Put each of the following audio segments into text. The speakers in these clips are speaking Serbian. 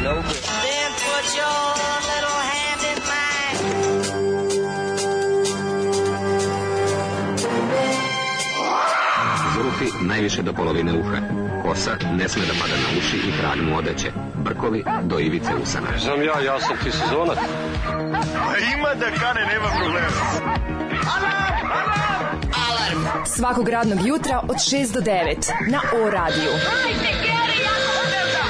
no good. Then put your little hand in mine. Zurufi najviše do polovine uha. Kosa ne sme da pada na uši i kralj mu odeće. Brkovi do ivice usana. Znam ja sam ti sezonac. A ima da kane, nema problema. Alarm! Alarm! Alarm! Svakog radnog jutra od 6 do 9 na O-radiju. Hajde, Geri, jako se velda!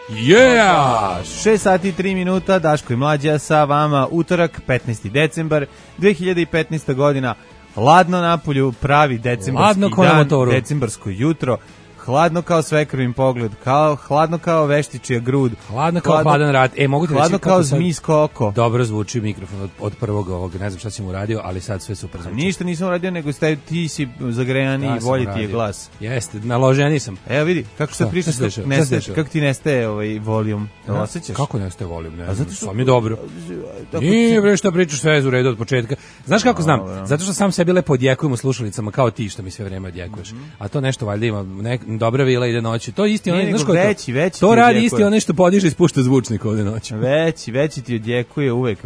Yeah! 6 sati i 3 minuta, Daško i Mlađa sa vama, utorak, 15. decembar, 2015. godina, hladno napolju, pravi decembarski dan, decembarsko jutro, hladno kao svekrvim pogled, hladno kao veštičija grud, hladno kao hladan rad. Mogu ti reći hladno kao zmijsko oko. Dobro zvuči mikrofon od prvog ovog, ne znam šta si mu uradio, ali sad sve super zvuči. Ništa nisam uradio, nego ti si zagrejani i volji ti je glas. Jeste, naloženiji sam. Evo vidi, kako se priča, kako ti nestaje ovaj volijum, osjećaš? Kako nestaje volijum, ne znam, sam je dobro. Nije bre šta pričaš, sve je u redu od početka. Znaš kako znam? Zato što sam sebi lepo odjekujem u slušalicama kao ti što mi sve vreme odjekuješ. A to nešto valjda ima, dobra vila ide noći. To isti onaj, znaš ko je to? Veći to radi isti onaj što podiže i spušta zvučnik ovde noći. Veći ti odjekuje uvek,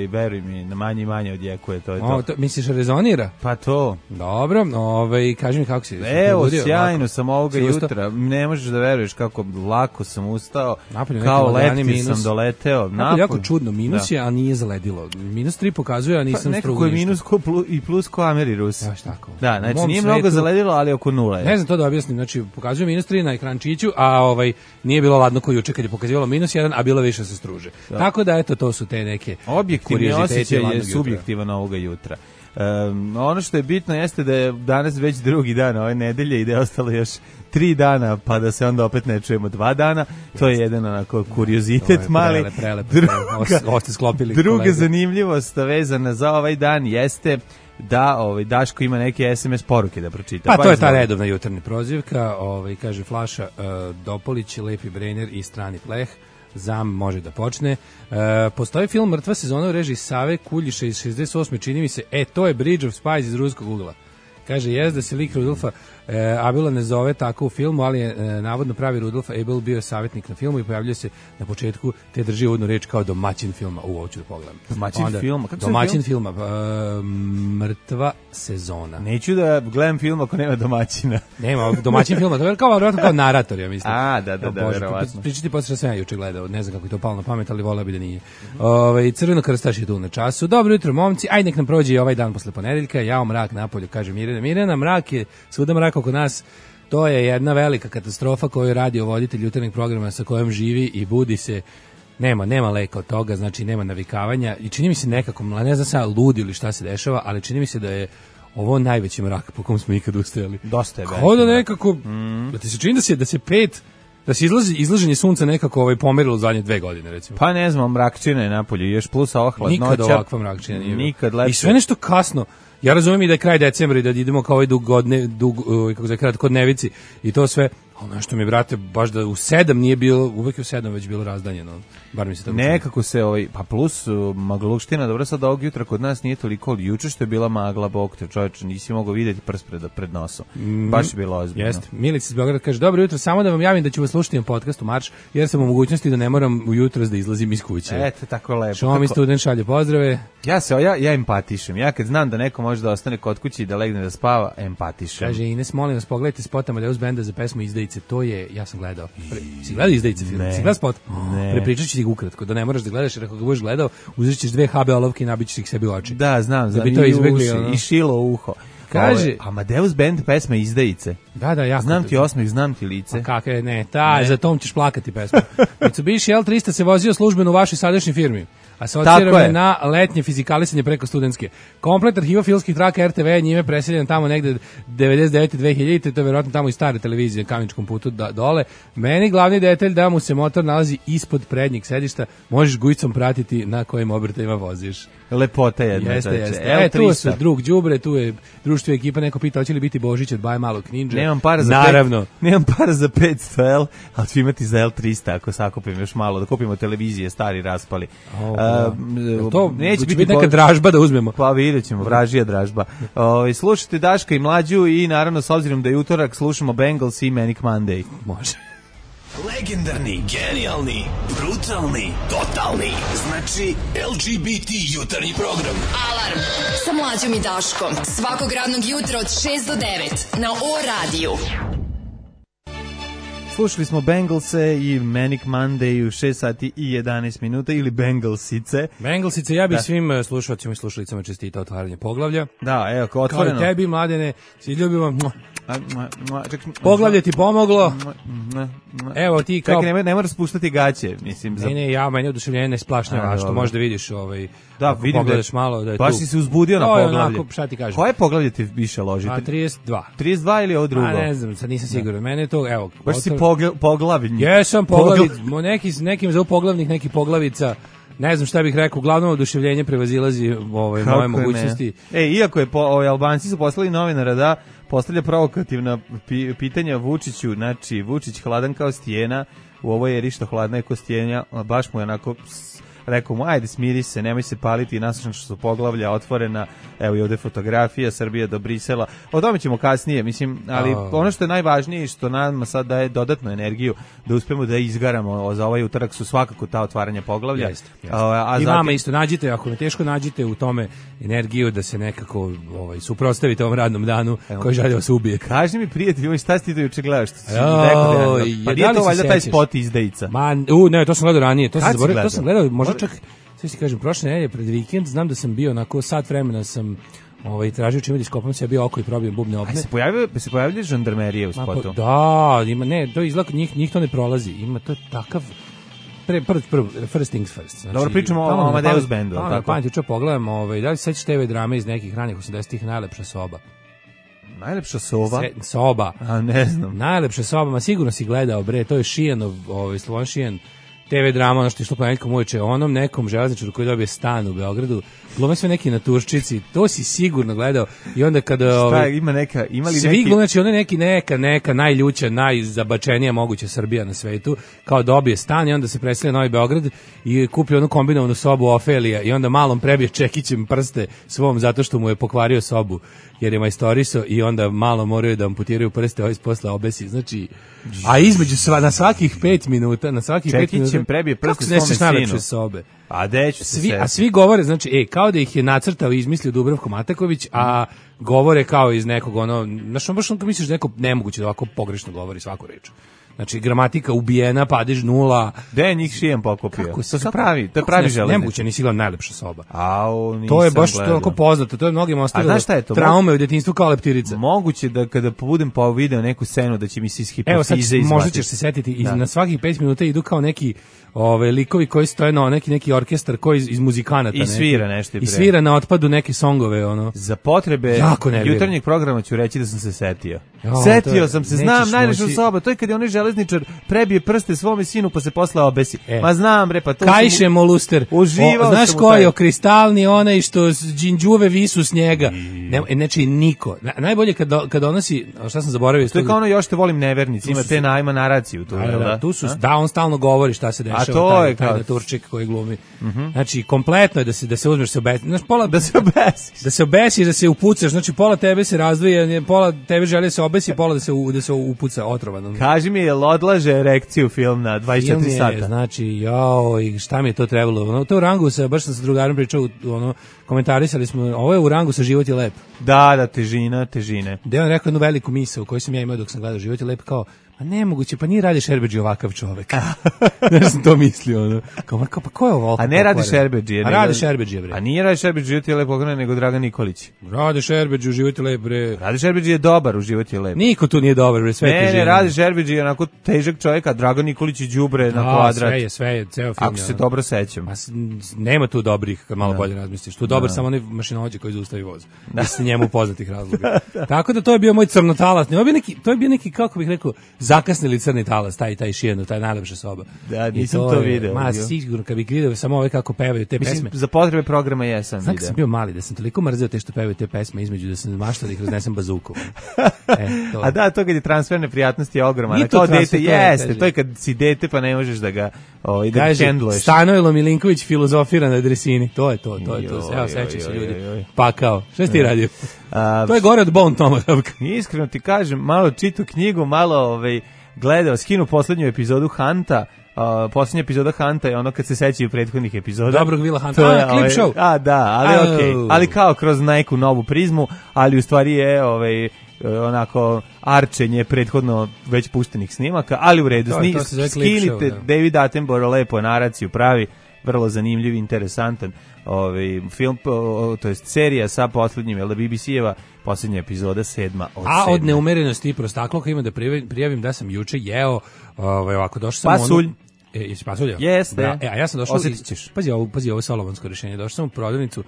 veruj mi, na manje i manje odjekuje, to je to. Misliš rezonira? Pa to. Dobro, kaži mi kako si. Evo, sjajno sam ovoga jutra. Ne možeš da veruješ kako lako sam ustao. Kao letvi sam doleteo. Napolje jako čudno, minus je, a nije zaledilo. -3 pokazuje, a nisam strugo ništa. Nekako je minus i plus ko Amerirus. Baš tako. Da, znači nije mnogo zaledilo, ali oko 0 je. Ne znam to da objasnim, znači pokazuje -3 na ekrančiću, a nije bilo ladno kao juče kad je pokazivalo -1, a bilo više se struže. Da. Tako da eto, to su te neke objektivni osjećaj je subjektivan ovoga jutra. Ono što je bitno jeste da je danas već drugi dan ove nedelje i da je ostalo još 3 dana, pa da se onda opet ne čujemo 2 dana. To je jedan onako kuriozitet mali. Druga zanimljivost vezana za ovaj dan jeste da Daško ima neke SMS poruke da pročita. Pa to je ta redovna jutarnja prozivka, kaže Flaša, Dopolić, Lepi Brener i Strani pleh. Zam može da počne. Postoji film Mrtva sezona u režiji Save Kuljiša iz 68. Čini mi se, to je Bridge of Spies iz ruskog ugla. Kaže, da se lik Rudolfa Abela ne zove tako u filmu, ali je navodno pravi Rudolf Abel bio savjetnik na filmu i pojavljuje se na početku, te drži uvodnu reč kao domaćin filma. Ovo ću da pogledam. Domaćin filma? Mrtva sezona. Neću da gledam film ako nema domaćina. Nema domaćin filma, to je kao narator, ja mislim. Da, verovatno. Pričati posle što sam ja juče gledao, ne znam kako je to palo na pamet, ali voleo bi da nije. Crveno krstaš je tu na času. Dobro jutro, momci, aj nek nam prođe i ovaj dan posle ponedeljka. Jao mrak napolju, kaže Mirjana, mrak je svuda mrak oko nas. To je jedna velika katastrofa koju radi voditelj jutarnjeg programa sa kojom živi i budi se. Nema leka od toga, znači nema navikavanja i čini mi se nekako, ne znam sada ludi ili šta se dešava, ali čini mi se da je ovo najveći mrak po kom smo ikad ustajali. Dosta je. Kao da nekako, da ti se čini da se izlaženje sunca nekako pomerilo u zadnje 2 godine, recimo. Pa ne znam, mrakčina je napolju, još plus ova hladnoća. Nikad ovakva mrakčina nije. Nikad lepše. I sve nešto kasno. Ja razumijem i da je kraj decembra i da idemo kao kratkodnevici i to sve. Ono što mi, brate, baš da u 7 nije bilo, uvek je u 7 već bilo razdanjeno. Bar mi se tako nekako se, pa plus magluština, dobro sad ovog jutra kod nas nije toliko, ali juče što je bila magla, bog te čovječe, nisi mogao vidjeti prst pred nosom. Baš je bilo ozbiljno. Jeste. Milica iz Beograda kaže, dobro jutro, samo da vam javim da ću vas slušati na podcastu Marš, jer sam u mogućnosti da ne moram ujutro da izlazim iz kuće. Eto, tako lepo. Šomi student šalje pozdrave. Ja empatišem. Ja kad znam da neko može da ostane kod kuće i da legne da spava, empatišem. Kaže Ines, molim vas, pogledajte spot Amadeus Benda za pesmu Izdajice. To je, ja sam gledao. Si gledao Izdajice film? Si gledao spot? Prepričat ću ti ukratko, da ne moraš da gledaš, jer ako ga budeš gledao, uzet ćeš 2 HB olovke i nabićeš ih sebi u oči. Da, znam, i šilo u uho. Kaže, Amadeus Band pesma Izdajice. Da, ja. Znam ti osmeh, znam ti lice. Kako je, za tom ćeš plakati pesmu. Mitsubishi L300 se vozio službeno u vašoj sadašnjoj firmi. Asocirano je na letnje fizikalisanje preko studentske. Komplet arhiva filmskih traka RTV je njime preseljen tamo negde 99-2000, to je verovatno tamo i stare televizije na Kameničkom putu dole. Meni glavni detalj da mu se motor nalazi ispod prednjeg sedišta, možeš gujicom pratiti na kojim obrtajima voziš. Lepota jedna. Jeste. Tu su drug đubre, tu je društvo ekipa, neko pita hoće li biti Božić od Baj Malog Ninja. Nemam para za 500 L, ali ću imati za L300 ako sakupim još malo, da kupimo televizije, stari raspali. To neće biti neka dražba da uzmemo. Pa vidjet ćemo, vražija dražba. Slušajte Daška i Mlađu i naravno s obzirom da je utorak slušamo Bengals i Manic Monday. Može. Legendarni, genijalni, brutalni, totalni. Znači LGBT jutarnji program. Alarm sa Mlađom i Daškom. Svakog radnog jutra od 6 do 9 na O-radiju. Slušali smo Bengalse i Manic Monday u 6 sati i 11 minuta ili Bengalsice. Bengalsice, ja bih svim slušalcima i slušalicama čestitao otvaranje poglavlja. Da, evo, kao otvoreno. Kao i tebi, Mladene, si ljubimo. Poglavlje ti pomoglo. Evo ti kao... Čekaj, ne moraš spuštati gaće, mislim. Ne, meni oduševljenje ne splašnjava, što možda vidiš da, vidim pogledaš malo da je baš tu. si se uzbudio na poglavlje. Onako, šta ti kažem? Koje poglavlje ti više loži? 32. 32 ili ovo drugo? Ne znam, sad nisam siguran. Mene je to, evo... Baš si poglavljen. Jesam nekim zovu poglavnik, neki poglavica. Ne znam šta bih rekao, uglavnom oduševljenje prevazilazi moje mogućnosti. Iako je Albanci su poslali novinara da postavlja provokativna pitanja Vučiću, znači Vučić hladan kao stijena, u ovoj eri što hladna je kao stijena, baš mu je onako rekao mu, ajde smiri se, nemoj se paliti, naslušam što su poglavlja otvorena, evo i ovde fotografija, Srbija do Brisela, o tome ćemo kasnije, mislim, ali ono što je najvažnije i što nam sad daje dodatnu energiju da uspemo da izgaramo za ovaj utorak su svakako ta otvaranja poglavlja. Jeste. I vama isto nađite, ako ne teško nađite u tome energiju da se nekako suprotstavite ovom radnom danu koji želi vas ubije. Kaži mi prijatelj, šta si ti juče gledaš? Pa nije to valjda taj spot izdajica? Ne, to sam gledao ranije, to sam gledao, možda čak, sve si kažem, prošle nedelje pred vikend, znam da sam bio onako sat vremena sam tražio čime da iskopam sebi oko i probijem bubne obne. Se pojavljaju žandarmerije u spotu? Da, ima, ne, to izgleda, njih to ne prolazi, ima to takav, first things first. Znači, dobro, pričamo o Amadeus bandu, tako? Pamet, čo pogledam, da li se sećaš TV drame iz nekih ranih 80-ih, Najlepša soba? Najlepša soba? Soba. A, ne znam. Najlepša soba, ma sigurno si gledao, bre, to je Šijanov, Slovan Šijan, TV drama, ono što je išlo ponedjeljkom uveče, onom nekom železničaru koji dobije stan u Beogradu, glume sve neki naturščici, to si sigurno gledao. I onda kada šta ima li svi neki glume, znači ona neki neka najljuća, najzabačenija moguća Srbija na svetu, kao dobije stan i onda se preselio Novi Beograd i kupi onu kombinovanu sobu Ofelija i onda malom prebije čekićem prste svom zato što mu je pokvario sobu jer je majstoriso i onda malo moraju da amputiraju prste, posle obesi, znači, a između na svakih 5 minuta, čekićem prebije prste svome sinu. Sobe. A svi govore, znači, kao da ih je nacrtao i izmislio Dubravko Mataković, a govore kao iz nekog znaš, baš misliš da neko nemoguće da ovako pogrešno govori svaku reč. Znači, gramatika ubijena, padež 0. Gde je njih Šijan pokupio? To je pravi železnič. Nemoguće, nisi gledao Najlepša soba. To je baš onako poznato, to je mnogim ostavilo traume u djetinjstvu kao leptirica. Moguće da kada budem pa video neku scenu da će mi se iz hipofize izvati. Evo sad, možda ćeš se setiti, i na svakih 5 minuta idu kao neki likovi koji stoje na neki orkestar koji iz muzikanata. I svira nešto. I svira na otpadu neke songove, Za potrebe jutarnjeg programa ću reći da sam se setio. Setio sam se, znam, Najlepša soba, to je kad je onaj železničar prebije prste svome sinu pa se posle obesi. Ma znam, bre, pa to Kajše Moluster. Uživao znaš koji je kristalni onaj što džinđuve visu s njega. Znači niko. Najbolje kad donosi, šta sam zaboravio. To je kao ono još te volim nevernici, ima naraciju tu. Da, on stalno govori šta se dešava. To je taj Turčik koji glumi. Znači, kompletno je da se uzmeš, da se obesiš, da se upucaš. Znači, pola tebe se razdvoje, pola tebe želi se obesi, pola da se upuca otrovano. Kaži mi, jel odlaže erekciju film na 24 sata? Znači, i šta mi je to trebalo? To je u rangu, baš sam sa drugarom pričao, komentarisali smo, ovo je u rangu sa Život je lep. Da, težine. Da je on rekao jednu veliku misao koju sam ja imao dok sam gledao Život je lep, kao, a nemoguće, pa nije Rade Šerbedžija ovakav čovek. Ne sam to mislio, pa ko je ovo? A ne Rade Šerbedžija. A Rade Šerbedžija, bre. A nije Rade Šerbedžija u Život je lep pokrenuo, nego Dragan Nikolić. Rade Šerbedžija u Život je lep, bre. Rade Šerbedžija je dobar u Život je lep. Niko tu nije dobar, bre, sve težine. Ne, Rade Šerbedžija je onako težak čovjek, a Dragan Nikolić je đubre na kvadrat. Sve je, ceo film. Ako se dobro sećam. Nema tu dobrih, kad malo bolje razmisliš. Tu dobar samo onaj mašinovođa koji zaustavi voz. Iz njemu poznatih razloga. Tako da to je bio moj crnotalac. To je bio neki, kako bih rekao, zakasnili crni talas, taj šijenu, taj najlepša soba. Da, nisam to video. Ma, sigurno, kad bih vidio samo ove kako pevaju te pesme. Za potrebe programa jesam video. Znam sam bio mali, da sam toliko mrzeo te što pevaju te pesme između da sam maštao da ih raznesem bazukom. A da, to kad je transfer neprijatnosti je ogroman. Kao dete, jeste, to je kad si dete pa ne možeš da ga handluješ. Stanojlo Milinković filozofira na dresini, to je to. Evo, sećam se ljudi. Pa kao, šta si ti radio? To je gore od Bone Tomahawk. Iskreno ti kažem, malo čitu knjigu, malo gledao, skinu poslednju epizodu Hunta. Poslednja epizoda Hunta je ono kad se sećaju prethodnih epizoda. Dobrog Vila Hunta, klip show. Da, ali okej. Ali kao kroz neku novu prizmu, ali u stvari je onako arčenje prethodno već puštenih snimaka, ali u redu. Skinite, David Attenborough lepo naraciju pravi, vrlo zanimljiv, interesantan film, to jest serija sa poslednjim, BBC-eva poslednja epizoda 7. A od neumerenosti i prostakloka ima da prijavim da sam juče jeo ovako, došao sam pasulj. Jesi pasulj? Jeste. A ja sam došao, osjetit ćeš. Pazi ovo solomonsko rješenje, došao sam u prodavnicu,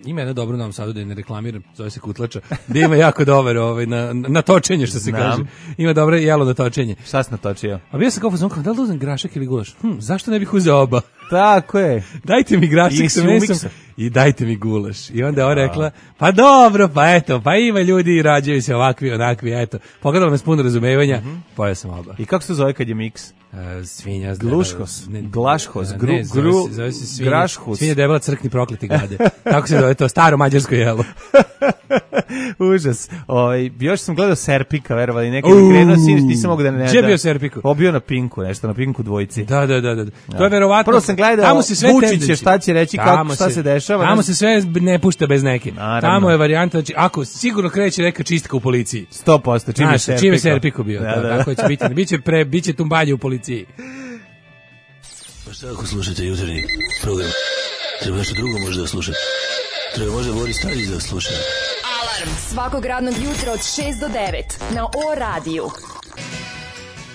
ima jedno dobro nam Sadu da ne reklamiram, zove se Kutlača, da ima jako dobar na točenje, što se kaže. Ima dobro jelo na točenje. Šta si natočio? A bio sam kao fazon, da li uzem grašak ili gulaš? Zašto ne bih uzeo oba? Tako je. Dajte mi grašak sa mesom i dajte mi gulaš. I onda je ona rekla, pa dobro, pa eto, pa ima ljudi i rađaju se ovakvi, onakvi, eto. Pogledala me s puno razumevanja, pojeo sam oba. I kako se zove kad je miks? Svinja Glušhos, glašhos, grašhos. Svinja debela crkni prokleti gade. Tako se zove to, staro mađarsko jelo. Užas. Još sam gledao Serpika, verovali, nekad krenuo siniš, nisam mogu da ne... Gdje je bio Serpiku? Bio na Pinku, nešto, na Pinku dvojici. Da. To je verovatno... Prvo sam gledao Vučiće, šta će reći, šta se dešava. Tamo se sve ne pušta bez neke. Tamo je varijanta, ako sigurno kreće neka čistka u policiji. 100%, čim je Serpiku bio. Tako će biti. Biće tumbalje u policiji. Pa šta ako slušate jutarnji program? Treba nešto drugo možda da slušate. Treba možda Boris Tadić da sluša. Alarm svakog radnog jutra od 6 do 9 na O radiju.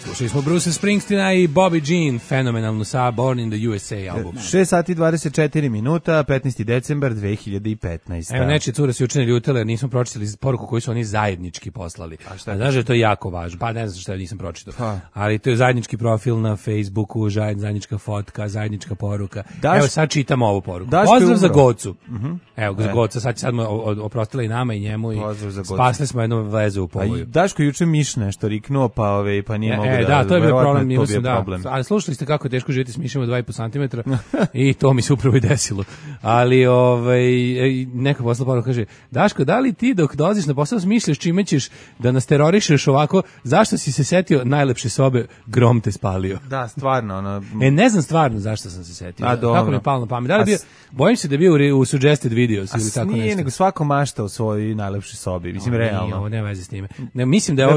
Slušali smo Bruce Springsteena i Bobby Jean, fenomenalnu sa Born in the USA album. 6 sati 24 minuta, 15. decembar 2015. Evo, neče cure se juče ljutile, nismo pročitali poruku koju su oni zajednički poslali. A šta je? Znaš da je to jako važno. Pa ne znam šta nisam pročitao. Ali to je zajednički profil na Facebooku, zajednička fotka, zajednička poruka. Evo sad čitamo ovu poruku. Pozdrav za Gocu. Evo, za Goca, sad smo oprostila i nama i njemu i spasli smo jednu vezu u povoju. Daško juče miš nešto riknuo, pa nije mogu da, to je bio problem, mislim, da. Ali slušali ste kako je teško živjeti s mišima 2,5 cm i to mi se upravo i desilo. Ali neka posla poruka kaže, Daško, da li ti dok dolaziš na posao smišljaš čime ćeš da nas terorišeš ovako, zašto si se setio najlepše sobe, grom te spalio? Da, stvarno. Ne znam stvarno zašto sam se setio. Kako mi je palo na pamet. Da li bio, bojim se da je bio u suggested videos ili tako nešto. Nije, nego svako mašta u svojoj najlepšoj sobi. Mislim, realno. Ovo nema veze s time. Ne, mislim da je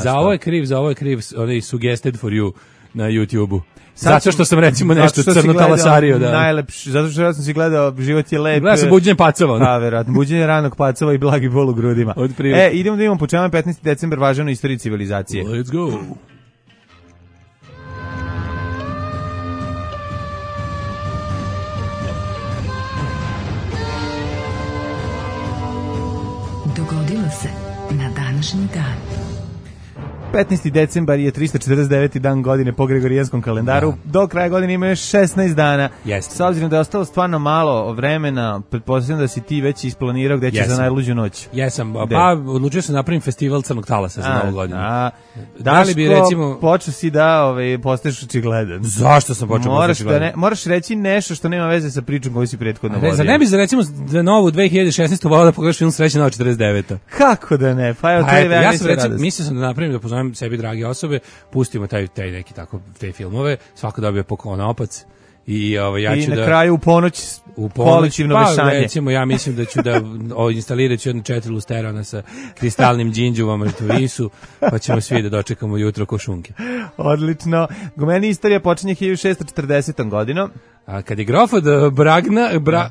za ovo je kriv suggested for you na YouTube-u. Zato što sam recimo nešto crno talasario. Najlepši, zato što ja sam si gledao Život je lep. Gledao sam Buđenje pacova. Da, verovatno. Buđenje ranog pacova i blagi bol u grudima. Idemo da imamo po čemu 15. decembar važan u istoriji civilizacije. Let's go. Dogodilo se na današnji dan. 15. decembar je 349. dan godine po Gregorijanskom kalendaru. Do kraja godine ima još 16 dana. S obzirom da je ostalo stvarno malo vremena, pretpostavljam da si ti već isplanirao gde ćeš za najluđu noć. Jesam, pa odlučio sam napravim festival crnog talasa za novu godinu. Daško, počeo si da postaješ očigledan. Zašto sam počeo postati očigledan? Moraš reći nešto što nema veze sa pričom koju si prethodno vodio. Ne bi recimo za novu 2016. volao da pogledaš film Srećna noć 49. Kako da ne? Pa evo, ja sam recimo, mislio sam da napravim da pozovem sebi drage osobe, pustimo taj neki tako te filmove, svako dobije po konopac i ja ću na kraju u ponoć kolektivno vešanje. Pa recimo ja mislim da ću da instalirat ću jedno 4 lusterana sa kristalnim džinđuvama visu, pa ćemo svi da dočekamo jutro ko šunke. Odlično. Meni istorija počinje 1640. godinom. A kad je grof od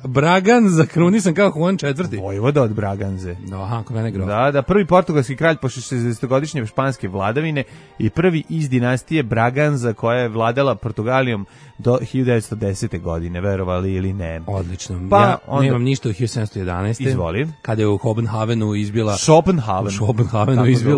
Braganza krunisan kao Juan IV. Vojvoda od Braganze. Aha, kod mene grof. Da, prvi portugalski kralj posle 60-godišnje španske vladavine i prvi iz dinastije Braganza koja je vladala Portugalijom do 1910. godine, verovali ili ne. Odlično. Pa, ja onda, nemam ništa od 1711. Izvoli. Kada je u Kopenhavenu izbila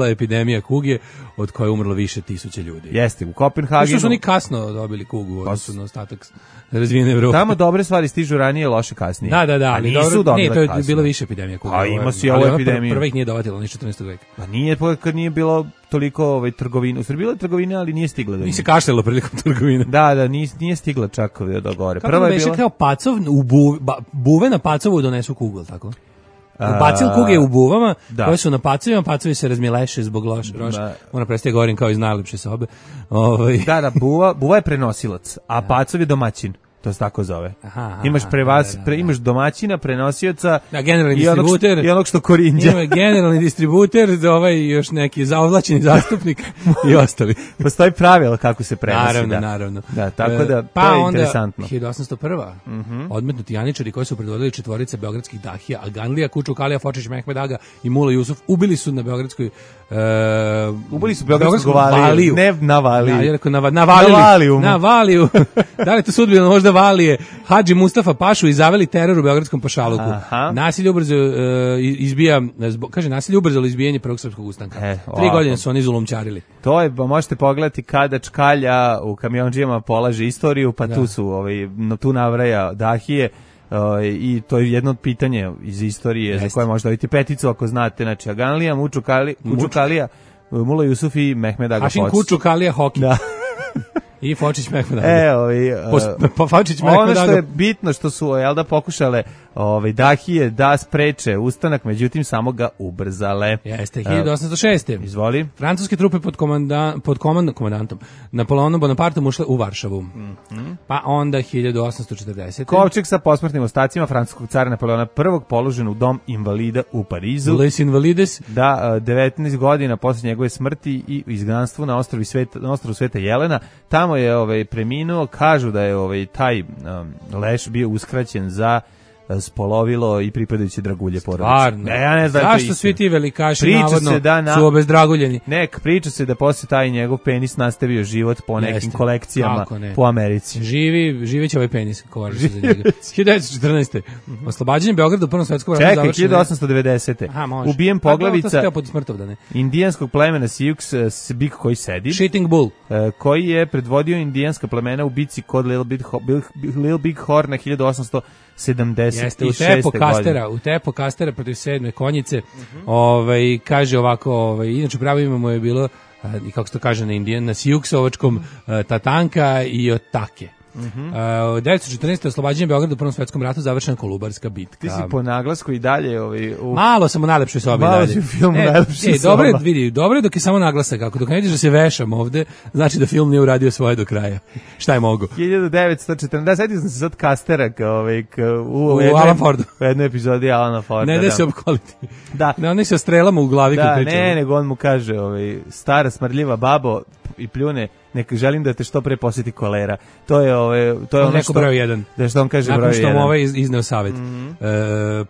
epidemija kuge od koje je umrlo više tisuća ljudi. Jeste, u Kopenhagenu. Što su oni kasno dobili kugu, odnosno na ostatak razvijene Evrope. Tamo dobre stvari stižu ranije, loše kasnije. Da. Ali nisu dobile to je kasno. bilo više epidemija kuge. A ima si ovu epidemiju. Prva ih nije dovatila, ni 14. veka. Pa nije, kad nije bilo toliko trgovine. U Srbiji bilo je trgovine, ali nije stigla do njih. Nije se kašljalo prilikom trgovine. Da, nije stigla čak do gore. Kako prva je bila... kao pacov, buve na pacovu donesu kugu, tako? Bacil kuge u buvama, koje su na pacovima, pacovi se razmileše zbog roša. Ona prestaje govorim kao iz najlepše sobe. Da, buva je prenosilac, a pacov je domaćin. To se tako zove. Imaš domaćina, prenosioca i onog što korinđa. Ima generalni distributer, još neki zaovlačeni zastupnik i ostali. Postoji pravilo kako se prenosi. Naravno. Da, tako da to je interesantno. Pa onda 1801. Odmetnuti janičari koji su predvodili četvorice beogradskih dahija, Aganlija, Kučuk, Alija, Fočić, Mehmed Aga i Mula Jusuf, ubili su na beogradskoj ubili su beogradsku valiju. Ne na valiju. Ja rekao na valiju. Da li to sudbino možda Valije, Hadži Mustafa Pašu i zaveli teror u beogradskom pašaluku. Nasilje ubrzalo izbijanje prvog srpskog ustanka. 3 godine su oni zulumčarili. To je, možete pogledati kada Čkalja u Kamiondžijama polaže istoriju, pa tu su, tu navraja dahije. I to je jedno od pitanja iz istorije za koje možda vidite peticu ako znate. Znači Aganlija, Kučukalija, Mula Jusuf i Mehmed Aga Fočić. Ašin Kučukalija Hoki. Da. I Fočić Mehmed Aga. Fočić Mehmed Aga. Ono što je bitno što su pokušale dahije da spreče ustanak, međutim samo ga ubrzale. Jeste, 1806. Izvoli. Francuske trupe pod komandantom Napoleonom Bonapartom ušle u Varšavu. Pa onda 1840. Kovčeg sa posmrtnim ostacima francuskog cara Napoleona I položen u dom invalida u Parizu. Les Invalides. Da, 19 godina posle njegove smrti i izgnanstvu na ostrvu Sveta Jelena. Tamo je preminuo, kažu da je taj leš bio uskraćen za spolovilo i pripadajuće dragulje porodice. Stvarno? Ja ne znam. Zašto svi ti velikaši navodno su obezdraguljeni? Priča se da posle taj njegov penis nastavio život po nekim kolekcijama po Americi. Živeće ovaj penis, kovaži se za njega. 1914. Oslobađanje Beograda u Prvom svetskom ratu završeno. 1890. Ubijen poglavica indijanskog plemena Sioux, bik koji sedi. Shitting Bull. Koji je predvodio indijanska plemena u bici kod Little Big Horn na 1876. Jeste, u tepo kastera protiv 7. konjice, kaže ovako, inače pravo imamo je bilo, i kako se to kaže na Siuksovačkom, Tatanka i Otake. 1914. oslobađanje Beograda u Prvom svetskom ratu, završena Kolubarska bitka. Ti si po naglasku i dalje malo sam u najlepšoj sobi dalje. Malo si u filmu najlepšoj sobi. Dobro je dok je samo naglasak, ako dok ne vidiš da se vešam ovde, znači da film nije uradio svoje do kraja. Šta je mogu? 1940, setio sam se sad Kastera u Alan Fordu. U jednoj epizodi Alana Forda. Ne da se opkoliti. Da. Ne, oni se strelama u glavi kad pričaju. Ne, nego on mu kaže, stara smrdljiva babo i pljune, želim da te što pre posjeti kolera. To je ono što broj 1. Da što on kaže broj 1. Nakon što mu ovaj izneo savjet.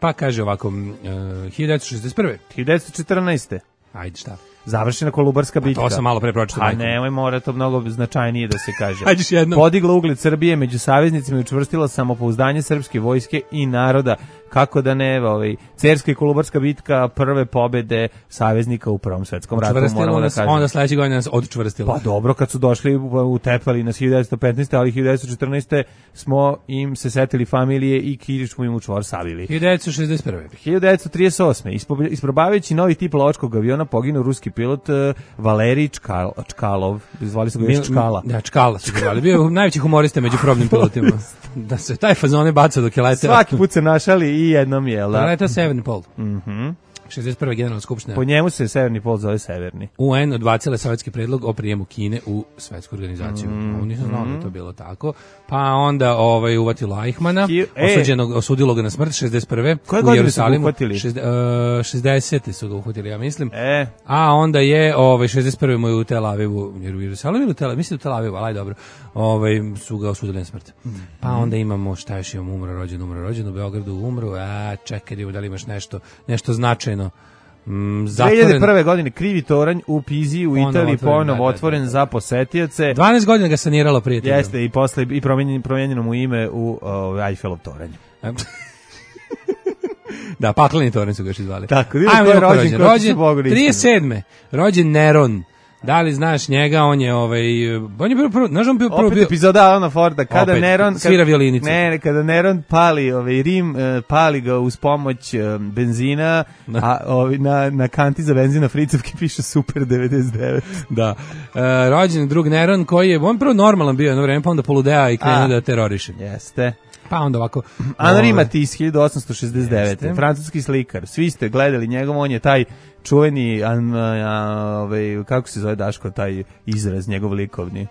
Pa kaže ovako 1961. 1914. Ajde, šta? Završena Kolubarska bitka. To sam malo pre pročitao. A nemoj, mora to mnogo značajnije da se kaže. Ajde jednom. Podigla ugled Srbije među saveznicima i učvrstila samopouzdanje srpske vojske i naroda. Kako da ne, Cerska i Kolubarska bitka, prve pobede saveznika u Prvom svetskom ratu, moramo da kažemo. Onda sledeće godine nas odčvrstilo. Pa dobro, kad su došli utepali nas 1915. ali 1914. smo im se setili familije i Kirić smo im u čvor savili. 1961. 1938. Isprobavajući novi tip lovačkog aviona poginuo ruski pilot Valerij Čkalov. Zvali su ga još Čkala. Da, Čkala su ga zvali. Bio najveći humorista među probnim pilotima. Da se taj fazone baca dok je leteo. Svaki put se našali i jednom je. Leta Severni pol. 61. generalna skupština. Po njemu se Severni pol zove Severni. UN odbacila sovjetski predlog o prijemu Kine u svetsku organizaciju. Nisam znao da je to bilo tako. Pa onda uvatilo Eichmana, osudilo ga na smrt 61. Koje godine su ga uhvatili? 60. su ga uhvatili, ja mislim. A onda je 61. mu je u Tel Avivu, jer u Jerusalimu ili u Tel Avivu, mislim u Tel Avivu, ali dobro, su ga osudili na smrt. Pa onda imamo, šta još imamo, umro, rođen, u Beogradu umro, čekaj, da li imaš nešto značajno. 2001. godine krivi toranj u Piziji u Italiji ponovo otvoren za posetioce. 12 godina ga saniralo prijatelj. Jeste, i posle i promijenjeno mu ime u Eiffelov toranj. Da, pakleni toranj su ga još izvali. Tako, ko je rođen 37. Rođen Neron. Da li znaš njega, on je on je bio prvo, znaš on bio prvo opet epizoda Alana Forda kada opet, Neron svira violinicu. Ne, kada Neron pali Rim, pali ga uz pomoć benzina, a na kanti za benzin na Fricovki piše Super 99. Da. Rođen drug Neron koji je on prvo normalan bio jedno vreme, pa onda poludea i krenuo da teroriše. Jeste. Pa onda ovako Henri Matisse 1869. Francuski slikar. Svi ste gledali njegov, on je taj čuveni kako se zove Daško taj izraz njegov likovni.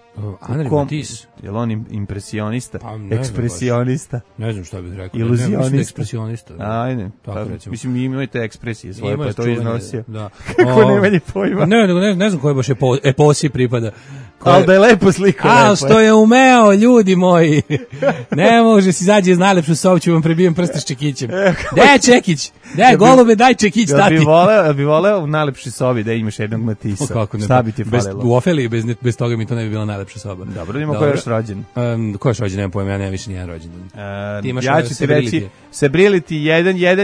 Henri Matisse. Je li on impresionista? Pa, ekspresionista? Ne znam šta bih rekao. Iluzionista? Ekspresionista. Ajde. Tako recimo. Mislim, imate ekspresije svoje, pa to iznosio. Da. Kako nemanje pojma? Ne znam koje baš eposi pripada. Ali da je lepo sliko. A, što je umeo, ljudi moji. Ne može si izađe iz najlepšu sobu, ću vam prebijem prste s čekićem. Daj čekić, daj golube, daj čekić, tati. Ja bi voleo u najlepšoj sobi da imaš jednog Matisa. Šta bi ti falilo? U Ofeliji bez toga mi to ne bi bila najlepša soba. Dobro, ima ko je još rođen. Ko je još rođen, nemam pojma, ja nemam više nijedan rođen. Ja ću ti reći, Sebrility,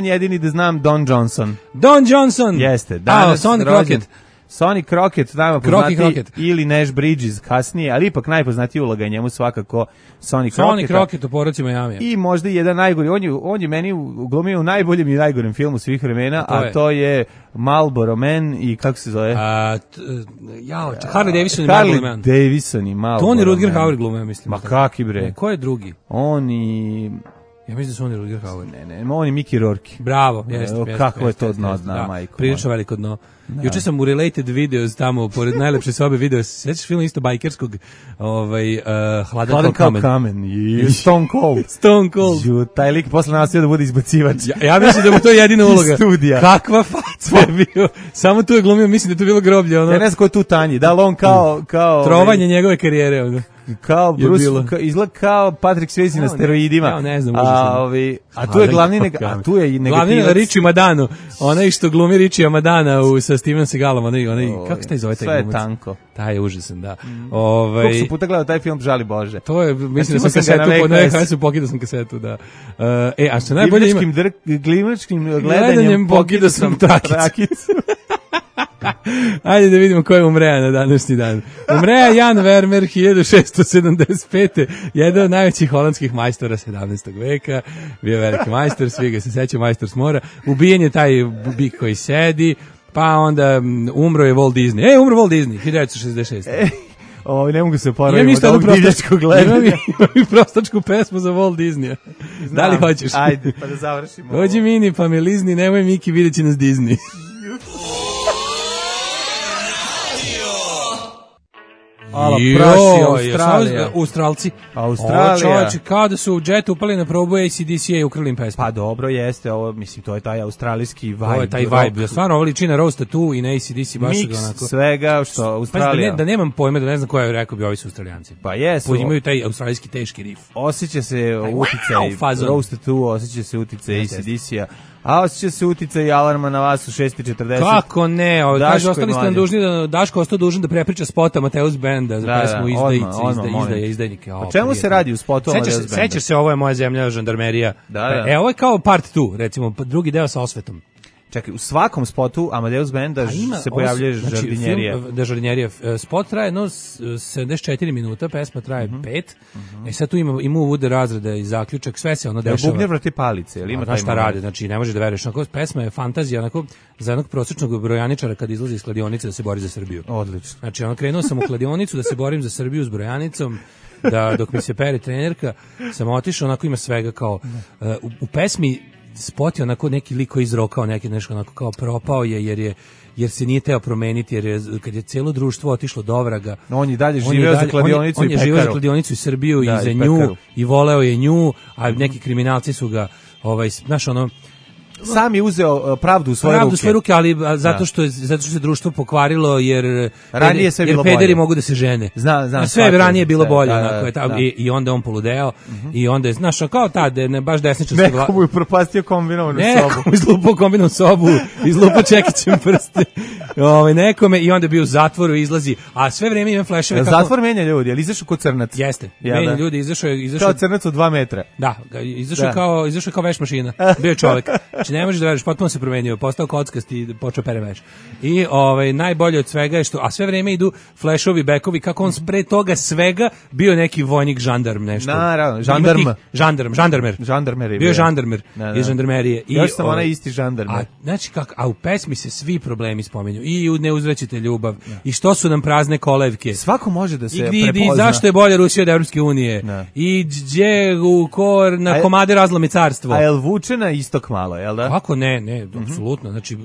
jedini da znam, Don Johnson. Don Johnson! Jeste, danas Sonny Crockett. Sonny Crockett, nama poznati, ili Nash Bridges kasnije, ali ipak najpoznatiji uloga je njemu svakako Sonny Crockett. Sonny Crockett u Porodci Miami. I možda i jedan najgori, on je meni glumio u najboljem i najgorem filmu svih vremena, a to je Marlboro Man i kako se zove? Harley Davidson i Marlboro Man. Harley Davidson i Marlboro Man. Tony Rutger Hauer glumio, mislim. Ma kaki bre? Ko je drugi? On i... Ja mislim da su oni Rutger Hauer. Ne, on je Mickey Rourke. Bravo, jeste. Kako je to dno, zna majko. Prilično veliko dno. Juče sam u Related Videos tamo, pored najlepše sobe video, sećaš film isto bajkerskog, Hladan kao kamen. Stone Cold. Stone Cold. Taj lik posle nastavio da bude izbacivač. Ja mislim da mu to je jedina uloga. Studija. Kakva faca je bio. Samo tu je glumio, mislim da je to bilo groblje. Ja ne znam ko je tu tanji. Da li on kao trovanje njegove karijere. Kao Bruce, izgleda kao Patrick Swayze na steroidima. Ja ne znam, a tu je glavni negativac. Glavni Richie Madano, onaj što glumi Richie Madana sa Steven Seagalom, onaj kako se taj zove taj glumac? Sve je tanko. Taj je užasan, da. Koliko su puta gledao taj film, žali Bože. To je, mislim da sam kasetu, pokidao sam kasetu, da. A što najbolje ima... Glimačkim gledanjem pokidao sam trakicu. Ajde da vidimo ko je umreja na današnji dan. Umreja Jan Vermeer 1675. Jedan od najvećih holandskih majstora 17. veka. Bio veliki majstor, svi ga se sećaju, majstor s mora. Ubijen je taj bik koji sedi, pa onda umro je Walt Disney. Umro Walt Disney 1966. Ne mogu se poraviti od ovog divljačkog gledanja. Imam prostačku pesmu za Walt Disneya. Da li hoćeš? Ajde, pa da završimo. Dođi Mini, pa me lizni, nemoj Miki, vidjet će nas Disney. Australci. Čovječe, kao da su u džetu upali na probu ACDC-a i ukrili im pesmu. Pa dobro, jeste, ovo, mislim, to je taj australijski vibe. To je taj vibe, stvarno, ovo liči na Rose Tattoo i na ACDC, baš mix onako. Svega, što Australija. Da nemam pojma, da ne znam koja je rekao bi ovi su Australijanci. Pa jesu. Imaju taj australijski teški riff. Osjeća se uticaj Rose Tattoo, osjeća se uticaj ACDC-a. A osjeća se uticaj alarma na vas u 6:40. Kako ne? Kaže, ostali ste nam dužni da Daško ostao dužan da prepriča spota Mateus Benda za pesmu Izdajnike. O čemu se radi u spotu Mateus Benda? Sećaš se, ovo je moja zemlja, žandarmerija. Ovo je kao part 2, recimo, drugi deo sa osvetom. Čekaj, u svakom spotu Amadeus Benda se pojavljuje žardinjerija. Žardinjerija. Spot traje 74 minuta, pesma traje 5. Sad tu ima uvode razreda i zaključak, sve se ono dešava. Bubnjer vrati palice, ili ima taj šta radi, znači ne može da veruješ. Pesma je fantazija, onako, za jednog prosječnog brojaničara kad izlazi iz kladionice da se bori za Srbiju. Odlično. Znači, krenuo sam u kladionicu da se borim za Srbiju s brojanicom, da dok mi se pere trenerka, sam otišao, onako ima svega kao, u pesmi spot je onako neki lik koji izrokao neki nešto onako kao propao je jer se nije teo promeniti, jer kad je celo društvo otišlo do vraga. On je dalje živeo za kladionicu i pekaru. On je živeo za kladionicu i Srbiju i za nju i voleo je nju, a neki kriminalci su ga znaš ono sam je uzeo pravdu u svoje ruke, ali zato što se društvo pokvarilo jer ranije sve bilo pederi bolje. mogu da se žene. Znam, sve ranije bilo bolje, onako je i onda on poludeo i onda je znaš kao tad ne baš desničarski vlast. Neko mu je propastio kombinovanu sobu. Neko izlupao kombinovanu sobu, izlupao čekićem prste. Nekome i onda je bio u zatvoru, izlazi, a sve vreme ima fleševe kako zatvor menja ljudi, ali izašao kao crnac. Jeste. Menja ljudi, izašao kao crnac od 2 metra. Da, izašao kao veš mašina. Bio je čovjek. Znači ne možeš da veriš, potpuno se promenio, postao kockast i počeo pere veš. I najbolje od svega je što, a sve vreme idu flešovi, bekovi, kako on pre toga svega bio neki vojnik, žandarm, nešto. Naravno, žandarmer je bio žandarmer iz žandarmerije. Još sam onaj isti žandarmer. Znači, a u pesmi se svi problemi spominju. I ne uzvraćate ljubav. I što su nam prazne kolevke. Svako može da se prepozna. I zašto je bolja Rusija od Evropske unije. I gdje na komade razlomi carstvo. A jel vuče na istok malo, jel da? Kako ne, apsolutno. Znači,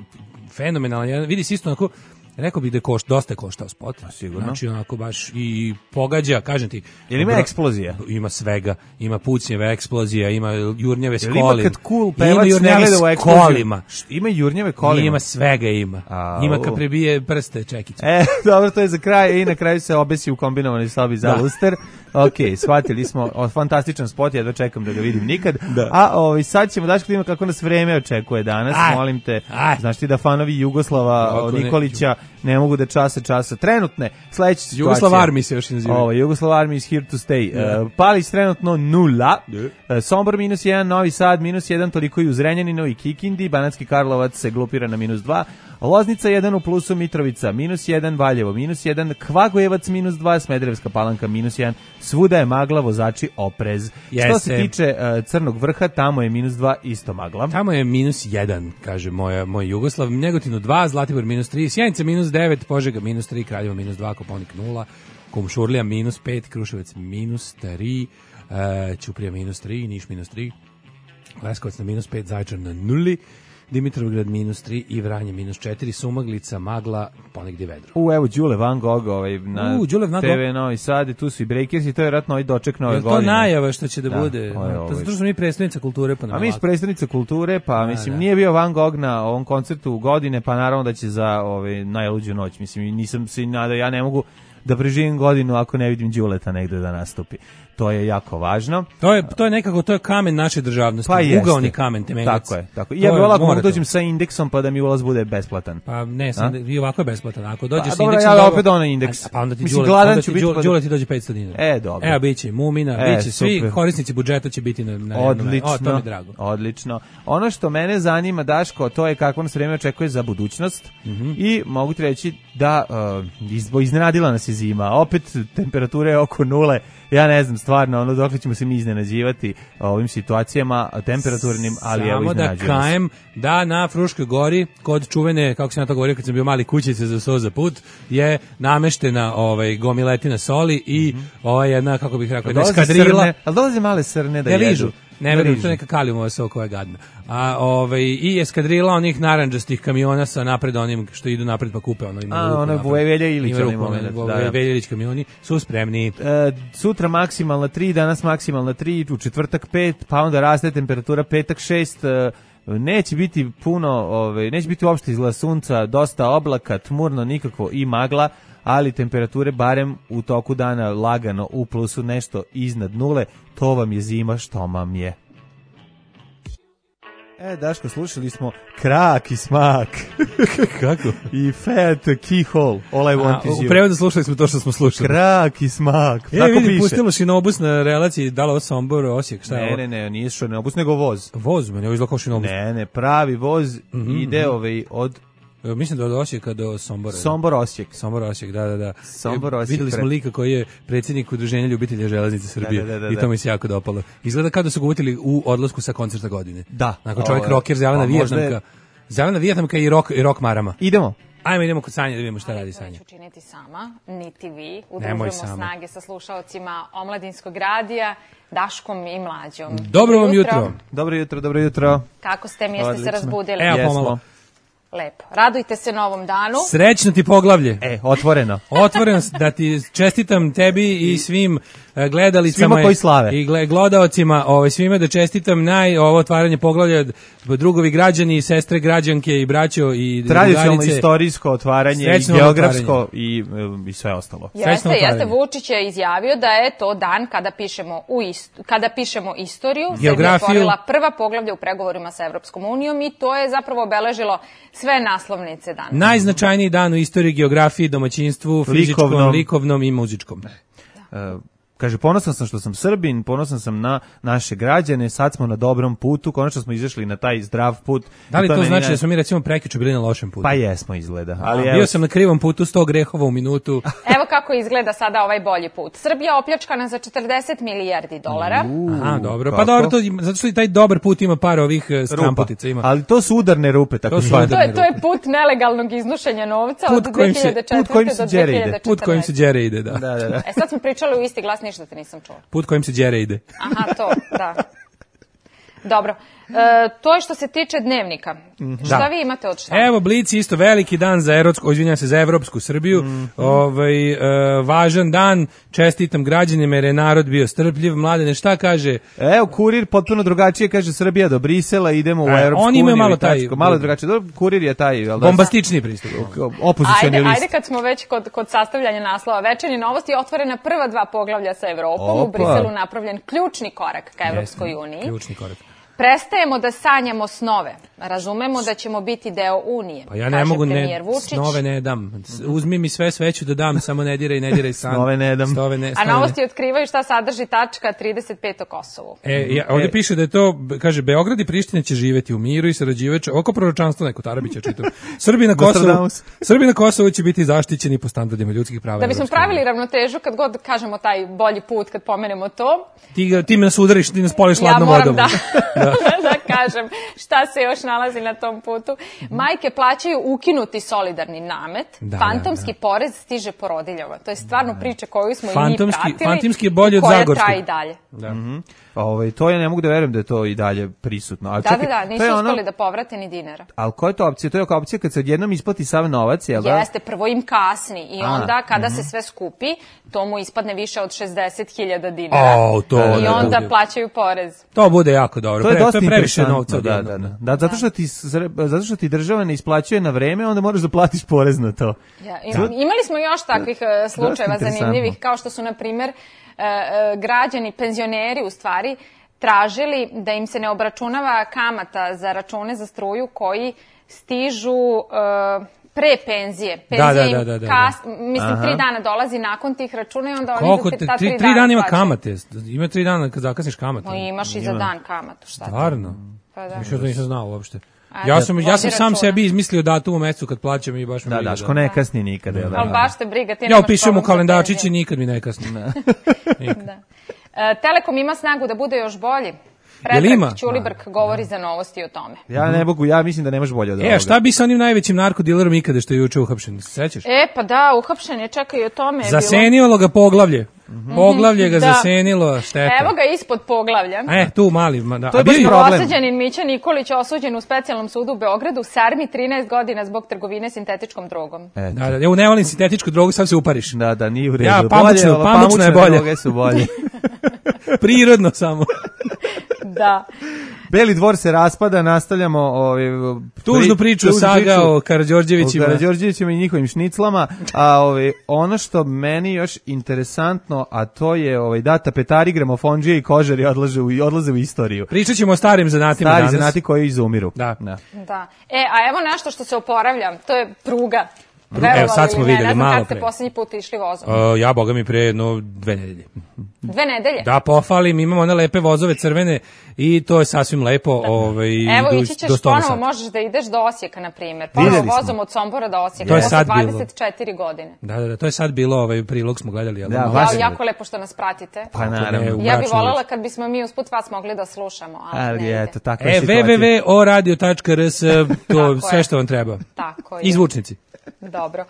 fenomenalan. Vidi se isto onako, rekao bih da je dosta koštao spot. Sigurno. Znači, onako baš i pogađa, kažem ti. Jel ima eksplozija? Ima svega. Ima pucnjeve eksplozija, ima jurnjeve s kolima. Jel ima kad cool pevac ne gleda u eksploziju? Ima jurnjeve kolima? Ima svega ima. Ima kad prebije prste čekiće. Dobro, to je za kraj. I na kraju se obesi u kombinovanoj sobi za luster. Ok, shvatili smo, fantastičan spot, ja da čekam da ga vidim nikad. A sad ćemo daći vidimo kako nas vreme očekuje danas. Molim te, znaš ti da fanovi Jugoslava Nikolića ne mogu da časa trenutne sledeće situacije. Jugoslav Army se još naziva. Jugoslav Army is here to stay. Palić trenutno 0, Sombor -1, Novi Sad -1, toliko i u Zrenjaninu i Kikindi, Banatski Karlovac se glupira na -2, Loznica 1 u plusu, Mitrovica -1, Valjevo -1, Kvagojevac -2, Smederevska Palanka -1, svuda je magla, vozači oprez. Što se tiče Crnog vrha, tamo je -2, isto magla. Tamo je -1, kaže moj Jugoslav, Negotinu 2, Zlatibor -3, Sjenica -9, Požega -3, Kraljevo -2, Kopaonik 0, Kumšurlija -5, Kruševac -3, Ćuprija -3, Niš -3, Leskovac na -5, Zaječar na 0, Dimitrovgrad -3 i Vranje -4, Sumaglica, magla, ponegdje vedro. Evo Đule Van Gogh na TV Novi Sad, tu su i Breakersi, to je vratno i doček nove godine. Je to najava što će da bude? To zato što smo mi predstavnica kulture. A mi smo predstavnica kulture, pa mislim nije bio Van Gogh na ovom koncertu godine, pa naravno da će za najluđu noć. Mislim, nisam se nadao, ja ne mogu da preživim godinu ako ne vidim Đuleta negde da nastupi. To je jako važno. To je nekako, to je kamen naše državnosti, ugaoni kamen temeljac. Tako. Ja bih volao ako dođem sa indeksom pa da mi ulaz bude besplatan. Pa ne, i ovako je besplatan. Ako dođeš sa indeksom, ja opet onaj indeks. Pa onda ti Đule ti dođe 500 dinara. Dobro. Evo biće Mumina, biće svi korisnici budžeta će biti na odlično. To mi je drago. Odlično. Ono što mene zanima, Daško, to je kako nas vreme očekuje za budućnost i mogu ti reći da iznenadila nas je zima. Opet temperature oko 0. Ja ne znam stvarno, dokle ćemo se mi iznenađivati ovim situacijama temperaturnim, ali evo iznenađujemo se. Samo da kajem da na Fruškoj gori, kod čuvene, kako sam ja to govorio kad sam bio mali, kućice za so za put, je nameštena gomiletina soli i jedna, kako bih rekao, eskadrila. Ali dolaze male srne da jedu. Ne verujem, to je neka kalijumova sok koja je gadna. I eskadrila onih narandžastih kamiona sa napred onim što idu napred pa kupe ono Velja Ilić kamioni su spremni. Sutra maksimalna 3, danas maksimalna 3, u četvrtak 5, pa onda raste temperatura petak 6. Neće biti puno, neće biti uopšte izgleda sunca, dosta oblaka, tmurno, nikako i magla, ali temperature barem u toku dana lagano u plusu, nešto iznad 0, to vam je zima što vam je. Daško, slušali smo Krak i smak. Kako? I Fat Keyhole, All I Want Is You. U prevodu slušali smo to što smo slušali. Krak i smak. Vidi, pustilo šinobus na relaciji, da li ovo Sombor, Osijek, šta je ovo? Ne, nije šinobus, nego voz. Voz, meni ovo izgleda šinobus. Ne, pravi voz ide od... Mislim da od Osijeka do Sombora. Sombor Osijek, da. Sombor Osijek. Videli smo lika koji je predsjednik Udruženja ljubitelja železnice Srbije i to mi se jako dopalo. Izgleda kao da su ga uvutili u odlasku sa koncerta godine. Da. Nakon čovjek rocker, zelena Vijetnamka i rock marama. Idemo. Ajmo, idemo kod Sanje da vidimo šta radi Sanja. Neću učiniti sama, niti vi. Udružujemo snage sa slušaocima Omladinskog radija, Daškom i Mlađom. Dobro vam jutro. Dobro jutro. Kako ste mi, jeste se razbudili? Evo pomalo. Lepo. Radujte se novom danu. Srećno ti poglavlje. Otvoreno. Otvoreno, da ti čestitam tebi i svim gledalicama svima koji slave. I gledaocima, svima da čestitam ovo otvaranje poglavlja, drugovi građani, sestre građanke i braćo i tradicionalno istorijsko otvaranje i geografsko i sve ostalo. Jeste, Vučić je izjavio da je to dan kada pišemo istoriju. Srbija otvorila prva poglavlja u pregovorima sa Evropskom unijom i to je zapravo obeležilo sve naslovnice danas. Najznačajniji dan u istoriji, geografiji, domaćinstvu, fizičkom, likovnom i muzičkom. Kaže, ponosan sam što sam Srbin, ponosan sam na naše građane, sad smo na dobrom putu, konačno smo izašli na taj zdrav put. Da li to znači da smo mi recimo prekjuče bili na lošem putu? Pa jesmo izgleda. Bio sam na krivom putu, 100 grehova u minutu. Evo kako izgleda sada ovaj bolji put. Srbija opljačkana za 40 milijardi dolara. Aha, dobro. Pa dobro, zato što i taj dobar put ima par ovih stramputica. Ima. Ali to su udarne rupe, tako zvane. To je put nelegalnog iznošenja novca od 2004. do 2014. Put kojim se đere ide, da. Sad smo pričali u isti glas, ništa te nisam čula. Put kojim se đere ide. Aha, to, da. Dobro. To je što se tiče dnevnika. Šta vi imate od šta? Evo, Blic isto veliki dan za Evropsku Srbiju. Važan dan, čestitam građanima jer je narod bio strpljiv. Mladene, šta kaže? Evo, Kurir potpuno drugačije, kaže Srbija do Brisela, idemo u Evropsku uniju. On ima malo drugačije. Kurir je taj bombastični pristup. Opozicioni list. Ajde kad smo već kod sastavljanja naslova Večernje novosti, otvorena prva 2 poglavlja sa Evropom. U Briselu napravljen ključni korak ka Evropskoj uniji. Ključni korak. Prestajemo da sanjamo snove. Razumemo da ćemo biti deo Unije. Pa ja ne mogu, snove ne dam. Uzmi mi sve ću da dam, samo ne diraj san. Snove ne dam. A novosti otkrivaju šta sadrži tačka 35 o Kosovu. Ovdje piše da je to, kaže, Beograd i Priština će živjeti u miru i sarađivajući, oko proročanstvo neko Tarabića čitam. Srbi na Kosovu će biti zaštićeni po standardima ljudskih prava. Da bismo pravili ravnotežu, kad god kažemo taj bolji put, kad pomenemo to. Ti me nas udariš, ti nas poliš ladnom vodom. Da kažem šta se još nalazi na tom putu. Majke plaćaju ukinuti solidarni namet. Fantomski porez stiže porodiljama. To je stvarno priča koju smo i mi pratili. Fantomski je bolji od Zagorskog. Koja traje i dalje. To ja ne mogu da verujem da je to i dalje prisutno. Ali da, nisu uspeli da povrate ni dinara. Ali koja je to opcija? To je opcija kad se odjednom isplati sav novac, jel da? Jeste, prvo im kasni i onda kada se sve skupi, to mu ispadne više od 60.000 dinara. I onda plaćaju porez. To bude jako dobro. To je dosta previše novca. Da, zato što ti država ne isplaćuje na vreme, onda moraš da platiš porez na to. Imali smo još takvih slučajeva zanimljivih, kao što su, na primjer, građani, penzioneri u stvari, tražili da im se ne obračunava kamata za račune za struju koji stižu pre penzije. Penzija mislim, 3 dana dolazi nakon tih računa i onda oni za ta 3 dana 3 dana ima kamate? Ima 3 dana kad zakasniš kamate? Imaš i za dan kamatu, šta ti? Stvarno? Što to nisam znao uopšte. Ja sam sam sebi izmislio datum u mesecu kad plaćam i baš mi briga. Daško ne kasni nikad. Ali baš te briga, ti nemaš problem. Ja upišem u kalendarčić i nikad mi ne kasni. Telekom ima snagu da bude još bolji. Predrag Ćulibrk govori za novosti o tome. Ja mislim da nemaš bolje od ovoga. Šta bi sa onim najvećim narkodilerom ikada što je juče uhapšen? Se sećaš? Pa da, uhapšen je, čekaj, o tome je zasenilo ga poglavlje. Poglavlje ga zasenilo, šteta. Evo ga ispod poglavlja. Tu mali. To je baš problem. Osuđenin Mića Nikolić osuđen u specijalnom sudu u Beogradu, sarmi 13 godina zbog trgovine sintetičkom drogom. Ja ne volim sintetičku drogu, sad se upariš. Da, nije u redu. Pamučno je bolje. Droge su bolje. Prirodno samo. Da. Beli dvor se raspada, nastavljamo tužnu priču saga o Karađorđevićima. O Karađorđevićima i njihovim šniclama, a ono što meni još interesantno, a to je da tapetari, gramofondžije i kožari odlaze u istoriju. Pričat ćemo o starim zanatima danas. Stari zanati koji izumiru. Da. A evo nešto što se oporavlja, to je pruga. Evo sad smo vidjeli malo pre. Kad ste posljednji put išli vozom? Ja, boga mi, pre 2 nedelje. 2 nedelje? Da, pofalim, imamo one lepe vozove crvene i to je sasvim lepo. Evo, ići ćeš ponovo, možeš da ideš do Osijeka, na primjer. Ponovo vozom od Sombora do Osijeka. To je sad 24 godine. Da, to je sad bilo, prilog smo gledali. Jako lepo što nas pratite. Pa naravno. Ja bih voljela kad bismo mi usput vas mogli da slušamo. www.oradio.rs, to sve što vam treba. Tako je. Izvučnici. Dobro.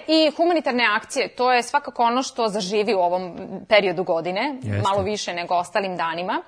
I humanitarne akcije, to je svakako ono što zaživi u ovom periodu godine, malo više nego ostalim danima.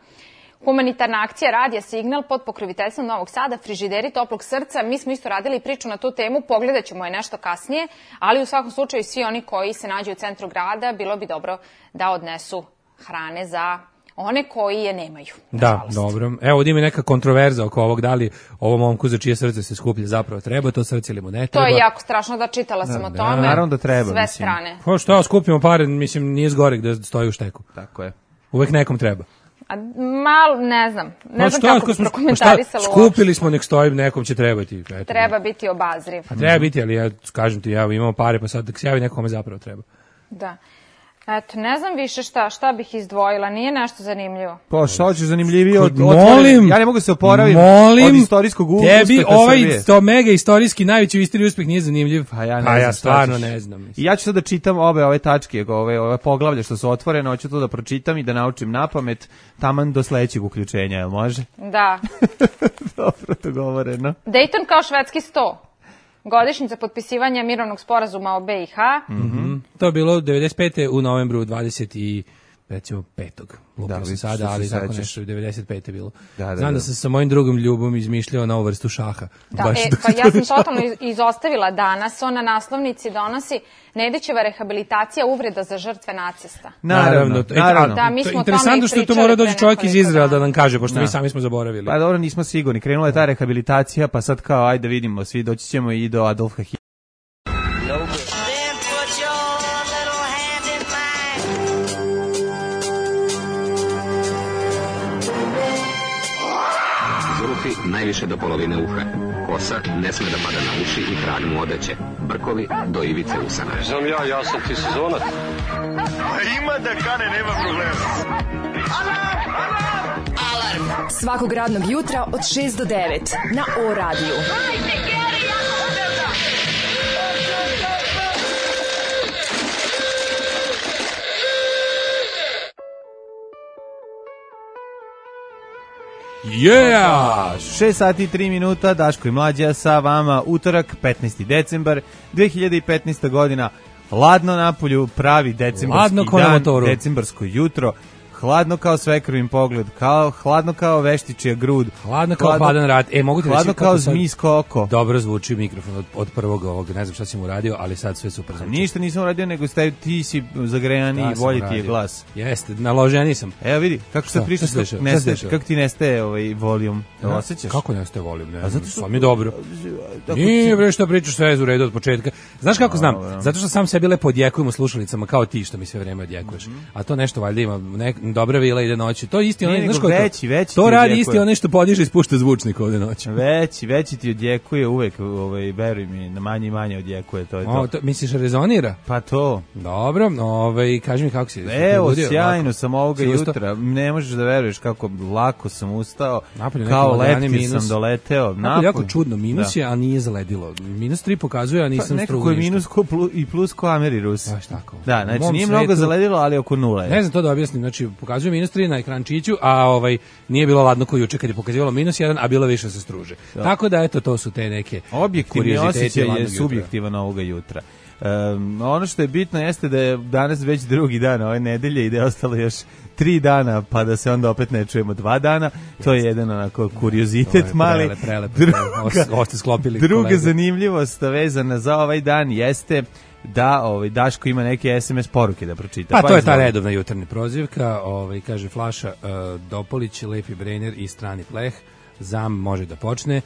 Humanitarna akcija Radija Signal pod pokroviteljstvom Novog Sada, frižideri toplog srca. Mi smo isto radili priču na tu temu, pogledat ćemo je nešto kasnije, ali u svakom slučaju svi oni koji se nađu u centru grada, bilo bi dobro da odnesu hrane za one koji je nemaju. Da, dobro. Evo, ovdje ima neka kontroverza oko ovog, da li ovom momku za čije srce se skuplja zapravo treba to srce ili mu ne treba. To je jako strašno, da čitala sam o tome. Naravno da treba. Sve strane. Pa što, skupimo pare, mislim, nije zgorek da stoji u šteku. Tako je. Uvek nekom treba. A malo, ne znam kako bi prokomentarisalo. Skupili smo, nek stoji, nekom će trebati. Eto, treba biti obazriv. A treba biti, ali ja kažem ti, imamo pare, pa sad da se javi nekome zapravo treba. Da. Eto, ne znam više šta bih izdvojila, nije nešto zanimljivo. Pa šta hoćeš zanimljivije od molim, ja ne mogu se oporaviti od istorijskog uspeha tebi Srbije. Ovaj to mega istorijski najveći u istoriji uspeh nije zanimljiv. Pa ja stvarno ne znam. I ja ću sad da čitam ove tačke, ove poglavlja što su otvorene, hoću to da pročitam i da naučim napamet taman do sledećeg uključenja, jel može? Da. Dobro, to govoreno. Dayton kao švedski sto. Godišnjica potpisivanja mirovnog sporazuma o BiH. To je bilo 95. u novembru 25. Lupio sam sada, ali tako nešto 95. bilo. Znam da sam sa mojim drugom Ljubom izmišljao novu vrstu šaha. Pa ja sam totalno izostavila danas. On na naslovnici donosi Nedićeva rehabilitacija uvreda za žrtve nacista. Naravno. Da, mi smo interesantno što to mora doći čovjek iz Izraela da nam kaže, pošto mi sami smo zaboravili. Pa dobro, nismo sigurni. Krenula je ta rehabilitacija, pa sad kao, ajde vidimo, svi doći ćemo i do Adolfa Hitlera. Najviše do polovine uha. Kosa ne sme da pada na uši i kralj mu odeće. Brkovi do ivice usana. Znam ja sam ti sezonac. Ima da kane, nema problema. Alarm svakog radnog jutra od 6 do 9 na O radiju. Yeah! 6 sati i 3 minuta, Daško i Mlađa sa vama, utorak, 15. decembar, 2015. godina, ladno napolju, pravi decembarski dan, decembarsko jutro, hladno kao svekrvin pogled, hladno kao veštičija grud, hladno kao hladan rat. Mogu ti hladno reći kao zmijsko oko. Dobro zvuči mikrofon od prvog ovog, ne znam šta si mu uradio, ali sad sve super zvuči. Ništa nisam uradio, nego ti si zagrejani i bolje ti je glas. Jeste, naložen nisam. Evo vidi, kako se priča, kako ti nestaje volijum, osjećaš? Kako nestaje volijum? Ne, zato što mi je dobro. Nije bre što pričaš, sve je u redu od početka. Znaš kako znam? Zato što sam sebi lepo odjekujem u slušalicama kao ti što mi sve vreme odjekuješ. A to nešto valjda ima dobra vila ide noći. To isti onaj, znaš veći to radi isti onaj što podiže i spušta zvučnik ovde noći. Veći ti odjekuje uvek, veruj mi, na manje i manje odjekuje, to je to. Misliš rezonira? Pa to. Dobro, kaži mi kako si. Evo, sjajno sam ovoga jutra. Ne možeš da veruješ kako lako sam ustao. Kao letki sam doleteo. Napolje jako čudno, minus je, a nije zaledilo. -3 pokazuje, a nisam strugo. Nekako je minus i plus ko Amerirus. Baš tako. Da, znači nije mnogo zaledilo, ali oko 0 je. Ne znam to da objasnim, znači pokazuje -3 na ekrančiću, a nije bilo ladno kao juče kad je pokazivalo -1, a bilo više se struže. Tako da eto, to su te neke objektivni osjećaj je subjektivan ovoga jutra. Ono što je bitno jeste da je danas već drugi dan ove nedelje i da je ostalo još 3 dana, pa da se onda opet ne čujemo 2 dana. To je jedan onako kuriozitet mali. Druga zanimljivost vezana za ovaj dan jeste da Daško ima neke SMS poruke da pročita. Pa to je ta redovna jutarnja prozivka, kaže Flaša Dopolić, Lepi Brejner i Strani pleh. Zam može da počne.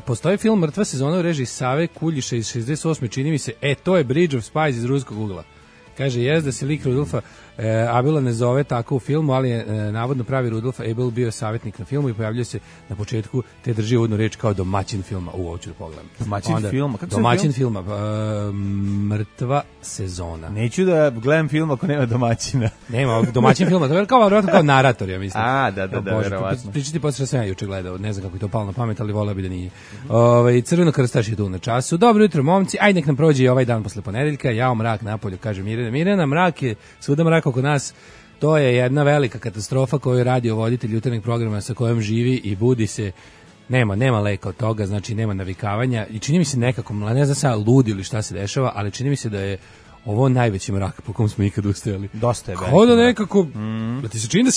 Postoji film Mrtva sezona u režiji Save Kuljiša iz 68. čini mi se, to je Bridge of Spies iz ruskog ugla. Kaže, da se lik Rudolfa Abela ne zove tako u filmu, ali je navodno pravi Rudolf Abel bio savjetnik na filmu i pojavljuje se na početku, te drži uvodnu reč kao domaćin filma. Ovo ću da pogledam. Domaćin filma? Mrtva sezona. Neću da gledam film ako nema domaćina. Nema domaćin filma, to je kao narator, ja mislim. Da, verovatno. Pričati posle sam ja juče gledao, ne znam kako je to palo na pamet, ali voleo bi da nije. Crveno krstaš je tu na času. Dobro jutro, momci, ajde nek nam prođe i ovaj dan posle ponedeljka. Jao mrak napolju, kaže Mirjana, mrak je, svuda mrak oko nas. To je jedna velika katastrofa koju radi voditelj jutarnjeg programa sa kojom živi i budi se Nema leka od toga, znači nema navikavanja i čini mi se nekako, ne znam sad ludi ili šta se dešava, ali čini mi se da je ovo najveći mrak po kom smo ikad ustajali. Dosta je veliki. Kao da nekako, da ti se čini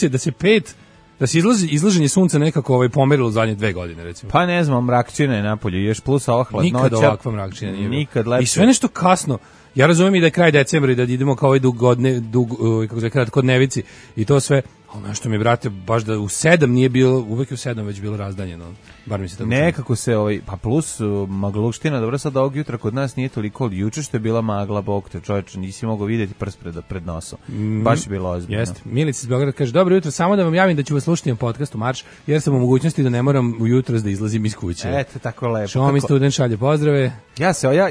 da se izlaženje sunca nekako pomerilo u zadnje 2 godine, recimo. Pa ne znam, mrakčina je napolju, još plus ova hladnoća. Nikad ovakva mrakčina nije. Nikad lepše. I sve nešto kasno. Ja razumijem i da je kraj decembra i da idemo kao kod nevici i to sve. Ono što mi, brate, baš da u 7 nije bilo, uvek je u 7 već bilo razdanjeno. Bar mi se tako nekako se, pa plus magluština, dobro sad ovog jutra kod nas nije toliko, juče što je bila magla, bog te čovječe, nisi mogao vidjeti prst pred nosom. Baš je bilo ozbiljno. Jeste. Milica iz Beograda kaže, dobro jutro, samo da vam javim da ću vas slušati na podcastu Marš, jer sam u mogućnosti da ne moram ujutro da izlazim iz kuće. Eto, tako lepo. Šomi student šalje pozdrave.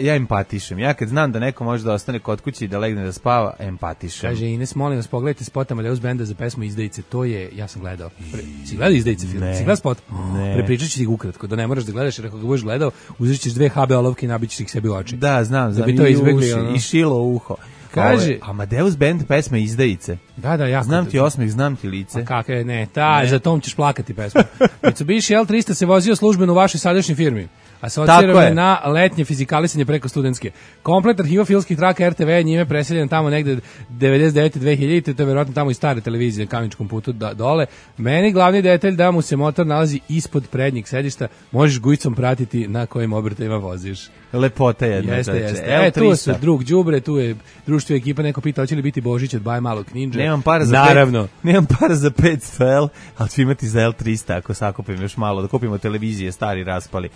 Ja empatišem. Ja kad znam da neko može da ostane kod kuće i da legne da spava, empatišem. Kaže Ines, molim vas, pogledajte spot Amadeus benda za pesmu Izdajice. To je, ja sam gledao. Si gledao Izdajice film? Si gledao spot? Prepričat ću ti ukratko, da ne moraš da gledaš, jer ako ga budeš gledao, uzet ćeš 2 HB olovke i nabićeš ih sebi u oči. Da, znam. Da bi to izbegli. I šilo u uho. Kaže, Amadeus band pesma Izdajice. Da, jako. Znam ti osmeh, znam ti lice. Pa kakve, ne, za tom ćeš plakati pesmu. Mitsubishi L300 se vozio službeno u vašoj sadašnjoj firmi. Asocirano je na letnje fizikalisanje preko studentske. Komplet arhiva filmskih traka RTV je njime preseljen tamo negde 99-2000, to je verovatno tamo i stare televizije na Kameničkom putu dole. Meni glavni detalj da mu se motor nalazi ispod prednjeg sedišta, možeš gujicom pratiti na kojim obrtajima voziš. Lepota jedna. Jeste. Tu su drug đubre, tu je društvo ekipa, neko pita hoće li biti Božić od Baj Malog Ninja. Nemam para za 500 L, ali ću imati za L300 ako sakupim još malo, da kupimo televizije, stari raspali.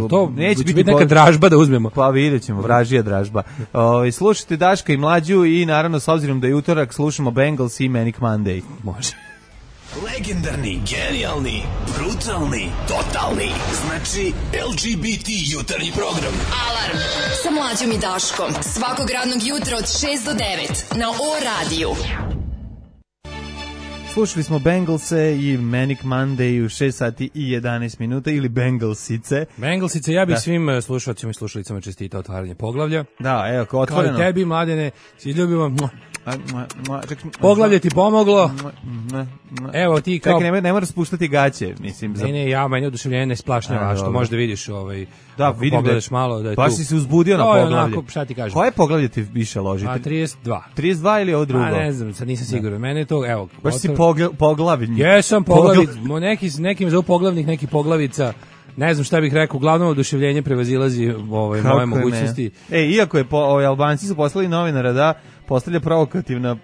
To neće biti neka dražba da uzmemo. Pa vidjet ćemo, vražija dražba. Slušajte Daška i Mlađu i naravno s obzirom da je utorak slušamo Bengals i Manic Monday. Može. Legendarni, genijalni, brutalni, totalni. Znači LGBT jutarnji program. Alarm sa Mlađom i Daškom. Svakog radnog jutra od 6 do 9 na O-radiju. Slušali smo Bengalse i Manic Monday u 6 sati i 11 minuta ili Bengalsice. Bengalsice, ja bih svim slušalcima i slušalicama čestitao otvaranje poglavlja. Da, evo, kao otvoreno. Kao i tebi, Mladene, si ljubimo. Poglavlje ti pomoglo. Evo ti kao... Čekaj, ne moraš spuštati gaće, mislim. Ne, ja meni oduševljenje ne splašnjava, što možda vidiš da, vidim pogledaš malo da je tu. Pa si se uzbudio na poglavlje. Onako, šta ti kažem? Koje poglavlje ti više loži? 32. 32 ili ovo drugo? Ne znam, sad nisam siguran. Mene je to, evo... Baš si poglavljen. Jesam poglavic, nekim zovu poglavnik, neki poglavica. Ne znam šta bih rekao, uglavnom oduševljenje prevazilazi moje mogućnosti. Iako je Albanci su poslali novinara da postavlja provokativna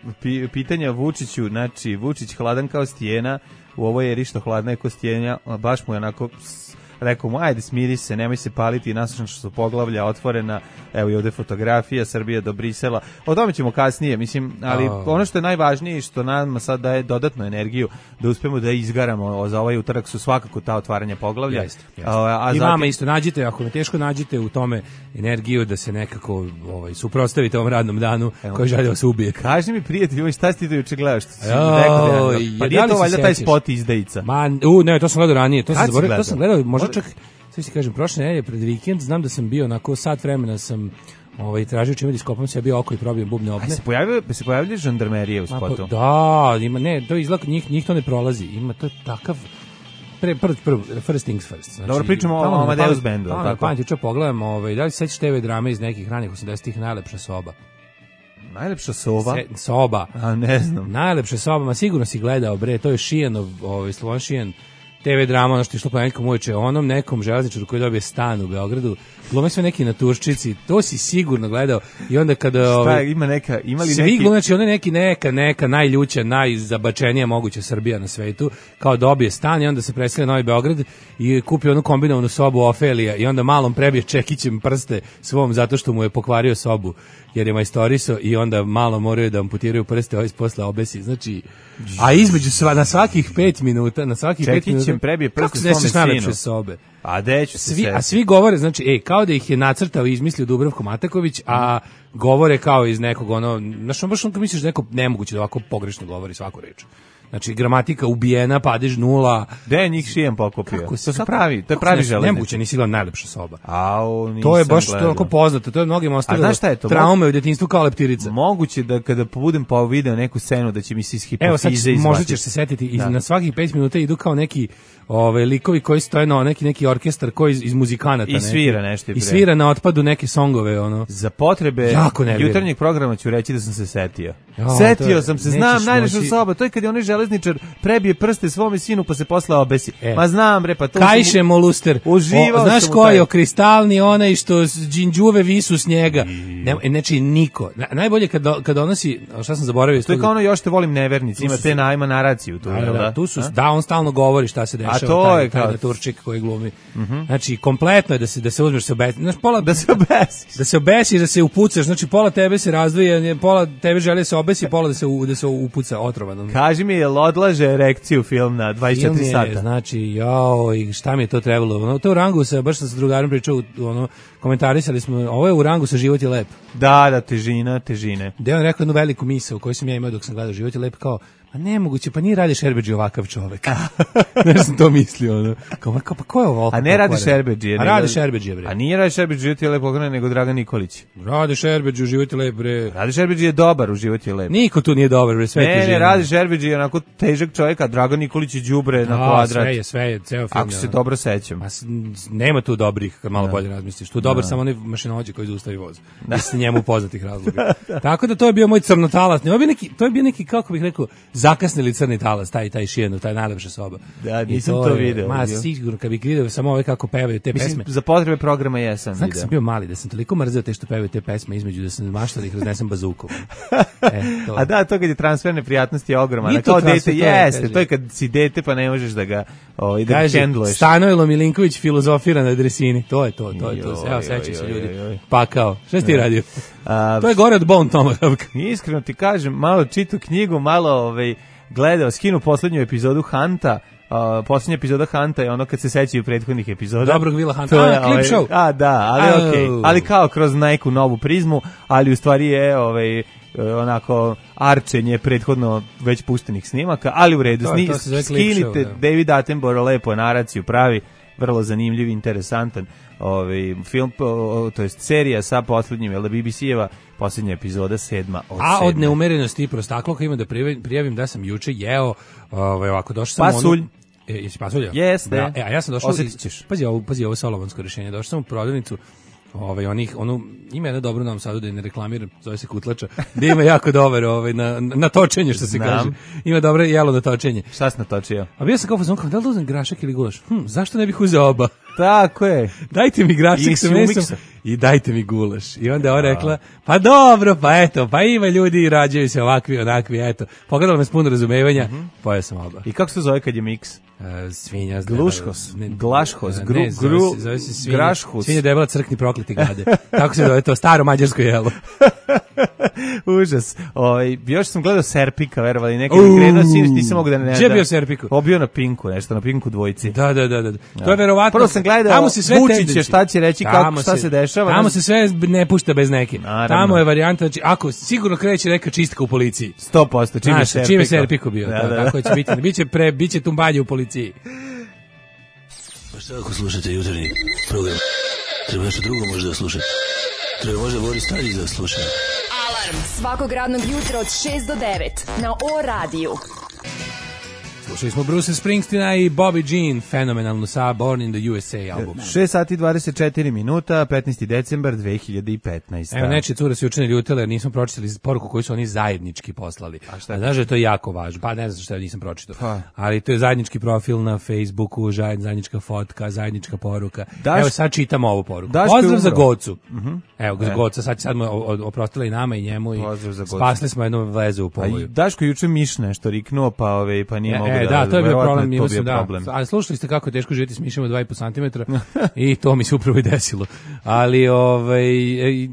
pitanja Vučiću, znači Vučić hladan kao stijena, u ovoj eri što hladna je kao stijenja, baš mu je onako... Rekao mu, ajde smiri se, nemoj se paliti, naslušam što su poglavlja otvorena, evo i ovde fotografija, Srbija do Brisela, o tome ćemo kasnije, mislim, ali ono što je najvažnije i što nam sad daje dodatnu energiju da uspemo da izgaramo za ovaj utorak su svakako ta otvaranja poglavlja. Jeste. I vama isto nađite, ako me teško nađite u tome energiju da se nekako suprotstavite ovom radnom danu koji želi da se ubije. Kaži mi prijatelj, šta si ti to juče gledaš? Pa nije to valjda taj spot Izdajica? Ne, to sam gledao ranije, to sam gledao, možda čak, sve si kažem, prošle nedelje pred vikend, znam da sam bio onako sat vremena sam tražio čime da iskopam se, ja bio oko i probio bubne opne. Se pojavljaju žandarmerije u spotu? Da, ima, ne, to izgleda, njih to ne prolazi, ima to takav, first things first. Znači, dobro, pričamo o Amadeus bandu, tako? Pamet, juče pogledam, da li se sećaš TV drame iz nekih ranih 80-ih, Najlepša soba? Najlepša soba? Soba. A, ne znam. Najlepša soba, ma sigurno si gledao, bre, to je Šijanov, Slovan Šijan, TV drama, ono što je išlo ponedjeljkom uveče, onom nekom železničaru koji dobije stan u Beogradu, glume sve neki naturščici, to si sigurno gledao. I onda kada šta ima li svi neki glume, znači ona neki neka najljuća, najzabačenija moguća Srbija na svetu, kao dobije stan i onda se preseli na Novi Beograd i kupi onu kombinovanu sobu Ofelija i onda malom prebije čekićem prste svom zato što mu je pokvario sobu jer je majstoriso i onda malo moraju da amputiraju prste, posle obesi, znači, a između na svakih 5 minuta, čekićem prebije prste svome sinu. Sobe. A deću se a svi govore, znači, kao da ih je nacrtao i izmislio Dubravko Mataković, a govore kao iz nekog, znaš, baš misliš da neko nemoguće da ovako pogrešno govori svaku reč. Znači, gramatika ubijena, padež 0. Gde je njih šijem pokupio? To su pravi, to je pravi železnici. Nemoguće, nisi bila najlepša soba. To je baš toliko poznato, to je mnogim ostavilo traume u djetinjstvu kao leptirica. Moguće da kada budem pa video neku scenu da će mi se iz hipofize izbaciti. Evo sad, možda ćeš se setiti, i na svakih 5 minuta idu kao neki likovi koji stoje na neki orkestar koji iz muzikanata. I svira nešto. I svira na otpadu neke songove. Za potrebe jutarnjeg programa ću reći da sam se setio. Setio sam se, znam, najlepša soba, to je kad je onaj železničar prebije prste svome sinu pa se posle obesi. Ma znam, bre, pa to... Kajše moluster. Znaš ko je kristalni onaj što džinđuve visu s njega. Znači, niko. Najbolje kad donosi, šta sam zaboravio... To je kao ono još te volim nevernici, ima naraciju tu. Tu su, on stalno govori šta se dešava. A to je kao Turčik koji glumi. Znači, kompletno je da se uzmeš se obesi. Znači, da se obesiš. Da se obesiš, da se upucaš. Znači, pola tebe se razdvoje, pola tebe želi se obesi, pola da se upuca otrovano. Kaži mi, jel odlaže erekciju film na 24 sata? Znači, i šta mi je to trebalo? To u rangu se, baš sam sa drugarom pričao, komentarisali smo, ovo je u rangu sa Život je lep. Da, težine. Da je on rekao jednu veliku misao koju sam ja imao dok sam gledao Život je lep, kao, a nemoguće, pa nije Rade Šerbedžija ovakav čovek. Ne sam to mislio, Kao, pa ko je ovo? A ne Rade Šerbedžija. A Rade Šerbedžija, bre. A nije Rade Šerbedžija u Život je lep, nego Dragan Nikolić. Rade Šerbedžija u Život je lep, bre. Rade Šerbedžija je dobar u Život je lep. Niko tu nije dobar, bre, sve težine. Ne, Rade Šerbedžija je onako težak čovjek, a Dragan Nikolić je đubre na kvadrat. Sve je, ceo film. Ako se dobro sećam. Nema tu dobrih, kad malo bolje razmisliš. Tu dobar samo onaj mašinovođa koji zaustavi voz. Iz njemu poznatih razloga. Tako da to je bio moj crnotalas. To je bio neki, kako bih rekao, zakasnili crni talas, taj Šijenu, taj najlepša soba. Da, nisam to video. Ma, sigurno, kad bih vidio samo ove kako pevaju te pesme. Za potrebe programa jesam video. Znam, sam bio mali, da sam toliko mrzeo te što pevaju te pesme između, da sam maštao da ih raznesem bazukom. A da, to kad je transfer neprijatnosti je ogroman. Kao dete, jeste, to je kad si dete pa ne možeš da ga hendluješ. Stanojlo Milinković filozofira na dresini, to je to. Evo, sećaju se ljudi. Pa kao, šta si ti radio? To je gore od Bone Tomahawk. Iskreno ti kažem, malo čitu knjigu, malo gledao, skinu poslednju epizodu Hanta. Poslednja epizoda Hanta je ono kad se sećaju prethodnih epizoda. Dobrog Vila Hanta. Clip show. Da, ali okej. Ali kao kroz neku novu prizmu, ali u stvari je onako arčenje prethodno već puštenih snimaka, ali u redu. Skinite David Attenborough lepo naraciju pravi, vrlo zanimljiv, interesantan film, to jest serija sa poslednjim, BBC-eva poslednja epizoda 7. od 7. A od neumerenosti i prostakloka ima da prijavim da sam juče jeo, ovako došao sam pasulj. Jesi pasulja? Jeste. A ja sam došao, osjetit ćeš. Pazi ovo solovansko rješenje, došao sam u prodavnicu, ima jedno dobro u Novom Sadu da je ne reklamiram, zove se Kutlača, da ima jako dobar na točenje, što se kaže. Ima dobro jelo na točenje. Šta si natočio? A bio sam kao fazon, da li uzem grašak ili gulaš? Zašto ne bih uzeo oba? Tako je. Dajte mi grašak sa mesom i dajte mi gulaš. I onda je ona rekla, pa dobro, pa eto, pa ima ljudi i rađaju se ovakvi, onakvi, eto. Pogledala me s puno razumevanja, pojeo sam oba. I kako se zove kad je miks? Svinja. Glašhos, grašhus. Svinja debela, crkni prokleti gade. Tako se zove to, staro mađarsko jelo. Užas. Još sam gledao Serpika, verovali, neki grenuo siniš, nisam mogu da ne... Gdje je bio Serpiku? Bio na Pinku, nešto, na Pinku dvojici. Da. To je verovatno... Prvo sam gledao Vučića, šta će reći, šta se dešava. Tamo se sve ne pušta bez neke. Tamo je varijanta, znači, ako sigurno kreće neka čistka u policiji. 100%, čime Serpiku bio. Tako će biti. Biće tumbanje u policiji. Pa šta ako slušate jutarnji program? Treba nešto drugo možda da slušate. Treba možda Boris Tadić da sluša. Alarm svakog radnog jutra od 6 do 9 na O-radiju. Slušali smo Bruce Springsteena i Bobby Jean, fenomenalno sa Born in the USA album. 6 sati 24 minuta, 15. decembar 2015. Evo, neče cure se učine ljutele jer nismo pročitali poruku koju su oni zajednički poslali. A šta? Znaš da je to jako važno? Pa ne znam što nisam pročitao. Ali to je zajednički profil na Facebooku, zajednička fotka, zajednička poruka. Evo sad čitamo ovu poruku. Pozdrav za Gocu. Evo, Goca, sad mu oprostila i nama i njemu i spasli smo jednu vezu u povoju. Daško juče Miš nešto riknuo, pa nije mogu Da, to je bio problem. To bio problem. Ali slušali ste kako je teško živjeti s mišima 2,5 cm i to mi se upravo i desilo. Ali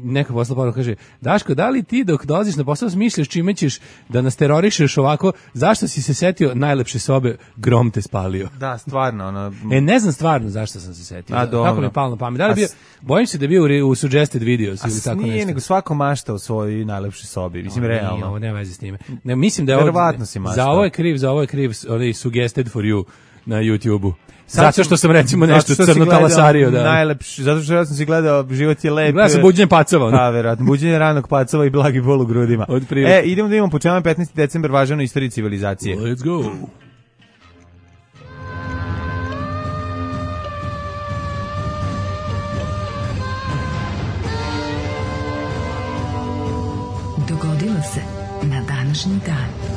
neka posla poruka kaže, Daško, da li ti dok dolaziš na posao smišljaš čime ćeš da nas terorišeš ovako, zašto si se setio najlepše sobe, grom te spalio? Da, stvarno. Ne znam stvarno zašto sam se setio. Kako mi je palo na pamet. Da li bio, bojim se da je bio u suggested videos ili tako nešto. Nije, nego svako mašta u svojoj najlepšoj sobi. Mislim, realno. Ovo nema veze s time. Ne, mislim da je za ovo je kriv onaj suggested for you na YouTube-u. Zato što sam recimo nešto crno talasario. Najlepši, zato što ja sam si gledao Život je lep. Gledao sam Buđenje pacova. Da, verovatno. Buđenje ranog pacova i blagi bol u grudima. Idemo da imamo po čemu 15. decembar važan u istoriji civilizacije. Let's go. Dogodilo se na današnji dan.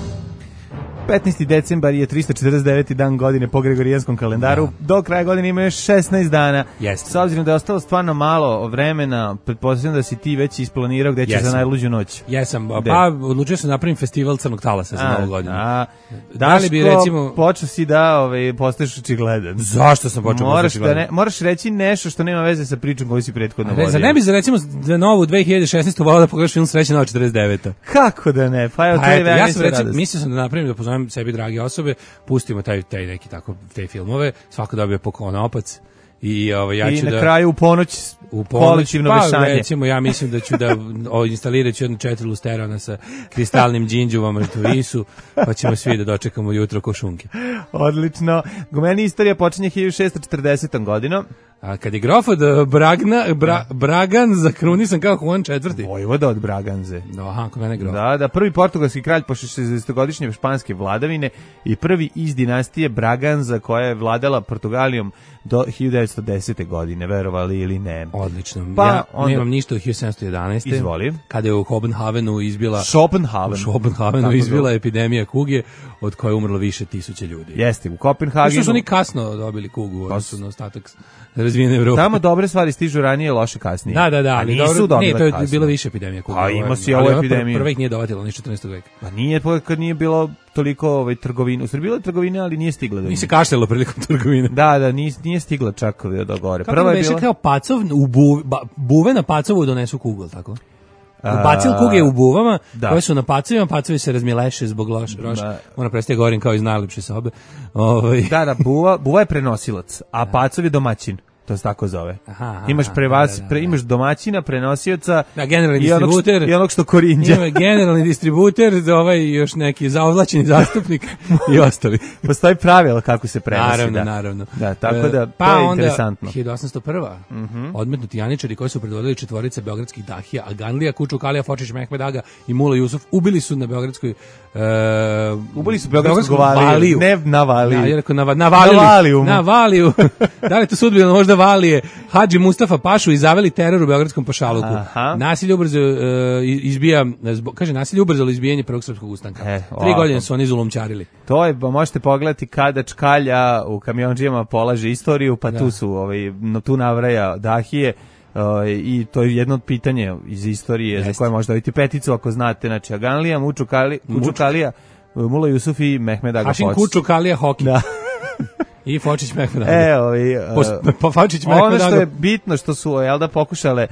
15. decembar je 349. dan godine po Gregorijanskom kalendaru. Do kraja godine ima još 16 dana. S obzirom da je ostalo stvarno malo vremena, pretpostavljam da si ti već isplanirao gde ćeš za najluđu noć. Jesam, pa odlučio sam napravim festival crnog talasa za novu godinu. Daško, počeo si da postaješ očigledan. Zašto sam počeo postati očigledan? Moraš reći nešto što nema veze sa pričom koju si prethodno vodio. Za ne bi recimo za novu 2016. volao da pogledaš film Srećna nova 49. Kako da ne? Pa evo, ja sam mislio sam da napravim da pozovem sebi drage osobe, pustimo taj neki tako te filmove, svako dobije po opac i ja ću na kraju u ponoć kolektivno vešanje. Recimo ja mislim da ću da instalirat ću jedno 4 lusterana sa kristalnim džinđuvama Risu, pa ćemo svi da dočekamo jutro ko šunke. Odlično. Meni istorija počinje 1640. godinom. A kad je grof od Bragan zakrunisan kao Juan IV. Vojvoda od Braganze. Aha, kod mene grof. Da, prvi portugalski kralj posle 60-godišnje španske vladavine i prvi iz dinastije Braganza koja je vladala Portugalijom do 1910. godine, verovali ili ne. Odlično. Ja nemam ništa od 1711. Izvoli. Kada je u Kopenhavenu izbila izbila epidemija kuge od koje je umrlo više tisuća ljudi. Jeste, u Kopenhagenu. Što su oni kasno dobili kugu, odnosno na ostatak razvijene Evrope. Tamo dobre stvari stižu ranije, loše kasnije. Da. A nisu dobile kasnije. To je bilo više epidemija kuge. A ima si ovu epidemiju. Prva ih nije dovatila, ni 14. veka. Pa nije, kad nije bilo toliko trgovine. U Srbiji bilo trgovine, ali nije stigla do njih. Nije se kašljalo prilikom trgovine. Da, nije stigla čak do gore. Prva je bila kao pacov, buve na pacovu donesu kugu, tako? Bacil kuge u buvama, koje su na pacovima, pacovi se razmileše zbog roša. Ona prestaje govorim kao iz najlepše sobe. Da, buva je prenosilac, a pacov je domaćin. To se tako zove. Imaš imaš domaćina, prenosioca i onog što korinđa. Ima generalni distributer, još neki zaovlačeni zastupnik i ostali. Postoji pravilo kako se prenosi. Naravno. Da, tako da to je interesantno. 1801. Odmetnuti janičari koji su predvodili četvorice beogradskih dahija, Aganlija, Kučukalija, Fočić, Mehmed Aga i Mula Jusuf, ubili su na beogradskoj ubili su beogradsku valiju. Ne na valiju. Ja rekao na valiju. Da li to sudbino možda Valije, Hadži Mustafa Pašu i zaveli teror u beogradskom pašaluku. Nasilje ubrzalo izbijanje prvog srpskog ustanka. 3 godine su oni zulumčarili. To je, možete pogledati kada Čkalja u kamionđijama polaže istoriju, pa tu su, tu navraja dahije. I to je jedno od pitanja iz istorije za koje možda vidite peticu ako znate. Znači, Aganlija, Kučukalija, Mula Jusuf i Mehmed Aga Fočić. Hašim Kučukalija Hoki. Da. I Fočić Mehmed Aga. Ono što je bitno što su pokušale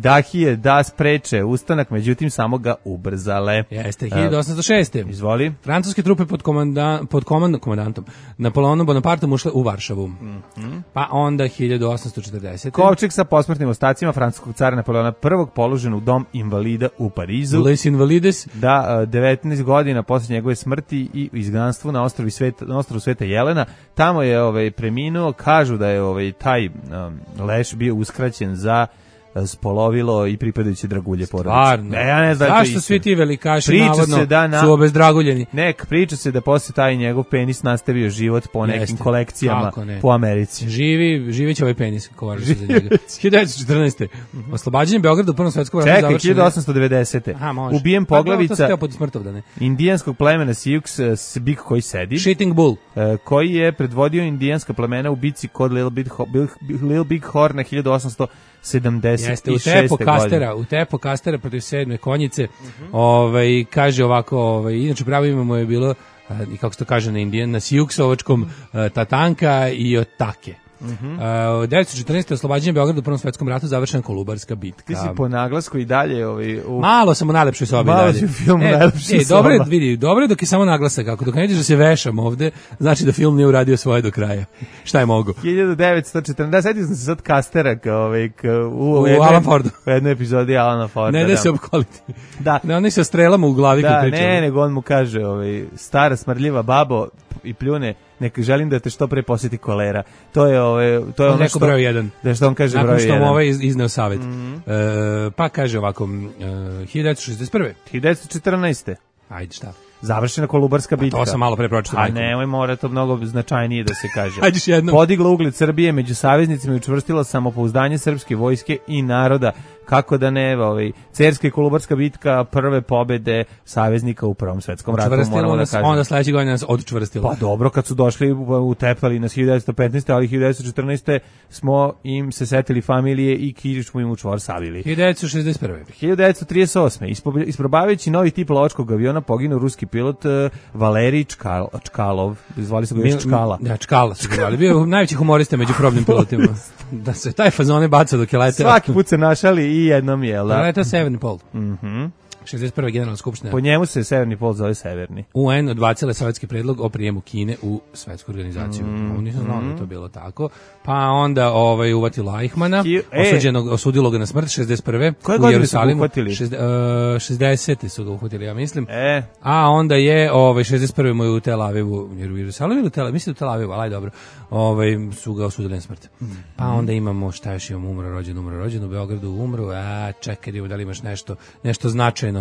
dahije da spreče ustanak, međutim samo ga ubrzale. Jeste, 1806. Izvoli. Francuske trupe pod komandantom Napoleonom Bonapartom ušle u Varšavu. Pa onda 1840. Kovčeg sa posmrtnim ostacima francuskog cara Napoleona I položen u dom invalida u Parizu. Les Invalides. Da, 19 godina posle njegove smrti i izgnanstvu na ostrvu Sveta Jelena. Tamo je preminuo, kažu da je taj leš bio uskraćen za spolovilo i pripadajuće dragulje porodice. Stvarno? Ja ne znam. Zašto svi ti velikaši navodno su obezdraguljeni? Priča se da posle taj njegov penis nastavio život po nekim kolekcijama po Americi. Živi će ovaj penis, ko važi za njega. 1914. Oslobađanje Beograda u Prvom svetskom ratu završeno. Čekaj, 1890. Ubijen poglavica indijanskog plemena Sioux Big koji sedi. Shitting Bull. Koji je predvodio indijanska plemena u bici kod Little Big Horn na 1876. Jeste, u tepo kastera protiv 7. konjice. Kaže ovako, inače pravo ime mu je bilo i kako se to kaže na indijan, na Siuksovačkom, Tatanka i Otake. 1914. oslobađanje Beograda u Prvom svetskom ratu, završena Kolubarska bitka. Ti si po naglasku i dalje malo sam u najlepšoj sobi malo dalje. Si u filmu najlepšoj dobro je, vidi, dobro je dok je samo naglasak, ako dok ne vidiš da se vešam ovde, znači da film nije uradio svoje do kraja. Šta je mogo? 1940, setio sam se sad Kastera u Alan Fordu. U jednoj epizodi Alana Forda. Ne da se opkoliti. Da. Ne, oni se strelama u glavi kad pričaju. Ne, nego on mu kaže, stara smrdljiva babo i pljune, neka želim da te što pre posjeti kolera. To je ono što broj 1. Da što on kaže broj 1. Nakon što mu ovaj izneo savjet. Pa kaže ovako 1961. 1914. Ajde, šta? Završena Kolubarska bitka. To sam malo pre pročitao. A nemoj, mora to mnogo značajnije da se kaže. Ajde jednom. Podigla ugled Srbije među saveznicima i učvrstila samopouzdanje srpske vojske i naroda. Kako da ne, Cerska i Kolubarska bitka, prve pobede saveznika u Prvom svetskom ratu, moramo da kažemo. Onda sledeće godine nas odčvrstilo. Pa dobro, kad su došli, utepali nas 1915. ali 1914. smo im se setili familije i kiš smo im u čvor savili. 1961. 1938. Isprobavajući novi tip lovačkog aviona poginuo ruski pilot Valerij Čkalov. Zvali su ga još Čkala. Da, Čkala su ga zvali. Bio najveći humorista među probnim pilotima. Da se taj fazone baca dok je leteo. Svaki put se našali i jednom je, da? Letao Severni pol. 61. generalna skupština. Po njemu se Severni pol zove Severni. UN odbacila sovjetski predlog o prijemu Kine u svetsku organizaciju. Nisam znao da je to bilo tako. Pa onda uvatilo Eichmana, osudilo ga na smrt 61. Koje godine su ga uhvatili? 60. su ga uhvatili, ja mislim. A onda je 61. mu je u Tel Avivu, jer u Jerusalimu ili u Tel Avivu, mislim u Tel Avivu, ali dobro, su ga osudili na smrt. Pa onda imamo, šta još imamo, umro rođen, u Beogradu umro, čekaj, da li imaš nešto značajno.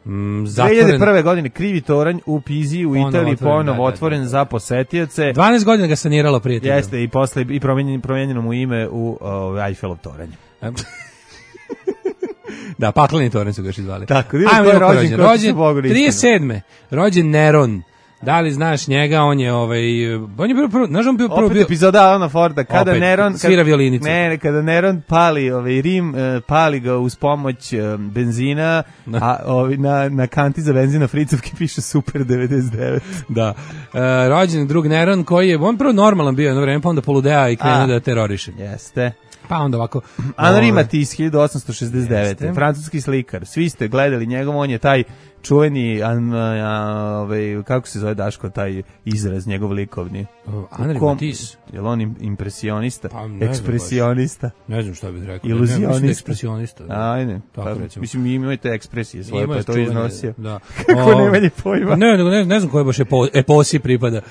2001. godine krivi toranj u Piziji u Italiji ponovo otvoren za posetioce. 12 godina ga saniralo prijatelj. Jeste, i posle i promijenjeno mu ime u Eiffelov toranj. Da, pakleni toranj su ga još izvali. Tako, ko je rođen 37. Rođen Neron. Da li znaš njega, on je on je bio prvo opet epizoda Alana Forda, kada opet, Neron svira violinicu. Kada Neron pali Rim, pali ga uz pomoć benzina, a na kanti za benzina Fricovke piše Super 99. Da. Rođen drug Neron koji je on prvo normalan bio jedno vreme, pa onda poludea i krenuo da teroriše. Jeste. Pa onda ovako Henri Matisse 1869. Francuski slikar. Svi ste gledali njegov, on je taj čuveni kako se zove, Daško, taj izraz njegov likovni. Henri Matisse. Je li on impresionista? Pa, ekspresionista? Ne znam šta bih rekao. Iluzionista? Ekspresionista. Ajde. Mislim, imate ekspresije svoje, pa je to iznosio. Da. Kako nemanje pojma? Ne znam koje baš eposi pripada.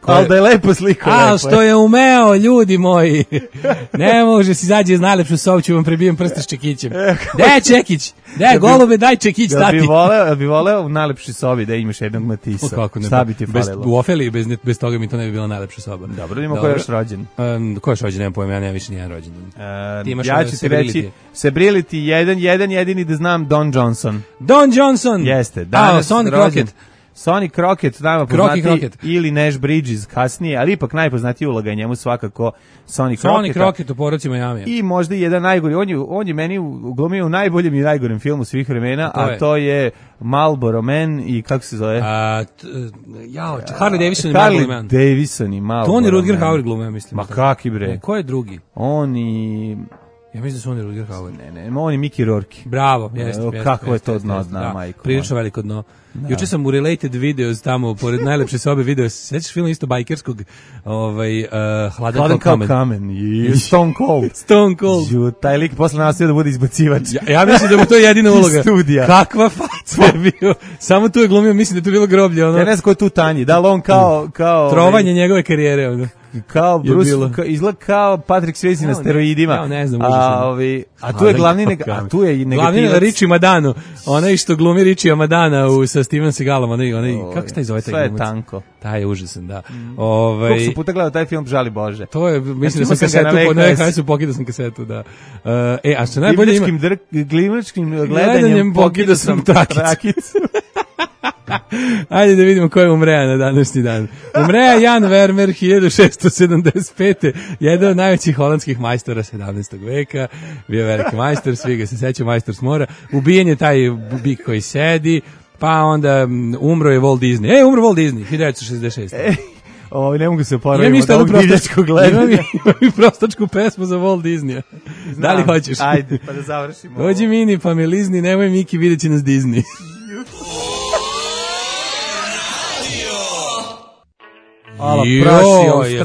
Ali da je lepo sliko. A što je umeo, ljudi moji. Ne može si izađe iz najlepšu sobu, ću vam prebijem prste s čekićem. Gde je čekić? Gde je golube, daj čekić, tati. Ja bi voleo u najlepšoj sobi da imaš jednog Matisa. Šta bi ti falilo? U Ofeli, bez toga mi to ne bi bila najlepša soba. Dobro, vidimo ko je još rođen. Ko je još rođen, nemam pojma, ja nemam više nijedan rođen. Ja ću ti reći, Sebrillity, jedini da znam, Don Johnson. Don Johnson! Jeste. Sonny Crockett. Sonny Crockett, nama poznati, ili Nash Bridges kasnije, ali ipak najpoznatiji uloga je njemu svakako Sonny Crockett. Sonny Crockett u Porodci Miami. I možda jedan najgori, on je meni glumio u najboljem i najgorem filmu svih vremena, a to je Marlboro Man i kako se zove? Harley Davidson i Marlboro Man. Harley Davidson i Marlboro Man. To on i Rutger Hauer glume, ja mislim. Ma kaki bre? Ko je drugi? On i... Ja mislim da su oni Rutger Hauer. Ne, on je Mickey Rourke. Bravo, jeste. Kako je to dno, zna, majko. Prilično veliko dno. Juče sam u Related Videos tamo, pored najlepše sobe video, svećaš film isto bajkerskog, Hladan kao kamen. Stone Cold. Stone Cold. Taj lik posle nastavio da bude izbacivač. Ja mislim da mu to je jedina uloga. Studija. Kakva faca je bio. Samo tu je glumio, mislim da je to bilo groblje. Ja ne znam ko je tu tanji. Da li on kao trovanje njegove karijere. Kao Bruce, izgleda kao Patrick Swayze na steroidima. Ja ne znam, a tu je glavni negativac. Glavni Richie Madano, onaj što glumi Richie Madana sa Steven Seagalom, onaj kako se taj zove taj glumac? Sve je tanko. Taj je užasan, da. Koliko su puta gledao taj film, žali Bože. To je, mislim da sam kasetu, na VHS-u pokidao sam kasetu, da. A što najbolje ima... Glimačkim gledanjem pokidao sam trakicu. Ajde da vidimo ko je umreja na današnji dan. Umreja Jan Vermeer 1675. Jedan od najvećih holandskih majstora 17. veka. Bio veliki majstor, svi ga se seća, majstor s mora. Ubijen je taj bik koji sedi. Pa onda umro je Walt Disney. Umro Walt Disney, 1966. Ne mogu se oporaviti od ovog divljačkog gledanja. Imam i prostačku pesmu za Walt Disneya. Da li hoćeš? Ajde, pa da završimo. Dođi Mini, pa me lizni, nemoj Miki, vidjet će nas Disney. Ala praši,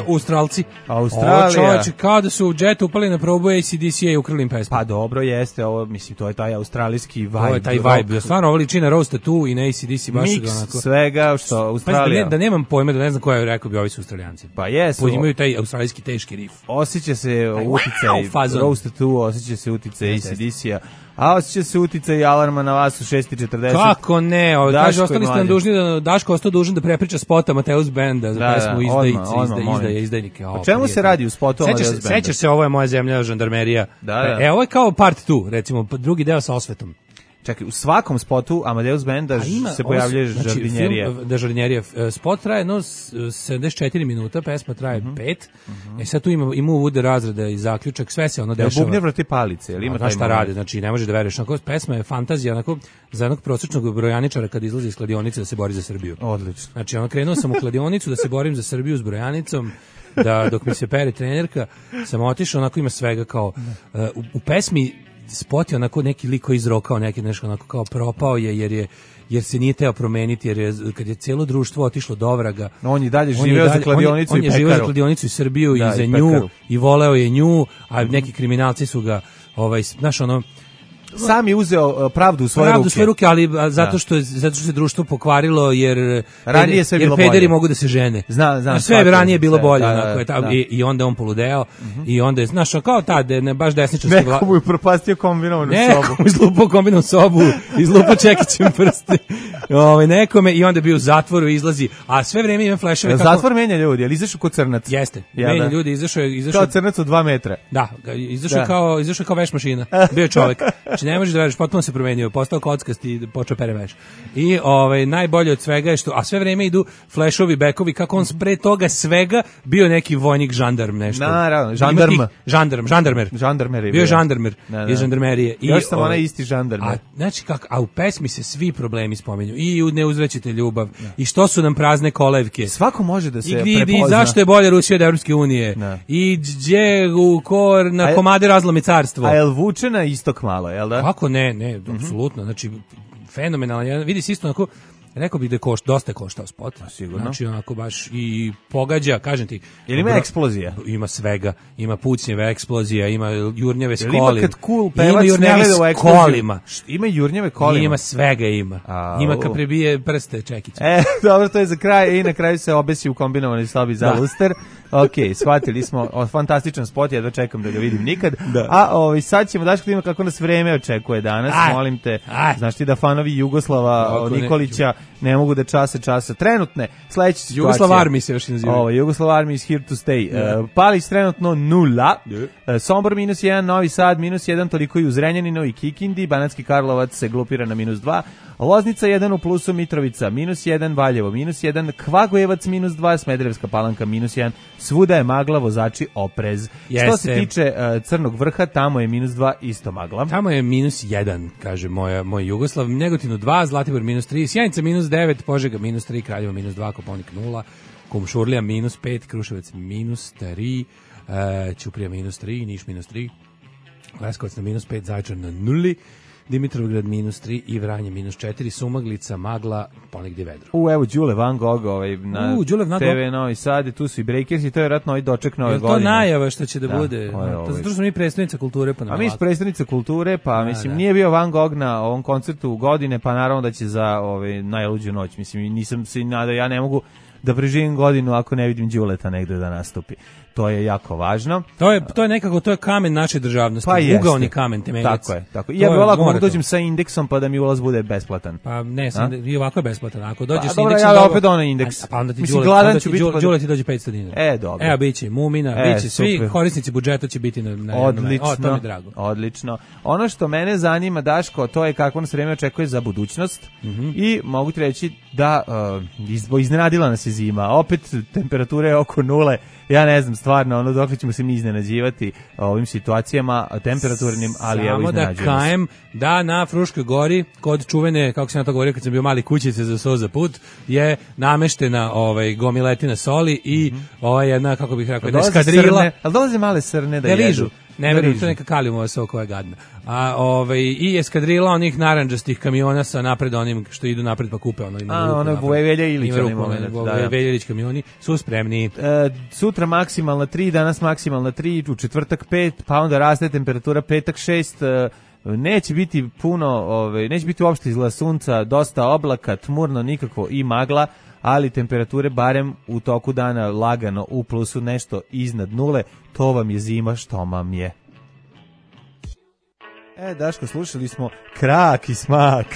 Australija. Australija. Čovječe, kao da su u džetu upali na probu ACDC-a i ukrili im pesmu. Pa dobro, jeste, ovo, mislim, to je taj australijski vibe. To je taj vibe, stvarno, ovo liči na Rose Tattoo i na ACDC, baš mix ga onako. svega, što Australija. Da nemam pojma, da ne znam koja je rekao bi ovi su Australijanci. Pa jesu. Imaju taj australijski teški rif. Osjeća se uticaj Rose Tattoo, osjeća se uticaj ACDC-a. A osjeća se uticaj alarma na vas u 6:40. Kako ne? Kaže, ostali ste nam dužni da Daško ostao dužan da prepriča spota Mateus Benda za pesmu Izdajnike. O čemu se radi u spotu Mateus Benda? Sećaš se, ovo je moja zemlja, žandarmerija. Ovo je kao part 2, recimo, drugi deo sa osvetom. Čekaj, u svakom spotu Amadeus Benda se pojavljuje žardinjerija. Da, žardinjerija. Spot traje 74 minuta, pesma traje 5. Sad tu ima uvode razreda i zaključak, sve se ono dešava. Bubnje vrati palice, ili ima taj šta radi, znači ne možeš da veruješ. Pesma je fantazija, onako, za jednog prosječnog brojaničara kad izlazi iz kladionice da se bori za Srbiju. Odlično. Znači, krenuo sam u kladionicu da se borim za Srbiju s brojanicom, da dok mi se pere trenerka, sam otišao, onako ima svega kao, u pesmi spot je onako neki lik koji izrokao neki nešto onako kao propao je jer se nije teo promeniti, jer kad je cijelo društvo otišlo do vraga. On je dalje živeo za kladionicu i pekaru. On je živeo za kladionicu i Srbiju i za nju i voleo je nju, a neki kriminalci su ga znaš ono sam je uzeo pravdu u svoje ruke, ali zato što se društvo pokvarilo jer ranije sve bilo pederi bolje. Mogu da se žene. Znam, sve ranije bilo bolje, i onda on poludeo i onda je, znaš, kao ne baš desničarski Neko mu je propastio kombinovanu sobu. Neko mu izlupao kombinovanu sobu, izlupao čekićem prste. Nekome i onda je bio u zatvoru, izlazi, a sve vreme ima fleševe. Zatvor menja ljudi, ali izašao kod crnac. Jeste, menja ljudi, izašao kao crnac od 2 metra. Da, izašao kao veš mašina. Bio je čovjek. Znači ne možeš da veriš, potpuno se promenio, postao kockast i počeo pere veš. I najbolje od svega je što, a sve vreme idu flešovi, bekovi, kako on pre toga svega bio neki vojnik, žandarm, nešto. Naravno, žandarmer. Bio je žandarmer iz žandarmerije. Još sam onaj isti žandarmer. Znači a u pesmi se svi problemi spominju. I ne uzvraćate ljubav. I što su nam prazne kolevke. Svako može da se prepozna. I zašto je bolje Rusija od Evropske unije. I gdje na komade razlomi carstvo. A jel vuče na istok malo, jel da? Kako ne, apsolutno. Znači, fenomenalan. Vidi se isto onako, rekao bih da je dosta koštao spot. Sigurno. Znači, onako baš i pogađa, kažem ti. Jel ima eksplozija? Ima svega. Ima pucnjeve eksplozija, ima jurnjeve s kolima. Ima kad cool pevac ne gleda u eksploziju. Ima jurnjeve kolima. Ima svega ima. Ima kad prebije prste čekiće. Dobro, to je za kraj. I na kraju se obesi u kombinovanoj sobi za luster. Ok, shvatili smo, fantastičan spot, jedva čekam da ga vidim nikad. A sad ćemo daško da ima kako nas vreme očekuje danas, molim te. Znaš ti da fanovi Jugoslava Nikolića ne mogu da časa trenutne sledeće situacije. Jugoslav Army se još naziva. Jugoslav Army is here to stay. Palić trenutno 0, Sombor -1, Novi Sad -1, toliko i u Zrenjaninu i Kikindi, Banatski Karlovac se glupira na -2, Loznica 1 u plusu, Mitrovica -1, Valjevo -1, Kvagojevac -2, Smederevska Palanka -1, svuda je magla, vozači oprez. Što se tiče Crnog Vrha, tamo je -2, isto magla. Tamo je -1, kaže moj Jugoslav, Negotinu 2, Zlatibor -3, Sjenica -9, Požega -3, Kraljevo -2, Koponik 0, Kumšurlija -5, Kruševac -3, Ćuprija -3, Niš -3, Leskovac na -5, Zaječar na 0, Dimitrovgrad -3 i Vranje -4, Sumaglica, magla, ponegdje vedro. Evo Đule Van Gogh na TV Novi Sad, tu su i Breakersi, to je vjerojatno ovaj doček nove godine. Je to najava što će da bude? To smo mi predstavnica kulture. A mi smo predstavnica kulture, pa mislim nije bio Van Gogh na ovom koncertu godine, pa naravno da će za najluđu noć. Mislim, nisam se nadao, ja ne mogu da preživim godinu ako ne vidim Đuleta negde da nastupi. To je jako važno. To je nekako, to je kamen naše državnosti, pa ugaoni kamen temeljac. Tako. Ja bih ovako mogu dođem sa indeksom pa da mi ulaz bude besplatan. Pa ne, i ovako je besplatan. Ako dođeš sa indeksom, ja opet onaj indeks. Pa onda ti Đule ti dođe 500 dinara. Dobro. Evo biće Mumina, biće svi korisnici budžeta će biti na odlično. To mi je drago. Odlično. Ono što mene zanima, Daško, to je kako nas vreme očekuje za budućnost i mogu ti reći da iznenadila nas se zima. Opet temperature oko nule. Ja ne znam stvarno, ono dok ćemo se mi iznenađivati ovim situacijama temperaturnim, ali evo iznenađujemo se. Samo da kajem da na Fruškoj gori, kod čuvene, kako sam ja to govorio kad sam bio mali, kućice za so za put, je gomiletina soli i jedna, kako bih rekao, jedna eskadrila. Ali dolaze male srne da jedu. Ne verujem, to je neka kalijumova so koja je gadna. I eskadrila onih narandžastih kamiona sa napred onim što idu napred pa kupe ono. Ono Vujevelja Ilić. Vujeveljelić kamioni su spremni. Sutra maksimalna 3, danas maksimalna 3, u četvrtak 5, pa onda raste temperatura petak 6, neće biti puno, neće biti uopšte izgleda sunca, dosta oblaka, tmurno, nikakvo i magla, ali temperature barem u toku dana lagano u plusu, nešto iznad nule, to vam je zima što vam je. Daško, slušali smo Krak i smak.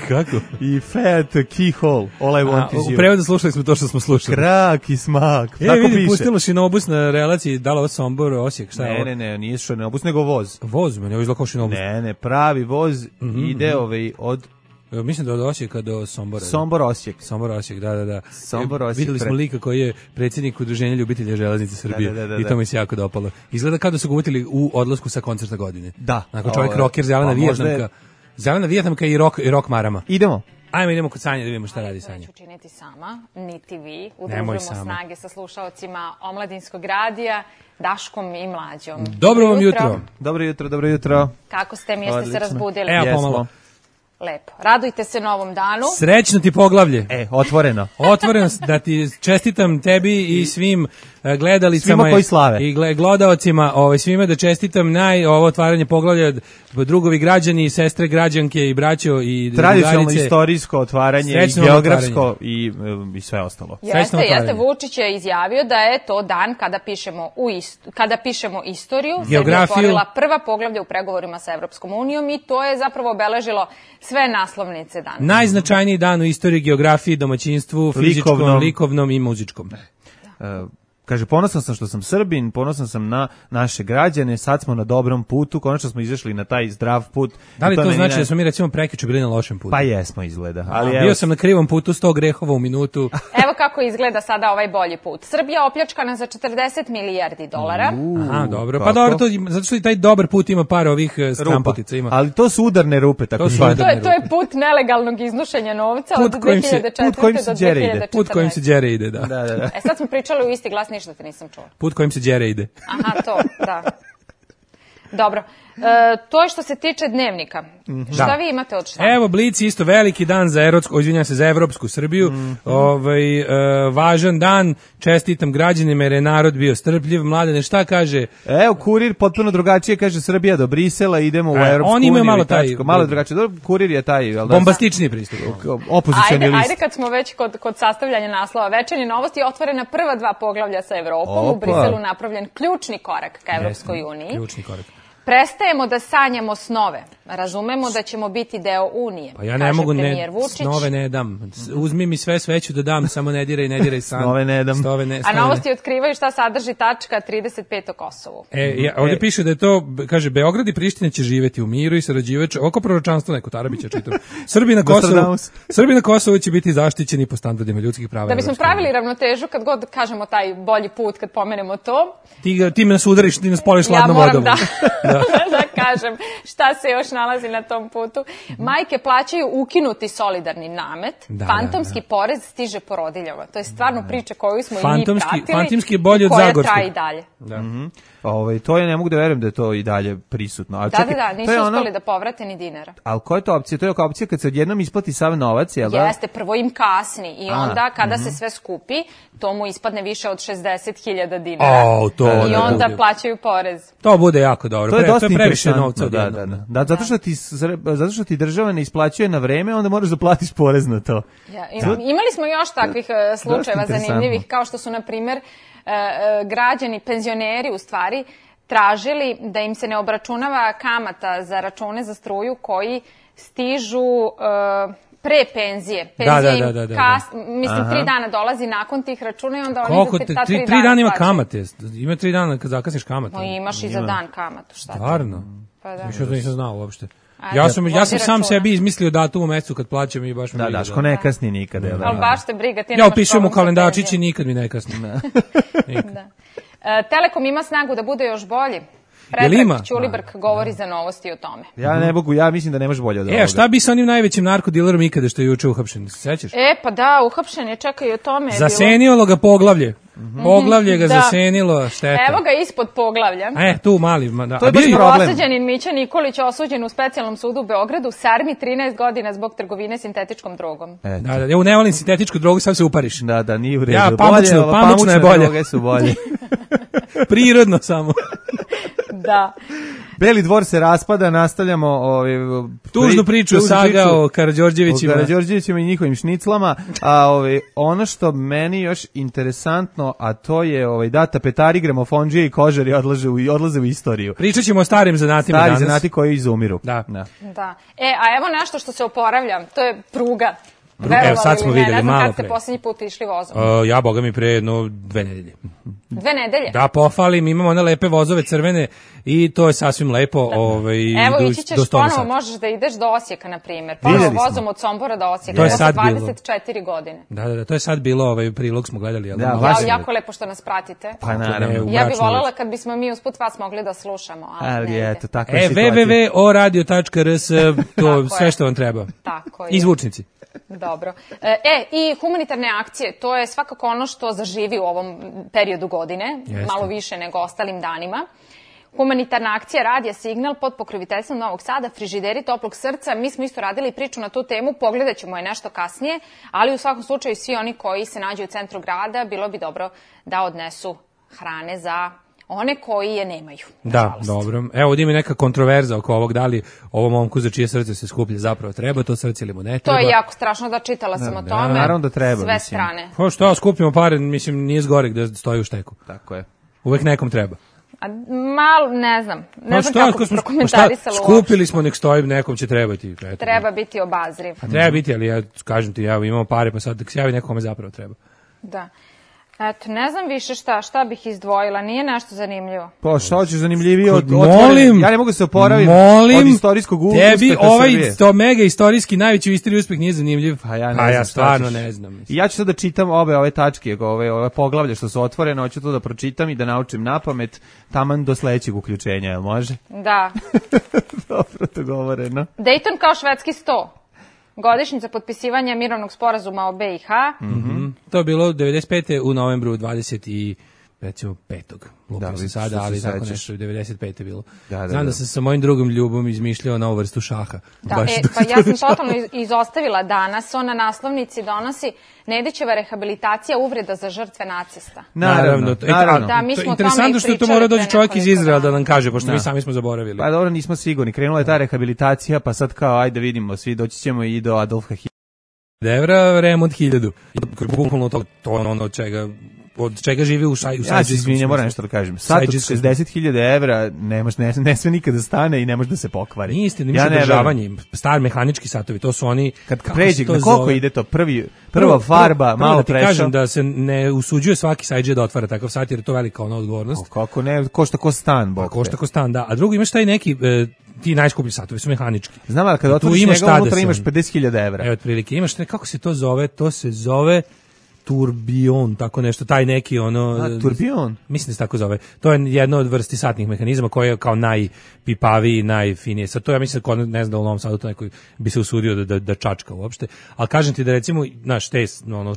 Kako? I Fat Keyhole, All I Want Is You. U prevodu slušali smo to što smo slušali. Krak i smak. Tako vidi, piše. Pustilo šinobus na relaciji, da li ovo Sombor, Osijek, šta je ovo? Ne, nije šinobus, nego voz. Voz, meni ovo izgleda kao šinobus. Ne, pravi voz ide od... Mislim da od Osijeka do Sombora. Sombor Osijek, da. Sombor Osijek. Videli smo lika koji je predsjednik Udruženja ljubitelja železnice Srbije i to mi se jako dopalo. Izgleda kao da su ga uvotili u odlasku sa koncerta godine. Da. Nakon čovjek rocker, zelena Vijetnamka i rock marama. Idemo kod Sanje da vidimo šta radi Sanja. Neću činiti sama, niti vi. Udružujemo snage sa slušaocima Omladinskog radija, Daškom i Mlađom. Dobro vam jutro. Dobro jutro. Kako ste mi, jeste se razbudili? Evo pomalo. Lepo. Radujte se novom danu. Srećno ti poglavlje. Otvoreno. Otvoreno, da ti čestitam tebi i svim gledalicama i gledaocima, svima da čestitam ovo otvaranje poglavlja, drugovi građani, sestre građanke i braćo i tradicionalno istorijsko otvaranje i geografsko i sve ostalo. Jeste, Vučić je izjavio da je to dan kada pišemo istoriju. Srbija otvorila prva poglavlja u pregovorima sa Evropskom unijom i to je zapravo obeležilo sve naslovnice danas. Najznačajniji dan u istoriji, geografiji, domaćinstvu, fizičkom, likovnom i muzičkom. Kaže, ponosan sam što sam Srbin, ponosan sam na naše građane, sad smo na dobrom putu, konačno smo izašli na taj zdrav put. Da li to znači da smo mi recimo prekjuče bili na lošem putu? Pa jesmo, izgleda. Bio sam na krivom putu, 100 grehova u minutu. Evo kako izgleda sada ovaj bolji put. Srbija opljačkana za 40 milijardi dolara. Dobro. Pa dobro, zato što i taj dobar put ima par ovih stramputica. Ali to su udarne rupe, tako zvane. To je put nelegalnog iznošenja novca od 2004. do 2014. Put kojim se đere ide, da. Sad smo pričali u isti glas, ništa te nisam čula. Put kojim se đere ide. Aha, to, da. Dobro. To je što se tiče dnevnika. Šta vi imate od šta? Evo, Blic isto veliki dan za Evropsku Srbiju. Važan dan, čestitam građanima jer je narod bio strpljiv. Mladene, šta kaže? Evo, Kurir potpuno drugačije, kaže Srbija do Brisela, idemo u Evropsku uniju. Oni imaju malo drugačije. Kurir je taj, bombastični pristup. Opozicioni list. Ajde kad smo već kod sastavljanja naslova Večernje novosti, otvorena prva 2 poglavlja sa Evropom. U Briselu napravljen ključni korak ka Evropskoj uniji. Ključni korak. Prestajemo da sanjamo snove. Razumemo da ćemo biti deo Unije. Pa ja ne mogu, snove ne dam. Uzmi mi sve ću da dam, samo ne diraj san. Snove ne dam. A novosti otkrivaju šta sadrži tačka 35 o Kosovu. Ovdje piše da je to, kaže, Beograd i Priština će živjeti u miru i sarađivajući, oko proročanstvo neko Tarabića čitam. Srbi na Kosovu će biti zaštićeni po standardima ljudskih prava. Da bismo pravili ravnotežu kad god kažemo taj bolji put, kad pomenemo to. Ti me nas udariš, ti nas poliš ladnom vodom. Da kažem šta se još nalazi na tom putu. Majke plaćaju ukinuti solidarni namet, fantomski porez stiže porodiljama. To je stvarno priča koju smo i mi pratili. Fantomski je bolji od Zagorskog. Koja traje i dalje. To ne mogu da verujem da je to i dalje prisutno. Da, nisu uspeli da povrate ni dinara. Ali koja je to opcija? To je opcija kad se odjednom isplati sav novac, jel da? Jeste, prvo im kasni i onda kada se sve skupi, to mu ispadne više od 60.000 dinara. I onda plaćaju porez. To bude jako dobro. To je dosta previše novca. Da, zato što ti država ne isplaćuje na vreme, onda moraš da platiš porez na to. Imali smo još takvih slučajeva zanimljivih, kao što su, na primjer, građani, penzioneri u stvari, tražili da im se ne obračunava kamata za račune za struju koji stižu pre penzije. Penzija im mislim 3 dana dolazi nakon tih računa i onda oni za ta 3 dana 3 dana ima kamate. Ima 3 dana kad zakasniš kamatu. No, imaš i za dan kamatu, šta ti? Stvarno? Pa da. Što to nisam znao uopšte. Ja sam sam sebi izmislio datum u mesecu kad plaćam i baš mi briga. Da, Daško ne kasni nikada. Ali baš te briga, ti nemaš ja upisujem u kalendarčić i nikad mi ne kasni. Telekom ima snagu da bude još bolji. Predrag Ćulibrk govori za novosti o tome. Ja ne mogu, ja mislim da ne može bolje od ovoga. Šta bi sa onim najvećim narkodilerom ikada što je juče uhapšen, se sećaš? Pa da, uhapšen je, čekaj, o tome. Zasenilo ga poglavlje. Poglavlje ga zasenilo, šteta. Evo ga ispod poglavlja. Tu mali. To je baš problem. Osuđenin Mića Nikolić osuđen u specijalnom sudu u Beogradu, sarmi 13 godina zbog trgovine sintetičkom drogom. Da, ja ne volim sintetičku drogu, sad se upariš. Da, nije u redu. Ja, pamučna je bolje. Droge su bolje. Prirodno samo. Da. Beli dvor se raspada, nastavljamo tužnu priču saga o Karađorđevićima. O Karađorđevićima i njihovim šniclama, a ono što meni još interesantno, a to je tapetari, gramofondžije i kožari odlaze u istoriju. Pričat ćemo o starim zanatima danas. Stari zanati koji izumiru. Da. A evo nešto što se oporavlja, to je pruga. Evo sad smo videli malo pre. Kad ste posljednji put išli vozom? Ja, boga mi, pre 2 nedelje. 2 nedelje? Da, pofalim, imamo one lepe vozove crvene i to je sasvim lepo. Evo, ići ćeš ponovo, možeš da ideš do Osijeka, na primjer. Ponovo vozom od Sombora do Osijeka. To je sad bilo. 24 godine. Da, to je sad bilo, prilog smo gledali. Jako lepo što nas pratite. Pa naravno. Ja bih voljela kad bismo mi usput vas mogli da slušamo. Ali eto, takva situacija. www.oradio.rs, to sve što vam treba. Tako je. Izvučnici. Dobro. I humanitarne akcije, to je svakako ono što zaživi u ovom periodu godine, malo više nego ostalim danima. Humanitarna akcija Radija Signal pod pokroviteljstvom Novog Sada, frižideri toplog srca. Mi smo isto radili priču na tu temu, pogledat ćemo je nešto kasnije, ali u svakom slučaju svi oni koji se nađu u centru grada, bilo bi dobro da odnesu hrane za one koji je nemaju. Da, dobro. Evo, ovdje ima neka kontroverza oko ovog, da li ovom momku za čije srce se skuplje zapravo treba to srce ili mu ne treba. To je jako strašno, da čitala sam o tome. Naravno da treba. Sve strane. Što skupimo pare, mislim, nije zgorek da stoji u šteku. Tako je. Uvek nekom treba. Malo, ne znam kako bi prokomentarisalo. Skupili smo, nek stoji, nekom će trebati. Treba biti obazriv. Treba biti, ali ja kažem ti, imamo pare, pa sad da se javi nekome zapravo treba. Da. Eto, ne znam više šta bih izdvojila, nije nešto zanimljivo. Pa šta hoćeš zanimljivije od molim, ja ne mogu se oporaviti od istorijskog uspeha Srbije. Tebi to mega istorijski najveći u istoriji uspeh nije zanimljiv. Pa ja stvarno ne znam. I ja ću sad da čitam ove tačke, ove poglavlje što su otvorene, hoću to da pročitam i da naučim napamet, taman do sledećeg uključenja, jel može? Da. Dobro, to govoreno. Dayton kao švedski sto. Godišnjica potpisivanja mirovnog sporazuma o BiH. To je bilo 95. u novembru 25. Lupio sam sada, ali tako nešto 95. bilo. Znam da sam sa mojim drugom Ljubom izmišljao novu vrstu šaha. Pa ja sam totalno izostavila danas. On na naslovnici donosi Nedićeva rehabilitacija uvreda za žrtve nacista. Naravno. Da, mi smo interesantno što to mora doći čovjek iz Izraela da nam kaže, pošto mi sami smo zaboravili. Pa dobro, nismo sigurni. Krenula je ta rehabilitacija, pa sad kao, ajde vidimo, svi doći ćemo i do Adolfa Hitlera. Evra, remont 1000. Bukvalno to ono od čega živi u Sajđiskom. Ja se izvinjam, moram nešto da kažem. Sat od 60.000 evra ne sve nikada da stane i ne može da se pokvari. Nije istina, ništa održavanje. Star mehanički satovi, to su oni... Kad pređe, na koliko ide to? Prva farba, malo prešao. Da ti kažem da se ne usuđuje svaki Sajđe da otvara takav sat, jer je to velika ona odgovornost. Kako ne, košta ko stan, bok. Košta ko stan, da. A drugi imaš taj neki... ti najskuplji satovi su mehanički. Znam, ali kad otvoriš njega, unutra imaš 50.000 evra. Evo, otprilike, imaš, kako se to zove? To se zove turbion, tako nešto, taj neki ono... Turbion? Mislim da se tako zove. To je jedna od vrsti satnih mehanizama koja je kao najpipaviji, najfinije. Sad to ja mislim da ne znam da u Novom Sadu to neko bi se usudio da čačka uopšte. Ali kažem ti da recimo, znaš, te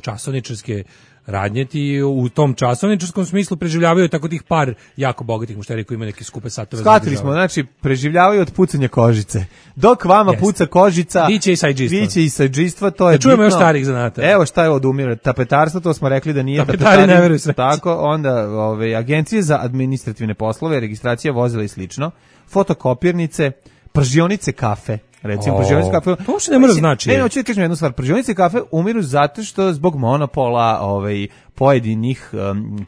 časovničarske radnje ti u tom časovničarskom smislu preživljavaju tako tih par jako bogatih mušterija koji imaju neke skupe satove. Shvatili smo, znači preživljavaju od pucanja kožice. Dok vama puca kožica, biće i sajđistva, to je čujemo još starih zanata. Evo šta je odumire. Tapetarstvo, to smo rekli da nije tapetari. Ne veruju sve. Tako, onda agencije za administrativne poslove, registracija vozila i slično, fotokopirnice, pržionice kafe. Recimo, pržionice kafe... To što ne mora znači. Ne, hoću da kažem jednu stvar. Pržionice kafe umiru zato što zbog monopola pojedinih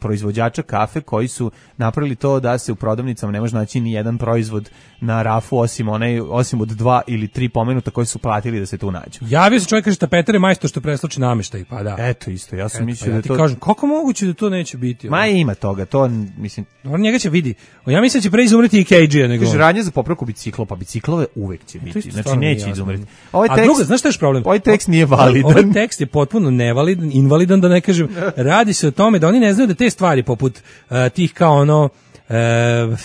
proizvođača kafe koji su napravili to da se u prodavnicama ne može naći ni jedan proizvod na rafu osim od 2 ili 3 pomenuta koji su platili da se tu nađu. Javio se čovjek, kaže tapetar je majstor što presloči namještaj, pa da. Eto isto, ja sam mislio da ti to... kažem, kako moguće da to neće biti? Ma ima toga, to mislim... On njega će vidi. Ja mislim da će pre izumreti i KG-a nego... Kaže, radnja za popravku bicikla, pa biciklove uvek će biti. Znači neće izumreti. A druga, znaš šta je problem? Ovaj tekst nije validan. Ovaj tekst je potpuno nevalidan, invalidan, da ne kažem. Radi se o tome da oni ne znaju da te stvari poput tih kao ono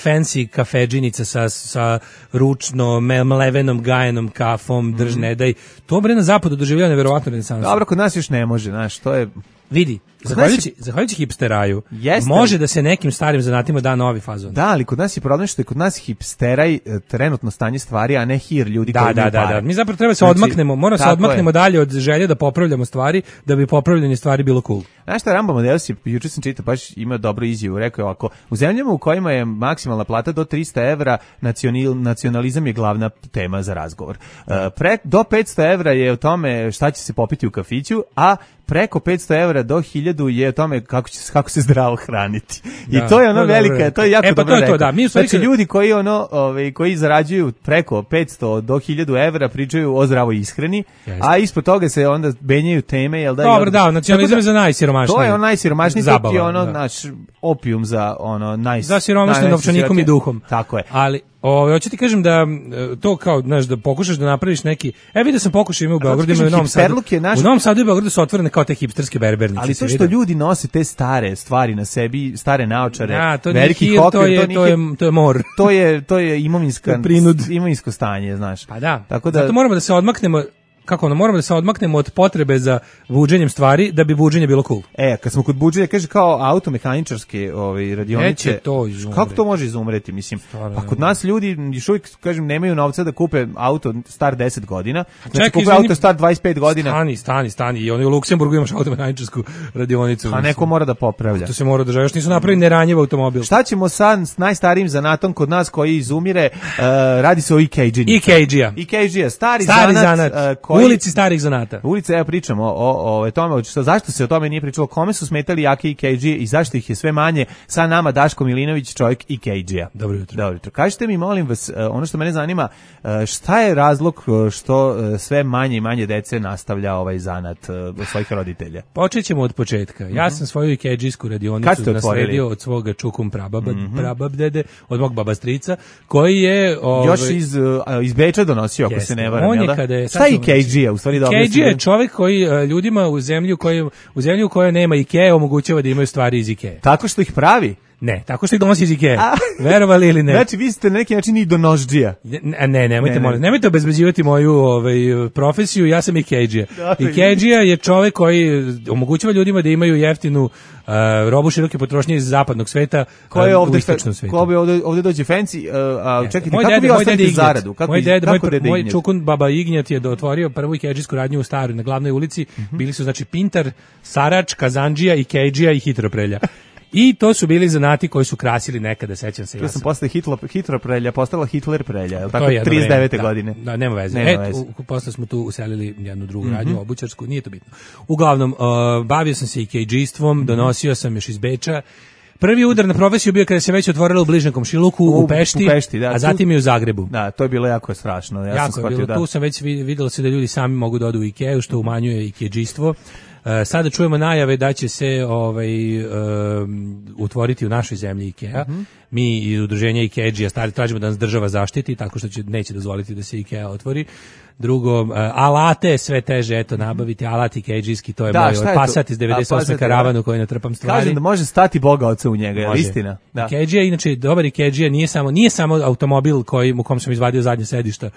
fancy kafedžinica sa ručno mlevenom gajenom kafom, drž ne daj. To bre na zapadu doživljava neverovatno renesansu. Dobro, kod nas još ne može, znaš, to je... Vidi, zahvaljujući hipsteraju, može da se nekim starim zanatima da novi fazon. Da, ali kod nas je problem što je kod nas hipsteraj trenutno stanje stvari, a ne hir ljudi koji imaju pare. Da. Mi zapravo treba se odmaknemo, moramo se odmaknemo dalje od želje da popravljamo stvari, da bi popravljanje stvari bilo cool. Znaš šta, Rambo Amadeus je, juče sam čitao, baš ima dobru izjavu, rekao je ovako, u zemljama u kojima je maksimalna plata do 300 evra, nacionalizam je glavna tema za razgovor. Do 500 evra je o tome šta će se popiti u kafiću, a preko 500 evra do 1000 je o tome kako se zdravo hraniti. I to je ono velika, to je jako dobro rekao. Da. Znači ljudi koji koji zarađuju preko 500 do 1000 evra pričaju o zdravoj ishrani, a ispod toga se onda benjaju teme, jel da? Dobro, da, nacionalizam je za najsiromašnije. To je on najsiromašniji, to je ono naš opijum za ono za siromašne novčanikom i duhom. Tako je. Ali hoću ti kažem da to kao, znaš, da pokušaš da napraviš neki... vidio sam pokušaj ima u Beogradu, ima u Novom Sadu. U Novom Sadu i Beogradu su otvorene kao te hipsterske berbernice. Ali to što ljudi nose te stare stvari na sebi, stare naočare, to veliki hokir, to je mor. To je imovinsko stanje, znaš. Pa da, zato moramo da se odmaknemo... moramo da se odmaknemo od potrebe za buđenjem stvari da bi buđenje bilo cool. Kad smo kod buđenja, kaže kao automehaničarske radionice, to izumre. Kako to može izumreti, mislim? Pa kod nas ljudi još uvijek, kažem, nemaju novca da kupe auto star 10 godina, znači kupe auto star 25 godina. Stani, i oni u Luksemburgu imaš automehaničarsku radionicu. A neko mora da popravlja. To se mora da još nisu napravili neranjiv automobil. Šta ćemo sa najstarijim zanatom kod nas koji izumire? Radi se o EKG-a. Stari zanat. Ulici starih zanata. Ulica, ja pričam o tome, zašto se o tome nije pričalo, kome su smetali jake EKG i zašto ih je sve manje, sa nama Daško Milinović, čovjek EKG-a. Dobro jutro. Kažite mi, molim vas, ono što mene zanima, šta je razlog što sve manje i manje dece nastavlja ovaj zanat svojih roditelja? Počet ćemo od početka. Ja sam svoju EKG-sku radionicu nasledio od svoga čukum prababdede, od mog baba strica, koji je... Još iz Beča donosio, ako se ne varam, jel da? Šta je EKG? EKG je čovjek koji ljudima u zemlji u kojoj nema IKEA omogućava da imaju stvari iz IKEA. Tako što ih pravi? Ne, tako što ih donosi iz IKEA. Verovali ili ne? Znači, vi ste na neki način i donožđija. Nemojte obezbeđivati moju profesiju, ja sam EKG-a. EKG-a je čovjek koji omogućava ljudima da imaju jeftinu robu široke potrošnje iz zapadnog sveta u istočnom svetu. Ovdje dođe fancy, čekajte, kako vi ostavite zaradu? Moj čukun baba Ignjat je otvorio prvu EKG-sku radnju u Staroj, na glavnoj ulici. Bili su, znači, Pintar, Sarač, Kazandžija, EKG-a i Hitroprelja. I to su bili zanati koji su krasili nekada, sećam se. Ja sam posle Hitroprelja postala Hitler prelja, je li tako? 39. godine. Da, nema veze. Posle smo tu uselili jednu drugu radnju, obućarsku, nije to bitno. Uglavnom, bavio sam se EKG-stvom, donosio sam još iz Beča. Prvi udar na profesiju bio kada se već otvorilo u bližnjem komšiluku u Pešti, da, a zatim i u Zagrebu. Da, to je bilo jako strašno. Jako je bilo, tu sam već vidjelo se da ljudi sami mogu da odu u IKEA, što umanjuje EKG-stvo. Sada čujemo najave da će se utvoriti u našoj zemlji IKEA. Mi iz udruženja EKG tražimo da nas država zaštiti tako što neće dozvoliti da se IKEA otvori. Drugo, alate sve teže nabaviti, alat EKG-ski, to je moj Passat iz 98. karavanu koji natrpam stvari. Kažem da može stati Boga oca u njega, je istina? Da. EKG, inače, dobar EKG nije samo automobil u kom sam izvadio zadnje sedišta.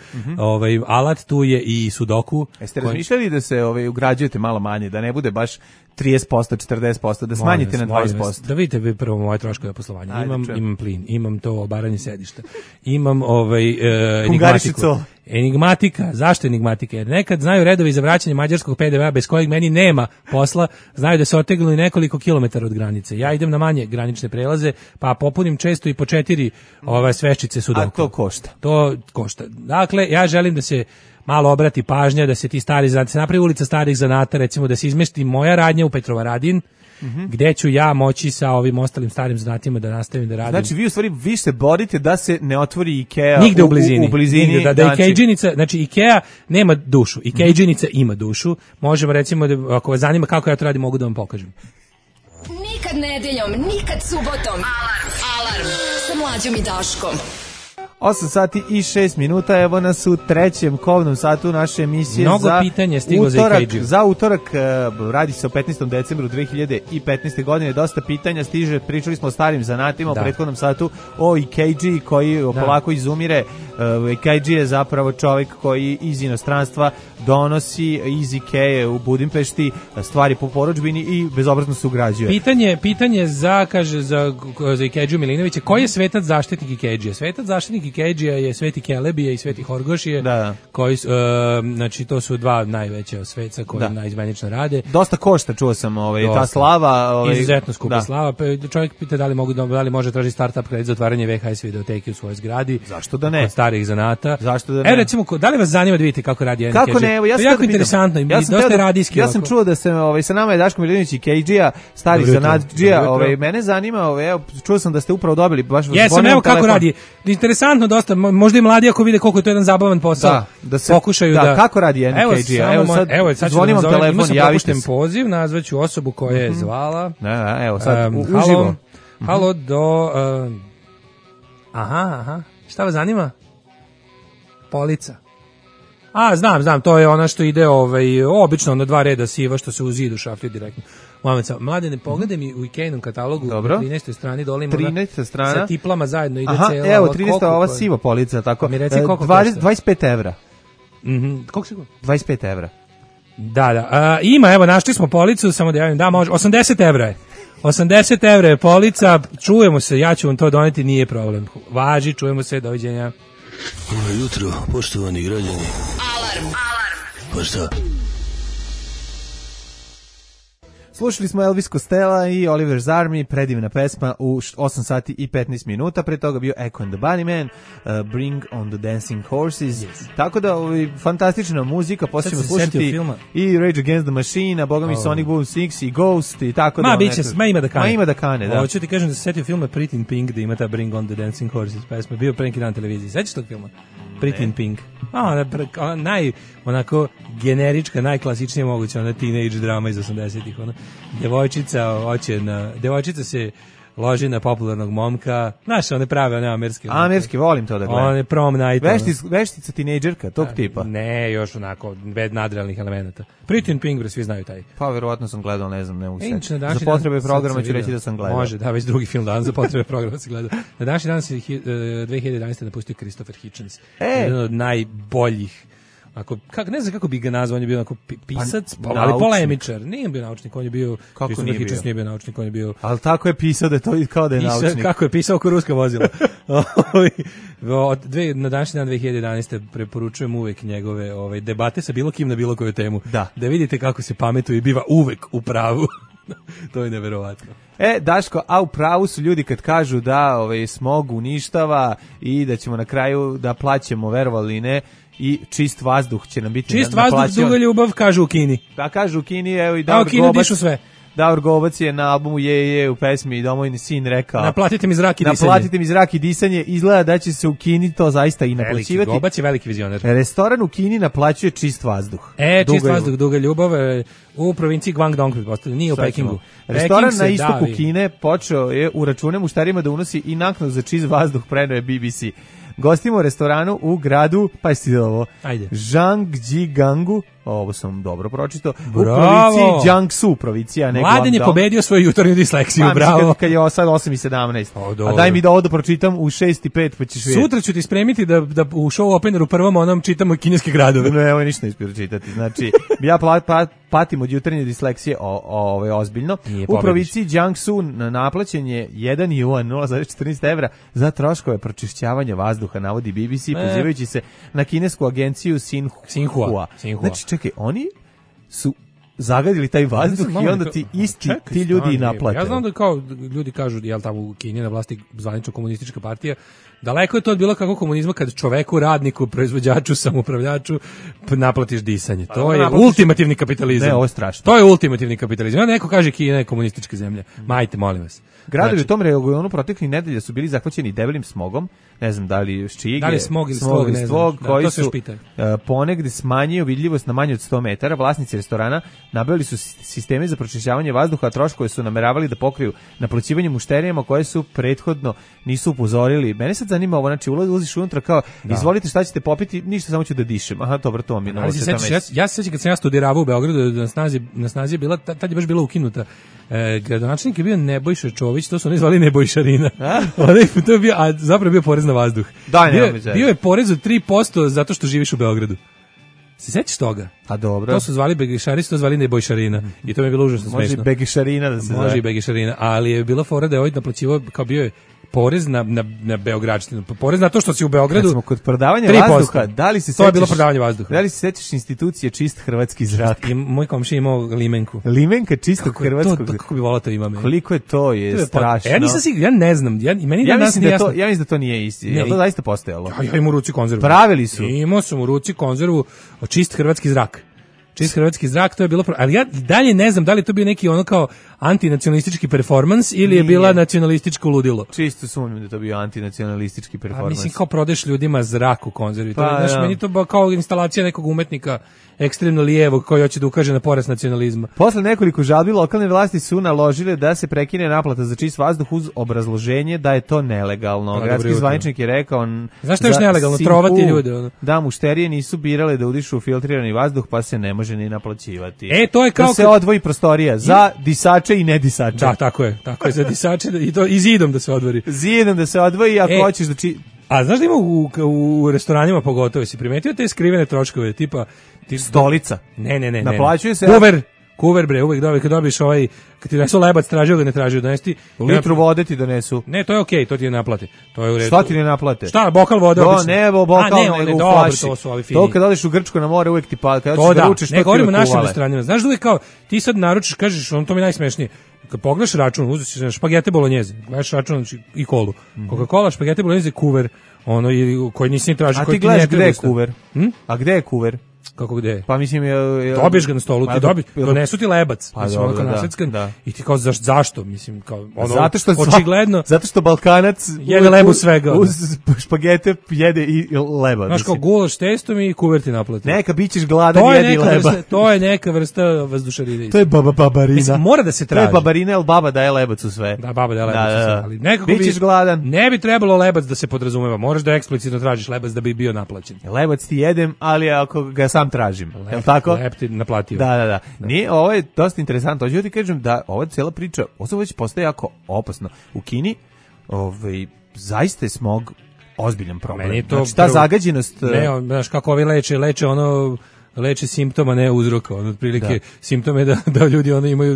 Alat tu je i sudoku. Jeste razmišljali da se ugrađujete malo manje, da ne bude baš 30%, 40%, da smanjite na 20%. Da vidite prvo moje troškove poslovanja. Imam plin, imam to obaranje sedišta. Imam enigmatika. Zašto enigmatika? Jer nekad znaju redovi za vraćanje mađarskog PDV-a bez kojeg meni nema posla, znaju da se otegnu i nekoliko kilometara od granice. Ja idem na manje granične prelaze, pa popunim često i po 4 sveščice sudoku. A to košta? To košta. Dakle, ja želim da se malo obrati pažnja, da se ti stari zanati, se napravi ulica starih zanata, recimo da se izmesti moja radnja u Petrovaradin gde ću ja moći sa ovim ostalim starim zanatima da nastavim da radim. Znači vi u stvari vi se borite da se ne otvori Ikea nigde u blizini. Nigde, da Ikea-džinica, znači Ikea nema dušu, Ikea-džinica ima dušu. Možemo recimo da ako vas zanima kako ja to radim, mogu da vam pokažem. Nikad nedeljom, nikad subotom. Alarm sa Mlađom i Daškom. 8 sati i 6 minuta, evo nas u trećem kovnom satu naše emisije. Mnogo pitanja stiglo za Ikea. Za utorak, radi se o 15. decembru 2015. godine, dosta pitanja stiže, pričali smo o starim zanatima, u prethodnom satu o Ikea koji polako izumire. Ikea je zapravo čovjek koji iz inostranstva donosi iz Ikea u Budimpešti stvari po porudžbini i bezobrazno se ugrađuje. Pitanje za Ikea Milinovića, koji je svetac zaštitnik Ikea? Svetac zaštitnik Ikea je Sveti Kelebije i Sveti Horgošije, koji znači to su dva najveća sveca koji naizmenično rade. Dosta košta, čuo sam, ta slava, izuzetno skupa slava. Pa čovjek pita da li može tražiti startup kredit za otvaranje VHS videoteke u svojoj zgradi. Zašto da ne? Od starih zanata. Zašto da ne? Recimo, da li vas zanima da vidite kako radi Ikea? Kako ne? Evo, ja to je jako interesantno i dosta radijski. Ja sam čuo da se sa nama je Daško Milinović Ikea, starih zanatđija. Mene zanima, čuo sam da ste upravo dobili baš. Jesam, evo kako radi. Interesantno dosta, možda i mladi ako vide koliko je to jedan zabavan posao. Da se pokušaju da kako radi Ikea. Evo sad zvonim vam telefon, javite se. Poziv, nazvaću osobu koja je zvala. Evo sad uživo. Halo do Aha. Šta vas zanima? Polica. Znam, to je ona što ide obično na 2 reda siva što se u zidu šaflju direktno. Mladene, pogledaj mi u Ikeinom katalogu na 13. strani dole ima 13. strana sa tiplama zajedno ide cela. Evo 13. ova siva polica, tako. Mi reci koliko košta? 25 evra. Koliko sigurno? 25 evra. Da. Ima, evo, našli smo policu, samo da javim, da, može, 80 evra je. 80 evra je polica, čujemo se, ja ću vam to doneti, nije problem. Važi, čujemo se, doviđenja. Dobro jutro, poštovani građani. Alarm. Pa šta? Slušali smo Elvis Costello i Oliver's Army, predivna pesma u 8 sati i 15 minuta, pre toga bio Echo and the Bunnymen, Bring on the Dancing Horses, tako da fantastična muzika, poslije ćemo slušati i Rage Against the Machine, a boga mi Sonic Boom 6 i Ghost i tako da. Ima da kane. Da. Hoću ti kažem da se setio filma Pretty in Pink, da ima ta Bring on the Dancing Horses pesma, bio pre neki dan na televiziji, sećaš tog filma? Pretty in Pink. Onako generička, najklasičnija moguća, ona teenage drama iz 80-ih, devojčica se loži na popularnog momka, znaš, one prave, one amerske. Amerske, volim to da gledam. One prom night. Veštica tinejdžerka, tog tipa. Ne, još onako, bez nadrealnih elemenata. Pretty in Pink, svi znaju taj. Pa, verovatno sam gledao, ne znam, ne mogu se. Za potrebe programa ću reći da sam gledao. Može, da, već drugi film dan, za potrebe programa se gledao. Na današnji dan se 2011. napustio Christopher Hitchens. Jedan od najboljih. Ne znam kako bi ga nazvao, on je bio onako pisac, ali polemičar. Nije bio naučnik, on je bio... Kako nije bio naučnik, on je bio... Ali tako je pisao da je to kao da je naučnik. Kako je pisao oko ruska vozila. Na današnji dan 2011. preporučujem uvek njegove debate sa bilo kim na bilo koju temu. Da vidite kako se pametuje i biva uvek u pravu. To je neverovatno. Daško, a u pravu su ljudi kad kažu da smog uništava i da ćemo na kraju da plaćemo, verovali ne, i čist vazduh će nam biti čist vazduh, duga ljubav, kažu u Kini. Da, kažu u Kini, evo i Davor Gobac. Sve. Davor Gobac je na albumu Je u pesmi Domovini sin rekao: naplatite mi zrak i disanje. Naplatite mi zrak i disanje. Izgleda da će se u Kini to zaista i naplaćivati. Gobac je veliki vizioner. Restoran u Kini naplaćuje čist vazduh. Čist vazduh, duga ljubav u provinciji Guangdong, pretpostavljam, nije u Pekingu. Restoran na istoku Kine počeo je u račune mušterima da unosi i naknadu za čist vazduh, preneo je BBC. Gostimo u restoranu u gradu, pa jesi ovo, Zhangjiagangu, ovo sam dobro pročitao, u provinciji Jiangsu, provincija. Mladen je pobedio svoju jutarnju disleksiju, bravo. Kad je sad 8:17. A daj mi da ovo pročitam u 6:05, pa ćeš vidjeti. Sutra ću ti spremiti da u show openeru prvom onom čitamo kineske gradove. Ne, evo ništa ne ispiro čitati. Znači, ja patim od jutarnje disleksije ozbiljno. U provinciji Jiangsu naplaćen je 1 juan, 0,14 evra za troškove pročišćavanja vazduha, navodi BBC, pozivajući se na kinesku agenciju Xinhua. Znači, čekaj, oni su zagadili taj vazduh i onda ti ti ljudi i naplate. Ja znam da kao ljudi kažu, jel tamo u Kini na vlasti zvanično komunistička partija, daleko je to od bilo kakvog komunizma kad čoveku, radniku, proizvođaču, samoupravljaču naplatiš disanje. To je ultimativni kapitalizam. Ne, ovo je strašno. To je ultimativni kapitalizam. Ja neko kaže Kina je komunistička zemlja. Majte, molim vas. Gradovi u tom regionu proteklih nedelja su bili zahvaćeni debelim smogom, ne znam da li ščige, da li smog ili svog, ne znam, koji su ponegde smanjio vidljivost na manje od 100 metara. Vlasnici restorana nabavili su sisteme za pročišćavanje vazduha, a troškove su nameravali da pokriju naplaćivanjem mušterijama koje su prethodno nisu upozorili. Mene sad zanima ovo, znači ulaziš unutra kao, izvolite šta ćete popiti, ništa, samo ću da dišem. Aha, dobro, to mi je novo. Ja se sećam kad sam ja studirao u Beogradu, na snazi je bila, tad je baš bila ukinuta. Gradonačelnik je bio Nebojša Čović, to su oni zvali Nebojšarina. To je bio, a zapravo je bio porez na vazduh. Bio je porez od 3% zato što živiš u Beogradu. Se sećaš toga? A dobro. To su zvali Begišari, to zvali Nebojšarina. I to mi je bilo užasno smešno. Može i Begišarina da se zove. Može i Begišarina, ali je bila fora da je ovaj naplaćivao, kao bio je porez na Beogradštinu, porez na to što si u Beogradu. Kad smo kod prodavanja 3%. vazduha, da li se to je bilo prodavanje vazduha. Da li se sećaš institucije čist hrvatski zrak? I moj komšija imao limenku. Limenka čistog hrvatskog. Kako bi volao to ima meni. Koliko je to strašno. Ja nisam siguran, ja ne znam. Ja mislim da to nije isti. Je to zaista postojalo? Ja imam u ruci konzervu. Pravili su. Imao sam u ruci konzervu čist hrvatski zrak. Čist hrvatski zrak, to je bilo, ali ja dalje ne znam da li to bio neki ono kao antinacionalistički performans ili je bila nacionalističko ludilo. Čisto sumnjam da to bio antinacionalistički performans. Mislim kao prodeš ljudima zrak u konzervi. Meni to kao instalacija nekog umetnika ekstremno lijevog koji hoće da ukaže na porast nacionalizma. Posle nekoliko žalbi lokalne vlasti su naložile da se prekine naplata za čist vazduh uz obrazloženje da je to nelegalno. Gradski zvaničnik je rekao... Znaš što je još nelegalno? Trovati ljude. Da, mušterije nisu birale da udišu filtrirani vazduh pa se ne može ni naplaćivati. To je kao da se odvoji prostorija za disače i nedisače. Da, tako je za disače i to i zidom da se odvoji. Zidom da se odvoji ako hoćeš da A znaš da ima u restoranima pogotovo, si primetio te skrivene troškove, tipa stolica? Ne. Naplaćuje se Kuver bre, uvek kad dobiš kad ti donesu lebac, tražio ga, ne tražio, donesti litru vode ti donesu. Ne, to je okej, to ti ne naplate. To je u redu. Šta ti ne naplate? Šta, bokal vode obično? Ne, bokal nego u flaši. To su ovi fini. To kad odeš u Grčko na more uvek ti pada, kad hoćeš da ručiš, ne govorimo o našim restoranima. Znaš da uvek kao ti sad naručiš, kažeš, to mi je najsmešnije. Kad pogledaš račun, uzmeš špagete bolognese, gledaš račun i kolu. Coca-Cola, špagete bolognese, kuver, koji nisi ni tražio, koji ti ne treba. A ti gledaš gde je kuver? A gde je kuver? Kako gde? Pa mislim dobiješ ga na stolu, donesu ti lebac, i ti kao zašto, mislim kao zato što očigledno zato što Balkanac jede lebu svega. Uz špagete jede i leba. Znaš kao gulaš testom i kuverti naplati. Neka bićeš gladan i jedi leba. To je neka vrsta vazdušarine. To je babarina. Mislim, mora da se traži. To je babarina, el baba daje lebac u sve. Da, baba daje lebac u sve, ali nekako bićeš gladan. Ne bi trebalo lebac da se podrazumeva. Moraš da eksplicitno tražiš lebac da bi bio naplaćen. Lebac ti jedem, ali ako ga sam tražim. Je li tako? Lep ti naplatio. Da. Nije, ovo je dosta interesantno. Hoću ti kažem da ova cijela priča, ovo već postaje jako opasno. U Kini, zaista je smog ozbiljan problem. Znači, ta zagađenost... Ne, znaš kako ovi leče simptoma, ne uzroka. Otprilike simptome da ljudi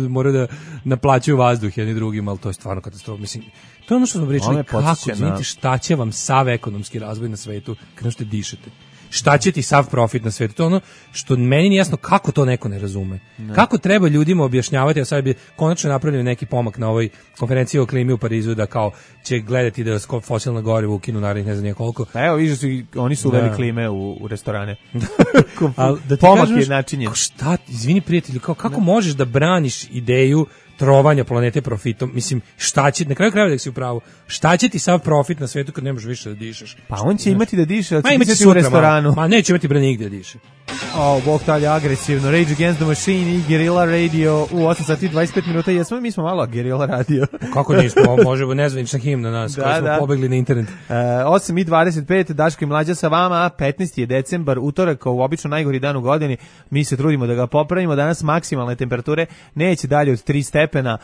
moraju da naplaćuju vazduh jedni drugim, ali to je stvarno katastrofa. Mislim, to je ono što smo pričali, kako, šta će vam sav ekonomski razvoj na svetu kada što dišete. Šta će ti sav profit na svijetu? To je ono što meni nije jasno kako to neko ne razume. Ne. Kako treba ljudima objašnjavati, a sad bi konačno napravili neki pomak na ovoj konferenciji o klimi u Parizu, da kao će gledati da fosilna goriva ukinu narednih ne znam koliko. Pa evo, vidiš, oni su uveli klime u restorane. Da pomak je načinjen. Šta, izvini prijatelju, kako možeš da braniš ideju trovanja planete profitom? Mislim, šta će, na kraju krajeva da si u pravu, šta će ti sav profit na svetu kad ne možeš više da dišeš? Pa on će imati da diše, ali će biti u restoranu. Ma neće imati bre nigde da diše. Bog talje agresivno. Rage Against the Machine i Guerrilla Radio u 8 sati i 25 minuta. Mi smo malo Guerrilla Radio. Kako nismo, možemo nezvanična himna nas, koji smo pobegli na internet. 8 i 25, Daško i Mlađa sa vama, 15. je decembar, utorak, u obično najgori dan u godini. Mi se trudimo da ga popravimo. Danas maksimalne temperature neće dalje od 3 stepena.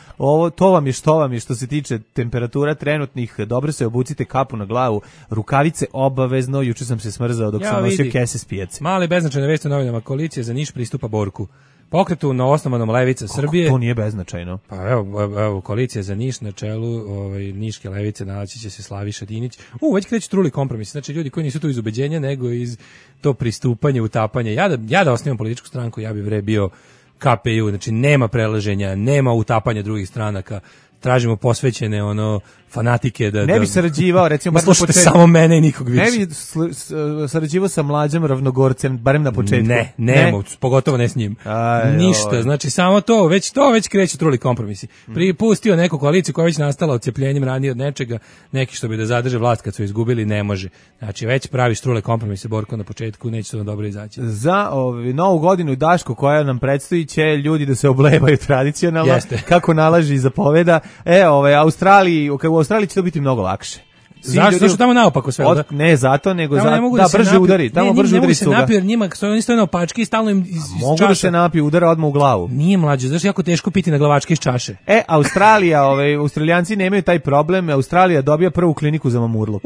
To vam je što se tiče temperatura trenutnih. Dobro se obucite, kapu na glavu, rukavice obavezno. Juče sam se smrzao dok sam nosio kese s pijace. Mali beznačajne vesti u novinama. Koalicija za Niš pristupa Borku. Pokretu na osnovanom Levica Srbije. To nije beznačajno. Pa evo koalicija za Niš na čelu Niške Levice, naći će se Slaviša Dinić. Već kreće truli kompromis. Znači ljudi koji nisu tu iz ubeđenja, nego iz to pristupanje, utapanje. Ja da osnivam političku stranku, ja bih bio KPU, znači nema prelaženja, nema utapanja drugih stranaka, tražimo posvećene fanatike da ne bi sarađivao recimo slušate samo mene i nikog više. Ne bi sarađivao sa Mlađom Ravnogorcem barem na početku. Ne, pogotovo ne s njim. Ništa, znači samo to već kreću truli kompromisi. Pripustio neku koaliciju koja je već nastala odcepljenjem ranije od nečega, neki što bi da zadrže vlast kad su izgubili, ne može. Znači već praviš trule kompromise, Borko, na početku, neće to dobro izaći. Za novu godinu i Dašku koja nam predstoji će ljudi da se oblevaju tradicionalno, kako nalaži i zapoveda. U Australiji će to biti mnogo lakše. Zašto su tamo naopako sve? Ne zato, nego da brže udari. Tamo brže udari suga. Ne mogu se napiju, jer njima oni stoje na opački i stalno im iz mogu da se napiju, udara odmah u glavu. Nije mlađe, znaš jako teško piti na glavačke iz čaše. Australija, Australijanci nemaju taj problem. Australija dobija prvu kliniku za mamurluk.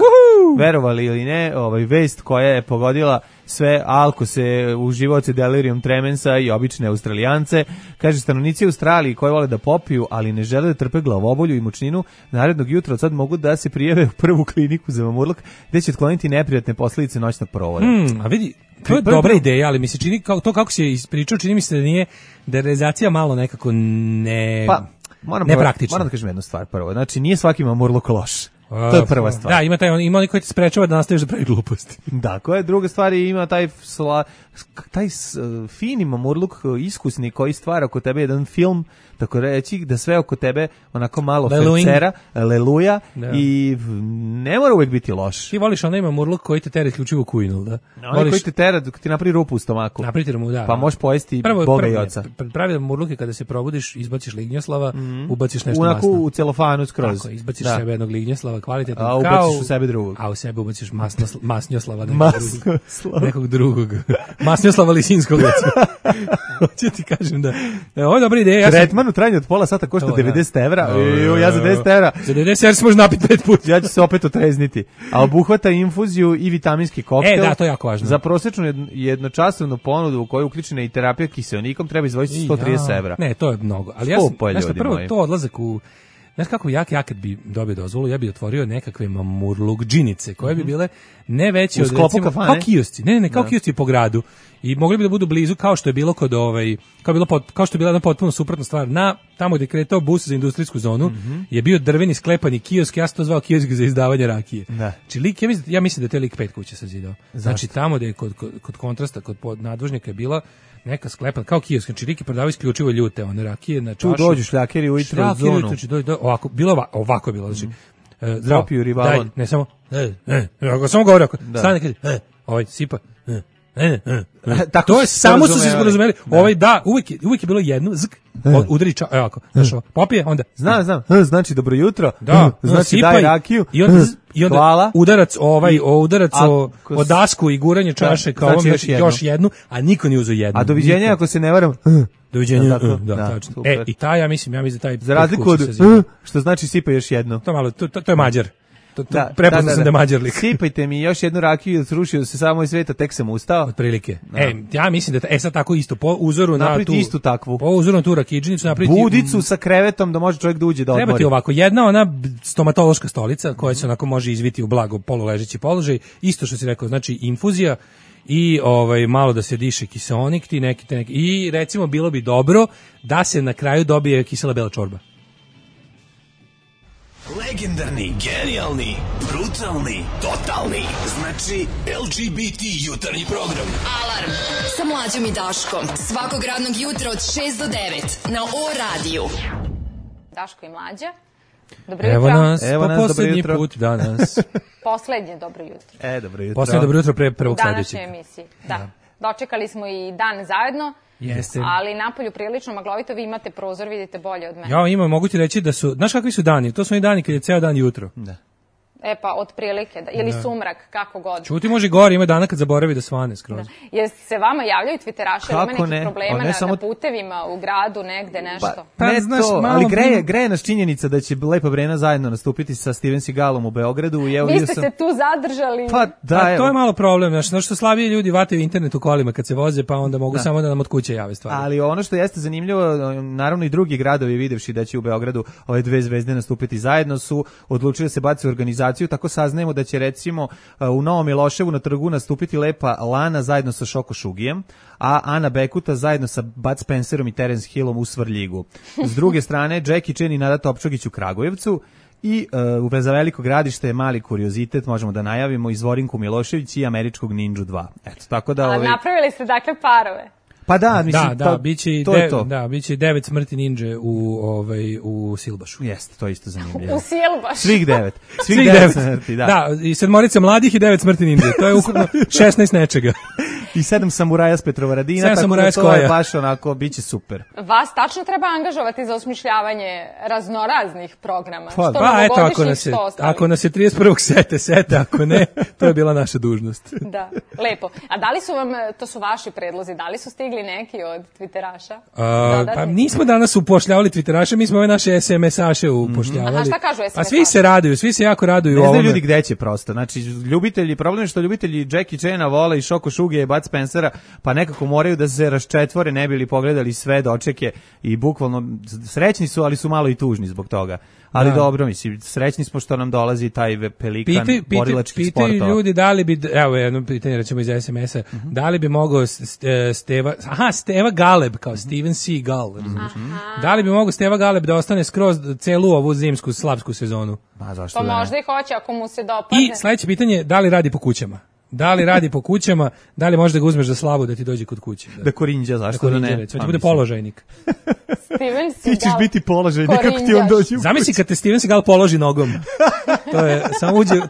Verovali ili ne, vest koja je pogodila sve alkose, uživaoce delirium tremensa i obične Australijance. Kaže, stanovnici Australiji koji vole da popiju, ali ne žele da trpe glavobolju i mučninu, narednog jutra od sad mogu da se prijave u prvu kliniku za mamurluk, gde će otkloniti neprijatne posledice noćnog provoda. A vidi, to je dobra ideja, ali mi se čini, kako se ispričao, čini mi se da je realizacija malo nekako nepraktična. Moram da kažem jednu stvar prvo. Znači, nije svaki mamurluk loš. To je prva stvar. Da, ima oni koji te sprečava da nastaviš da pravi gluposti. Da, koja je druga stvar, ima taj fini mamurluk, iskusni koji stvara oko tebe jedan film, tako reći, da sve oko tebe onako malo fercera, leluja i ne mora uvijek biti loš. Ti voliš onaj mamurluk koji te tera isključivo kujnul, da? Onaj koji te tera, ti napravi rupu u stomaku. Napravite mu, da. Pa možeš pojesti Boga i oca. Pravi mamurluk je kada se probudiš, izbaciš lignjoslava, ubaciš nešto masno. U celofanu skroz. Tako, izbaciš sebe jednog lignjoslava, kvalitetno. A ubaciš u sebe drugog. A u sebe ubaciš masnjoslava nekog drugog. Masnjoslava Lisinskog. Hoće ti kažem da ovo je dobra ideja. Tretman u trajanju od pola sata košta 90 evra. Ja za 10 evra. Za 90 evra se može napiti 5 puta. Ja ću se opet otrezniti. A obuhvata infuziju i vitaminski koktel. Da, to je jako važno. Za prosječnu jednočasovnu ponudu u kojoj je uključena i terapija kiseonikom treba izdvojiti 130 evra. Ne, to je mnogo. Ali prvo to odlazak u... Znaš kako ja kad bi dobio dozvolu, ja bi otvorio nekakve mamurlukđinice koje bi bile ne veće od recimo kao kiosci. Ne, kao kiosci po gradu. I mogli bi da budu blizu kao što je bilo kod kao što je bila jedna potpuno suprotna stvar. Tamo gdje je kretao bus za industrijsku zonu je bio drveni sklepani kiosk, ja sam to zvao kiosk za izdavanje rakije. Znači lik, ja mislim da je taj lik 5 kuća sazidao. Znači tamo gdje je kod kontrasta, kod nadvožnjaka je bila neka sklepan, kao kiosk, znači Riki prodavao isključivo ljute, one rakije na čašu. Tu dođu šljakeri ujutro u zonu. Ovako je bilo, znači, zdravo, daj, ne samo, samo govori, stane kaže, sipa, to je samo su se sporazumeli. Uvijek je bilo jedno, udari ovako, znaš ovo, popije, onda. Znam, znači dobro jutro, znači daj rakiju, i onda hvala. Udarac o dasku i guranje čaše kao ovom, još jednu, a niko nije uzeo jednu. A doviđenja ako se ne varam, doviđenja, da, tačno. I ja mislim da taj... Za razliku od, što znači sipa još jedno. To je Mađar. Prepoznao sam da je Mađar lik. Sipajte mi još jednu rakiju, srušio se samo iz sveta, tek sam ustao. Otprilike. Ja mislim da sad tako isto, po uzoru na tu... istu takvu. Po uzoru na tu rakidžinicu napraviti... Budicu sa krevetom da može čovjek da uđe da odmori. Treba ti ovako, jedna ona stomatološka stolica koja se onako može izviti u blago poluležeći položaj, isto što si rekao, znači infuzija i malo da se diše kiseonik, neki. I recimo bilo bi dobro da se na kraju dobije kisela bela čorba. Legendarni, genijalni, brutalni, totalni. Znači LGBT jutarnji program. Alarm sa Mlađom i Daškom. Svakog radnog jutra od 6 do 9 na O-radiju. Daško i Mlađa. Dobro jutro. Evo nas poslednji put danas. Poslednje dobro jutro. Dobro jutro. Poslednje dobro jutro pre prvog sledećeg. U današnjoj emisiji, da. Dočekali smo i dan zajedno. Jeste. Ali napolju prilično maglovito, vi imate prozor, vidite bolje od mene. Ja imam, mogu ti reći da su, znaš kakvi su dani? To su oni dani kad je ceo dan jutro. Da. Pa otprilike, ili sumrak, kako god. Čuti može gore, ima dana kad zaboravi da svane skroz. Jer se vama javljaju twitteraši, ili ima nekih problema na putevima, u gradu, negde, nešto? Ne znaš, ali greje nas činjenica da će Lepa Brena zajedno nastupiti sa Steven Seagalom u Beogradu. Vi ste se tu zadržali. To je malo problem, znaš što slabiji ljudi vataju internet u kolima kad se voze, pa onda mogu samo da nam od kuće jave stvari. Ali ono što jeste zanimljivo, naravno i drugi gradovi videvši da će u Beogradu ove dve zvezde nastupiti zajedno su odlučili da se baci u organizaciju ekranizaciju, tako saznajemo da će recimo u Novom Miloševu na trgu nastupiti Lepa Lana zajedno sa Šoko Šugijem, a Ana Bekuta zajedno sa Bud Spencerom i Terence Hillom u Svrljigu. S druge strane, Jackie Chan i Nada Topčagić u Kragujevcu, i za Veliko Gradište je mali kuriozitet, možemo da najavimo, Izvorinku Milošević i Američkog Ninju 2. Eto, tako da... napravili ste dakle parove. Pa da, mislim, biće 9 smrti ninja u Silbašu. Jeste, to je isto zanimljivo. U Silbašu. Svih 9. Svih 9 smrti, da. Da, i 7 mladih i 9 smrti ninja. To je ukupno 16 nečega. I 7 samuraja s Petrovaradina, tako da to je baš onako, biće super. Vas tačno treba angažovati za osmišljavanje raznoraznih programa. Ako nas je 31. sete, ako ne, to je bila naša dužnost. Da, lepo. A da li su vam, to su vaši predlozi, da li su stigli neki od Twitteraša? Pa nismo danas upošljavali Twitteraše, mi smo ove naše SMS-aše upošljavali. Aha, šta kažu SMS-aše? Pa svi se raduju, svi se jako raduju. Ne znaju ljudi gde će prosto. Znači, problem je što ljubitelji Jackie Chana vole i Šoko Šugija i Bud Spencera, pa nekako moraju da se raščetvore, ne bili pogledali sve dočeke i bukvalno srećni su, ali su malo i tužni zbog toga. Ali dobro, mislim, srećni smo što nam dolazi taj pelikan borilačkih sportova. Pitaju ljudi da li bi, evo jedno pitanje recimo iz SMS-a, da li bi mogao Steva Galeb, kao Steven Seagal, da li bi mogao Steva Galeb da ostane skroz celu ovu zimsku slavsku sezonu? Pa zašto pa možda i hoće ako mu se dopadne. I sledeće pitanje, da li radi po kućama? Da li radi po kućama, da li možeš da ga uzmeš za slavu da ti dođe kod kuće? Da korinđa, zašto da ne? Hoće bude položajnik. Steven Seagal. Ti ćeš biti položajnik, kako ti on dođe u kuću. Zamisli kad te Steven Seagal položi nogom.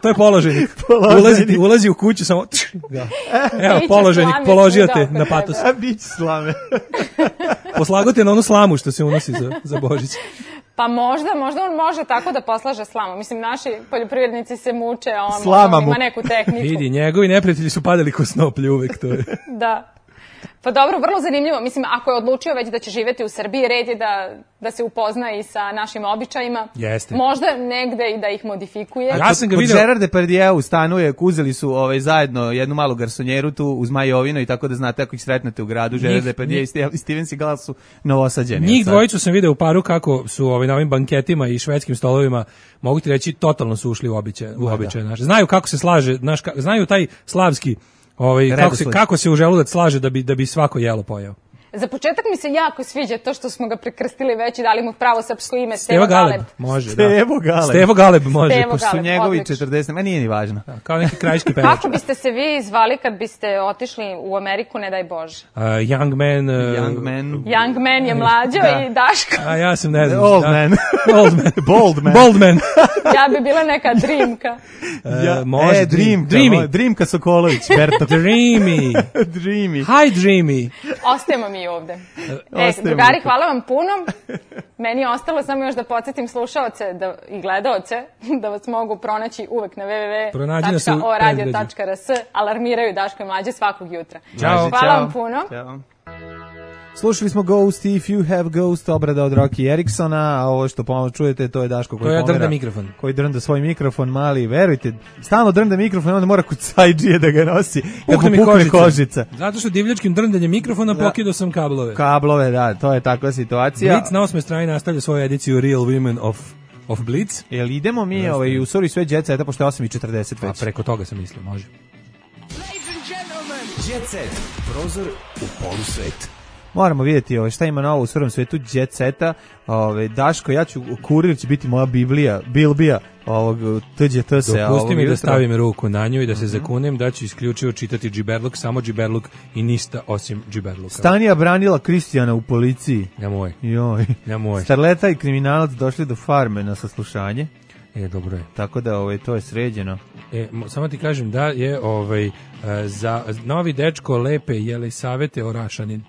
To je položajnik. Ulazi u kuću, samo... Evo, položajnik, položio te na patos. A bić slame. Poslago te na onu slamu što se unosi za Božić. Pa možda on može tako da poslaže slamu. Mislim, naši poljoprivrednici se muče, a on ima neku tehniku. Vidi, njegovi neprijatelji su padali ko snoplje uvek, to je. Da. Pa dobro, vrlo zanimljivo. Mislim, ako je odlučio već da će živjeti u Srbiji, red je da se upozna i sa našim običajima. Jeste. Možda negde i da ih modifikuje. Ja sam ga vidio. Kod Gerard Depardieu stanuje, uzeli su zajedno jednu malu garsonjeru tu uz Majovino i tako da znate ako ih sretnete u gradu, Gerard Depardieu i Steven Seagal su novosađeni. Njih dvojicu sam video u paru kako su na ovim banketima i švedskim stolovima, mogu ti reći, totalno su ušli u običaje naše. Znaju kako se slaže, znaju taj slavski kako se u želudac slaže da bi svako jelo pojeo. Za početak mi se jako sviđa to što smo ga prekrstili već i dali mu pravo srpsko ime, Stevo Galeb. Može, Stevo Galeb može. Pošto su njegovi 40, ma nije ni važno. Kao neki krajiški pevač. Kako biste se vi zvali kad biste otišli u Ameriku, ne daj Bože? Young man. Young man je Mlađo i Daško. A ja sam ne znam. Old man. Bold man. Ja bi bila neka Dreamka. Može. Dreamka Sokolović. Dreamy. Hi Dreamy. Ostajemo mi ovde. Drugari, hvala vam puno. Meni je ostalo samo još da podsjetim slušaoce i gledaoce da vas mogu pronaći uvek na www.oradio.rs. Alarmiraju Daško i Mlađe svakog jutra. Hvala vam puno. Ćao. Slušali smo Ghost, If You Have Ghost, obrada od Rocky Eriksona, a ovo što pomalo čujete, to je Daško koji drnda mikrofon. Koji drnda svoj mikrofon mali, verujte, stalno drnda mikrofon, onda mora kod sajđije da ga nosi, kad mu pukne kožica. Zato što divljačkim drndanjem mikrofona pokidao sam kablove. Kablove, da, to je takva situacija. Blitz na 8. strani nastavlja svoju ediciju Real Women of Blitz. Jel idemo mi u stvari sve Jet Seta, pošto je 8:40 već. A preko toga sam mislio, može. Jet Set, prozor u polusvet. Moramo vidjeti šta ima novo u svom svetu Jet Seta. Daško, kurir će biti moja Bilbija ovog TGT-se. Dopusti mi da stavim ruku na nju i da se zakunem da ću isključivo čitati džiberluk, samo džiberluk i ništa osim džiberluka. Stanija branila Kristijana u policiji. Nemoj. Starleta i kriminalac došli do farme na saslušanje. Dobro je. Tako da to je sređeno. Samo ti kažem da je za novi dečko Lepe Jelisavete Orašanin.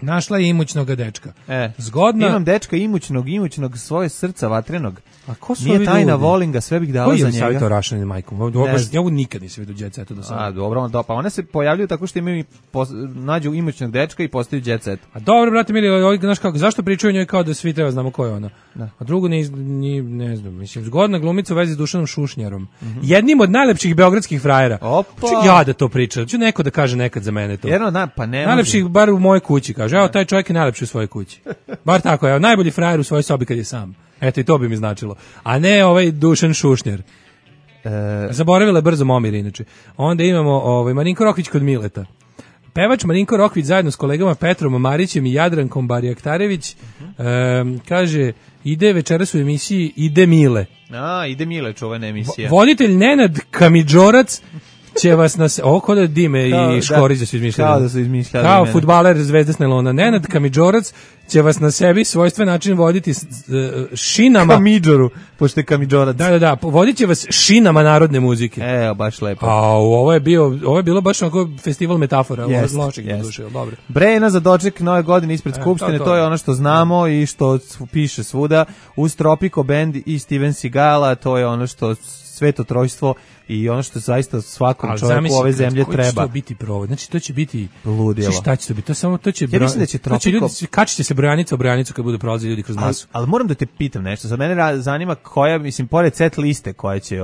Našla je imućnog dečka. Zgodna. Imam dečka imućnog svoje srca vatrenog. A ko su Nije tajna, volim ga, sve bih dala za njega. Koji je Jelisaveta Orašanin, majkom? Ja ovo nikad nisam vidio Jet Setu do sada. Dobro, pa one se pojavljuju tako što imaju nađu imućnog dečka i postaju Jet Set. A dobro, brate mili, znaš kako, zašto pričaju njoj kao da svi treba znamo ko je ona? A drugo ne znam, mislim, zgodna glumica u vezi s Dušanom Šušnjarom. Jednim od najlepših beogradskih frajera. Ja da to pričam, ću neko da kaže nekad za mene to. Najlepših, bar u mojoj kući, kaže, evo taj čovjek je najlepši u svojoj kući. Bar tako, evo, najbolji frajer u svojoj sobi kad je sam. Eto, i to bi mi značilo. A ne ovaj Dušan Šušnjar. Zaboravila je brzo Momir, inače. Onda imamo Marinko Rokvić kod Mileta. Pevač Marinko Rokvić zajedno s kolegama Petrom Marićem i Jadrankom Barjaktarević kaže, ide večeras u emisiji Ide Mile. Ide Mile, čuvena emisija. Voditelj Nenad Kamidžorac će vas kod da Dime i Škorić da su izmišljali. Kao da su izmišljali. Kao fudbaler Zvezde s Nelona. Nenad Kamidžorac će vas na sebi svojstven način voditi šinama. Kamidžoru, pošto je Kamidžorac. Da, vodit će vas šinama narodne muzike. Baš lepo. Ovo je bilo baš onako festival metafora. Lošeg duše, dobro. Brena za doček nove godine ispred Skupštine, to je ono što znamo i što piše svuda. Uz Tropico Band i Steven Seagala, to je ono što sveto trojstvo i ono što zaista svakom čovjeku ove zemlje treba. Koji će to biti provod? Znači, to će biti ludilo. Šta će to biti? Ja mislim da će Tropico... Kačit će se brojanica u brojanicu kad budu prolazili ljudi kroz masu. Ali moram da te pitam nešto. Za mene zanima koja, mislim, pored set liste koja će...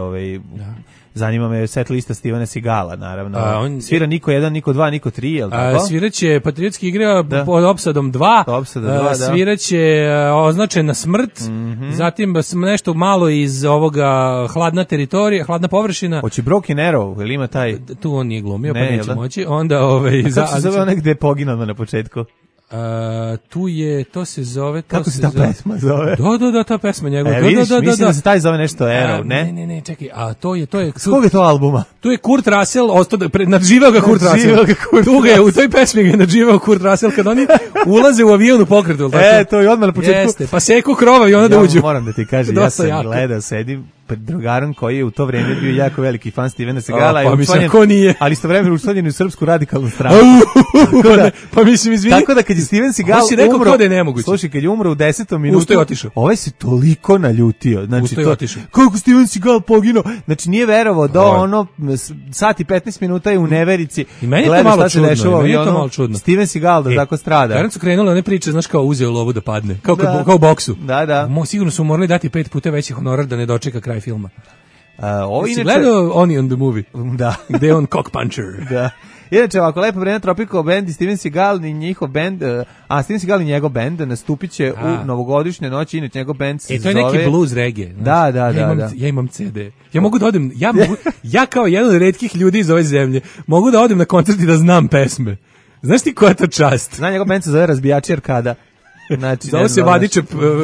Zanima me set lista Stevena Seagala, naravno. Svira Niko 1, Niko 2, Niko 3, je li tako? Sviraće Patriotski igre pod opsadom 2. Sviraće Označena smrt. Zatim nešto malo iz ovoga Hladna teritorija, Hladna površina. Hoće Broken Arrow, ili ima taj... Tu on nije glumio, pa neće moći. Onda kako se zove onaj gde je poginuo na početku? Tu je, to se zove... Kako se ta pesma zove? Da, ta pesma njegova. Mislim da se taj zove nešto Arrow, ne? Ne, čekaj, a to je... S kog je to albuma? Tu je Kurt Russell, nadživeo ga Kurt Russell. Tu ga je, u toj pesmi ga je nadživeo Kurt Russell, kad oni ulaze u avion u pokretu. To je odmah na početku. Jeste, pa seku krova i onda da uđu. Moram da ti kažem, ja sam gledao, sedim pred drugarom koji je u to vreme bio jako veliki fan Stevena Seagala i učlanjen, ali istovremeno učlanjen u Srpsku radikalnu stranu. Pa mislim, izvini. Tako da kad je Steven Seagal umro, slušaj, kad je umro u 10. minutu, ovaj se toliko naljutio. Znači, kako Steven Seagal poginuo? Znači, nije verovao da ono, sat i 15 minuta je u neverici. I meni je to malo čudno. Steven Seagal da tako strada. Kada su krenuli one priče, znaš, kao uzeo lovu da padne. Kao u boksu. Da. Sigurno su morali dati 5 puta veći honorar da ne dočeka kraj filma. Inače, gledao on the movie. Da. Gde je on cock puncher. Da. Inače, ovako lepo vreme Tropico Band i Steven Seagal i njihov band, Steven Seagal i njegov band nastupit će u novogodišnje noći, inače njegov band se zove... to je neki blues reggae. Da. Ja imam CD. Ja mogu da odem, ja kao jedan od retkih ljudi iz ove zemlje, mogu da odem na koncert i da znam pesme. Znaš ti koja je to čast? Zna, njegov band se zove Razbijači Arkada. Znači, zove se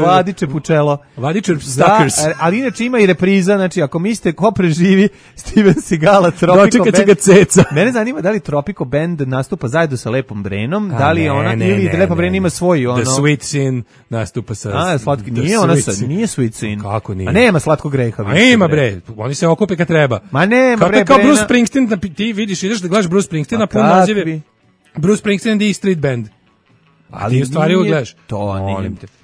Vadiče Pučelo. Vadiče Stalkers. Ali inače ima i repriza, znači ako mislite ko preživi Steven Seagala, Tropico Band. Dočekat će ga ceca. Mene zanima da li Tropico Band nastupa zajedno sa Lepom Brenom, da li je ona, ili Lepa Brena ima svoj ono... The Sweet Sin nastupa sa... Nije Sweet Sin. Kako nije? A nema Slatkog greha. A ima bre, oni se okupe kad treba. Ma nema bre, kao Bruce Springsteen, ti vidiš, ideš da gledaš Bruce Springsteen, pun naziv je Bruce Springsteen and the Street Band. Ali u stvari ugledaš.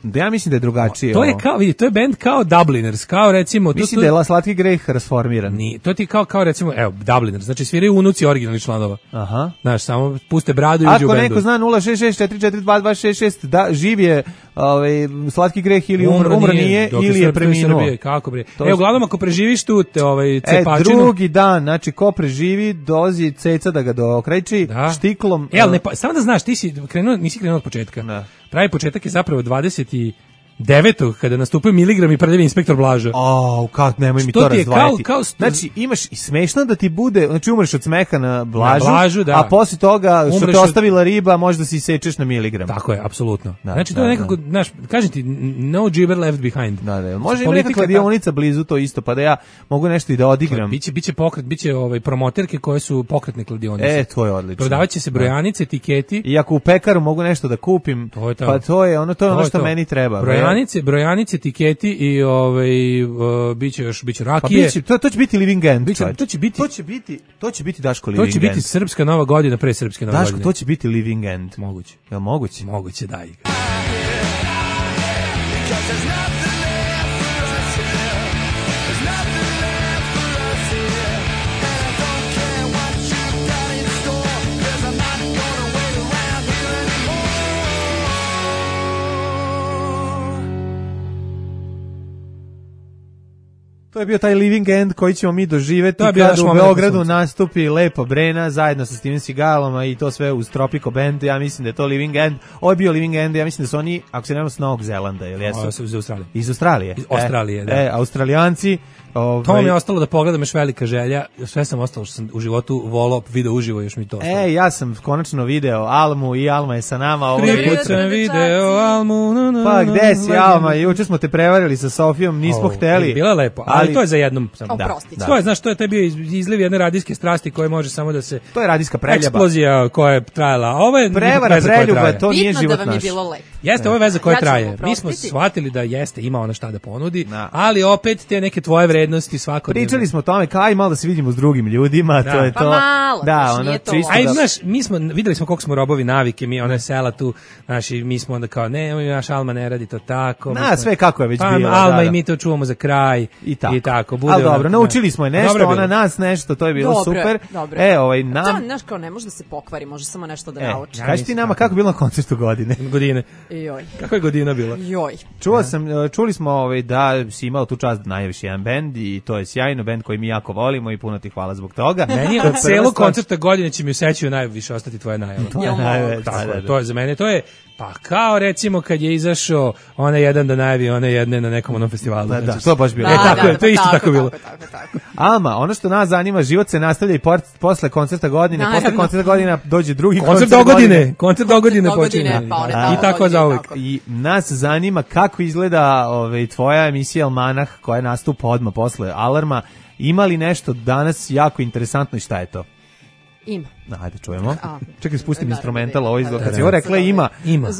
Da, ja mislim da je drugačije. To je kao, vidi, to je band kao Dubliners, kao recimo... Mislim da je Slatki greh rasformiran. To ti kao recimo, evo, Dubliners, znači sviraju unuci originalnih članova. Aha. Znaš, samo puste bradu i uđu u bendu. Ako neko zna 066442266, da, živ je Slatki greh ili umro nije, ili je preminuo. Kako bre? Uglavnom, ako preživiš tu cepačinu... Drugi dan, znači, ko preživi, dozi ceca da ga dokrajči, štiklom... Samo da znaš, ti si nisi krenuo od početka. Pravi početak je zapravo 29. kada nastupaju miligram i prljavi inspektor Blaža. Nemoj mi to razdvajati. Znači, imaš i smešno da ti bude, znači umreš od smeha na Blažu, a posle toga što te ostavila riba, možda si sečeš na miligram. Tako je, apsolutno. Znači, to je nekako, znaš, kažem ti, no jibber left behind. Može i neka kladionica blizu to isto, pa da ja mogu nešto i da odigram. Biće pokret, biće promoterke koje su pokretne kladionice. To je odlično. Prodavaće se brojanice, etiketi. I ako u pekaru mogu nešto da kupim, pa to je ono što meni treba. Brojanice, tiketi i biće rakije. Pa to će biti Living End. To će biti Daško Living End. To će biti srpska nova godina pre srpske nove godine. Daško, to će biti Living End. Moguće. Jel moguće? Moguće, daj. To je bio taj Living End koji ćemo mi doživeti kada u Beogradu nastupi Lepa Brena zajedno sa Steven Seagalom i to sve uz Tropico Band. Ja mislim da je to Living End. Ovo je bio Living End, ja mislim da su oni, ako se nema, s Novog Zelanda, ili jesu? Iz Australije. Iz Australije? Iz Australije, da. Australijanci, To mi je ostalo da pogledam, još velika želja. Sve sam ostalo što sam u životu volao, video uživo, još mi to ostalo. Ja sam konačno video Almu i Alma je sa nama. Prvi put sam video Almu. Pa gde si Alma? Juče smo te prevarili sa Sofijom, nismo hteli. Bilo je lepo, ali to je za jednom. Oprostite. To je, znaš, to je bio izliv jedne radijske strasti koje može samo da se... To je radijska preljaba. Eksplozija koja je trajala. Ovo je prevara, preljuba, to nije život naš. Bitno da vam je bilo lepo. Jeste, ovo je veza koja traje. Mi smo shvatili da jeste, ima ona šta da ponudi, ali opet te neke tvoje vrednosti svakodnevno. Pričali smo o tome, kaj malo da se vidimo s drugim ljudima, to je to. Pa malo, ono to. čisto. Aj, znaš, videli smo koliko smo robovi navike, mi ona sela tu, naši, mi smo onda kao, ne, naš Alma ne radi to tako. Sve kako je već bilo. Alma i mi to čuvamo za kraj i tako. Ali dobro, naučili smo je nešto, ona nas nešto, to je bilo super. To, znaš, kao ne može da se pokvari, može samo nešto da nauči. Kaži ti nama kako je bilo na koncertu godine? Joj. Kako je godina bila? Joj. Čuli smo da si imao tu čast da najaviš jedan bend i to je sjajno, bend koji mi jako volimo i puno ti hvala zbog toga. Meni od celog koncerta godine će mi u sećanju najviše ostati tvoja najava. To je za mene, to je pa kao recimo kad je izašao onaj jedan da najavi one jedne na nekom onom festivalu. Da, to baš bilo. To je isto tako bilo. Alma, ono što nas zanima, život se nastavlja i posle koncerta godine, posle koncerta godine dođe drugi koncert dogodine počinje. I tako za uvijek. I nas zanima kako izgleda tvoja emisija Almanah koja nastupa odmah posle Alarma. Ima li nešto danas jako interesantno i šta je to? Ima. Ajde, čujemo. Čekaj, spustim instrumental, ovo izgleda. Kad si ovo rekla ima,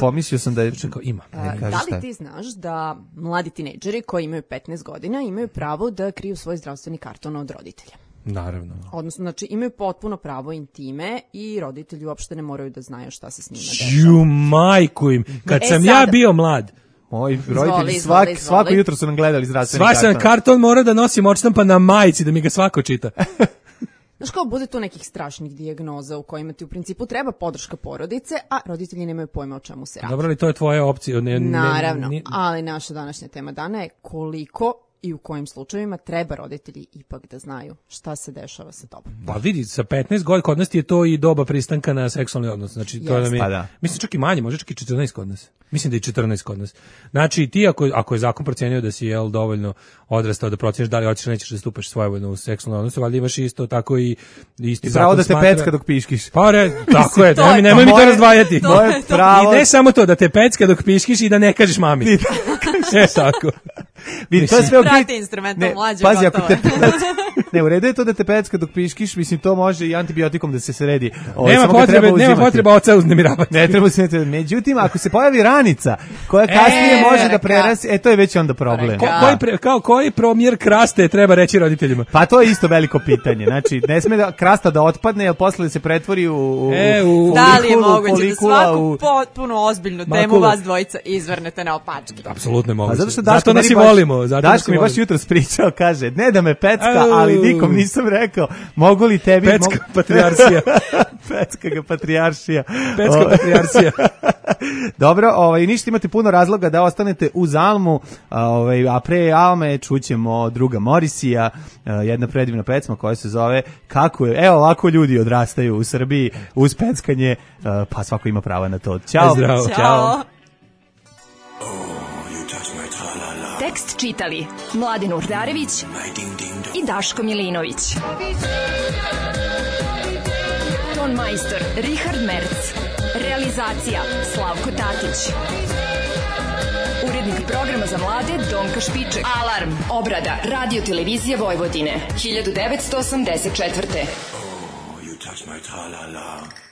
pomislio sam da je... Ima. Da li ti znaš da mladi tinejdžeri koji imaju 15 godina imaju pravo da kriju svoj zdravstveni karton od roditelja? Naravno. Odnosno, znači, imaju potpuno pravo intime i roditelji uopšte ne moraju da znaju šta se s njima dešava. Ju, majku im. Kad sam ja bio mlad, moji roditelji svako jutro su nam gledali zdravstveni karton. Svaki karton mora da nosim odštampan na majici da mi ga svako čita. Znaš kao, bude tu nekih strašnih dijagnoza u kojima ti u principu treba podrška porodice, a roditelji nemaju pojma o čemu se radi. Dobro, ali to je tvoja opcija. Naravno, ali naša današnja tema dana je koliko i u kojim slučajevima treba roditelji ipak da znaju šta se dešava sa tobom. Pa vidi, sa 15 godina kod nas je to i doba pristanka na seksualni odnos. Znači, to nam je, mislim čak i manje, može čak i 14 kod nas. Mislim da je 14 kod nas. Znači, ti ako je zakon procenio da si dovoljno odrastao da proceniš da li hoćeš nećeš da stupaš svojevoljno u seksualni odnos, valjda imaš isto tako i isti zakon. Pravo da te pecka dok piškiš. Pa tako je, nemoj mi to razdvajati. Pravo. I ne samo to, da te pecka dok piškiš i da ne kažeš mami. Tako. Vidi, to je sve prati instrumentom mlađe. Pazi, ako te ne, u redu je to da te pecka dok piškiš, mislim, to može i antibiotikom da se sredi. Nema potreba oca uznemiravati. Ne treba se, međutim, ako se pojavi ranica koja kasnije može da prerasti, to je već onda problem. Koji promjer kraste treba reći roditeljima? Pa to je isto veliko pitanje. Znači, ne sme da krasta da otpadne, jer posle se pretvori u da li je moguće da svaku potpuno ozbiljnu temu vas dvojica izvrnete na opačke? Apsolutno je moguće. Zato nas i volimo. Daško mi baš jutro spričao, kaže, ne da me pecka, ali nikom nisam rekao, mogu li tebi... Pecka patrijaršija. Pecka patrijaršija. Pecka patrijaršija. Dobro, ništa, imate puno razloga da ostanete uz Almu, a pre Alme čućemo druga Morisija, jedna predivna pesma koja se zove Kako je, evo ovako ljudi odrastaju u Srbiji uz peckanje, pa svako ima prava na to. Ćao. Zdravo. Ćao. Tekst čitali Mladin Urdarević i Daško Milinović. Ton majstor Richard Merc. Realizacija Slavko Tatić. Urednik programa za mlade Donka Špiček. Alarm. Obrada Radio Televizije Vojvodine 1984. You touch my tra-la-la.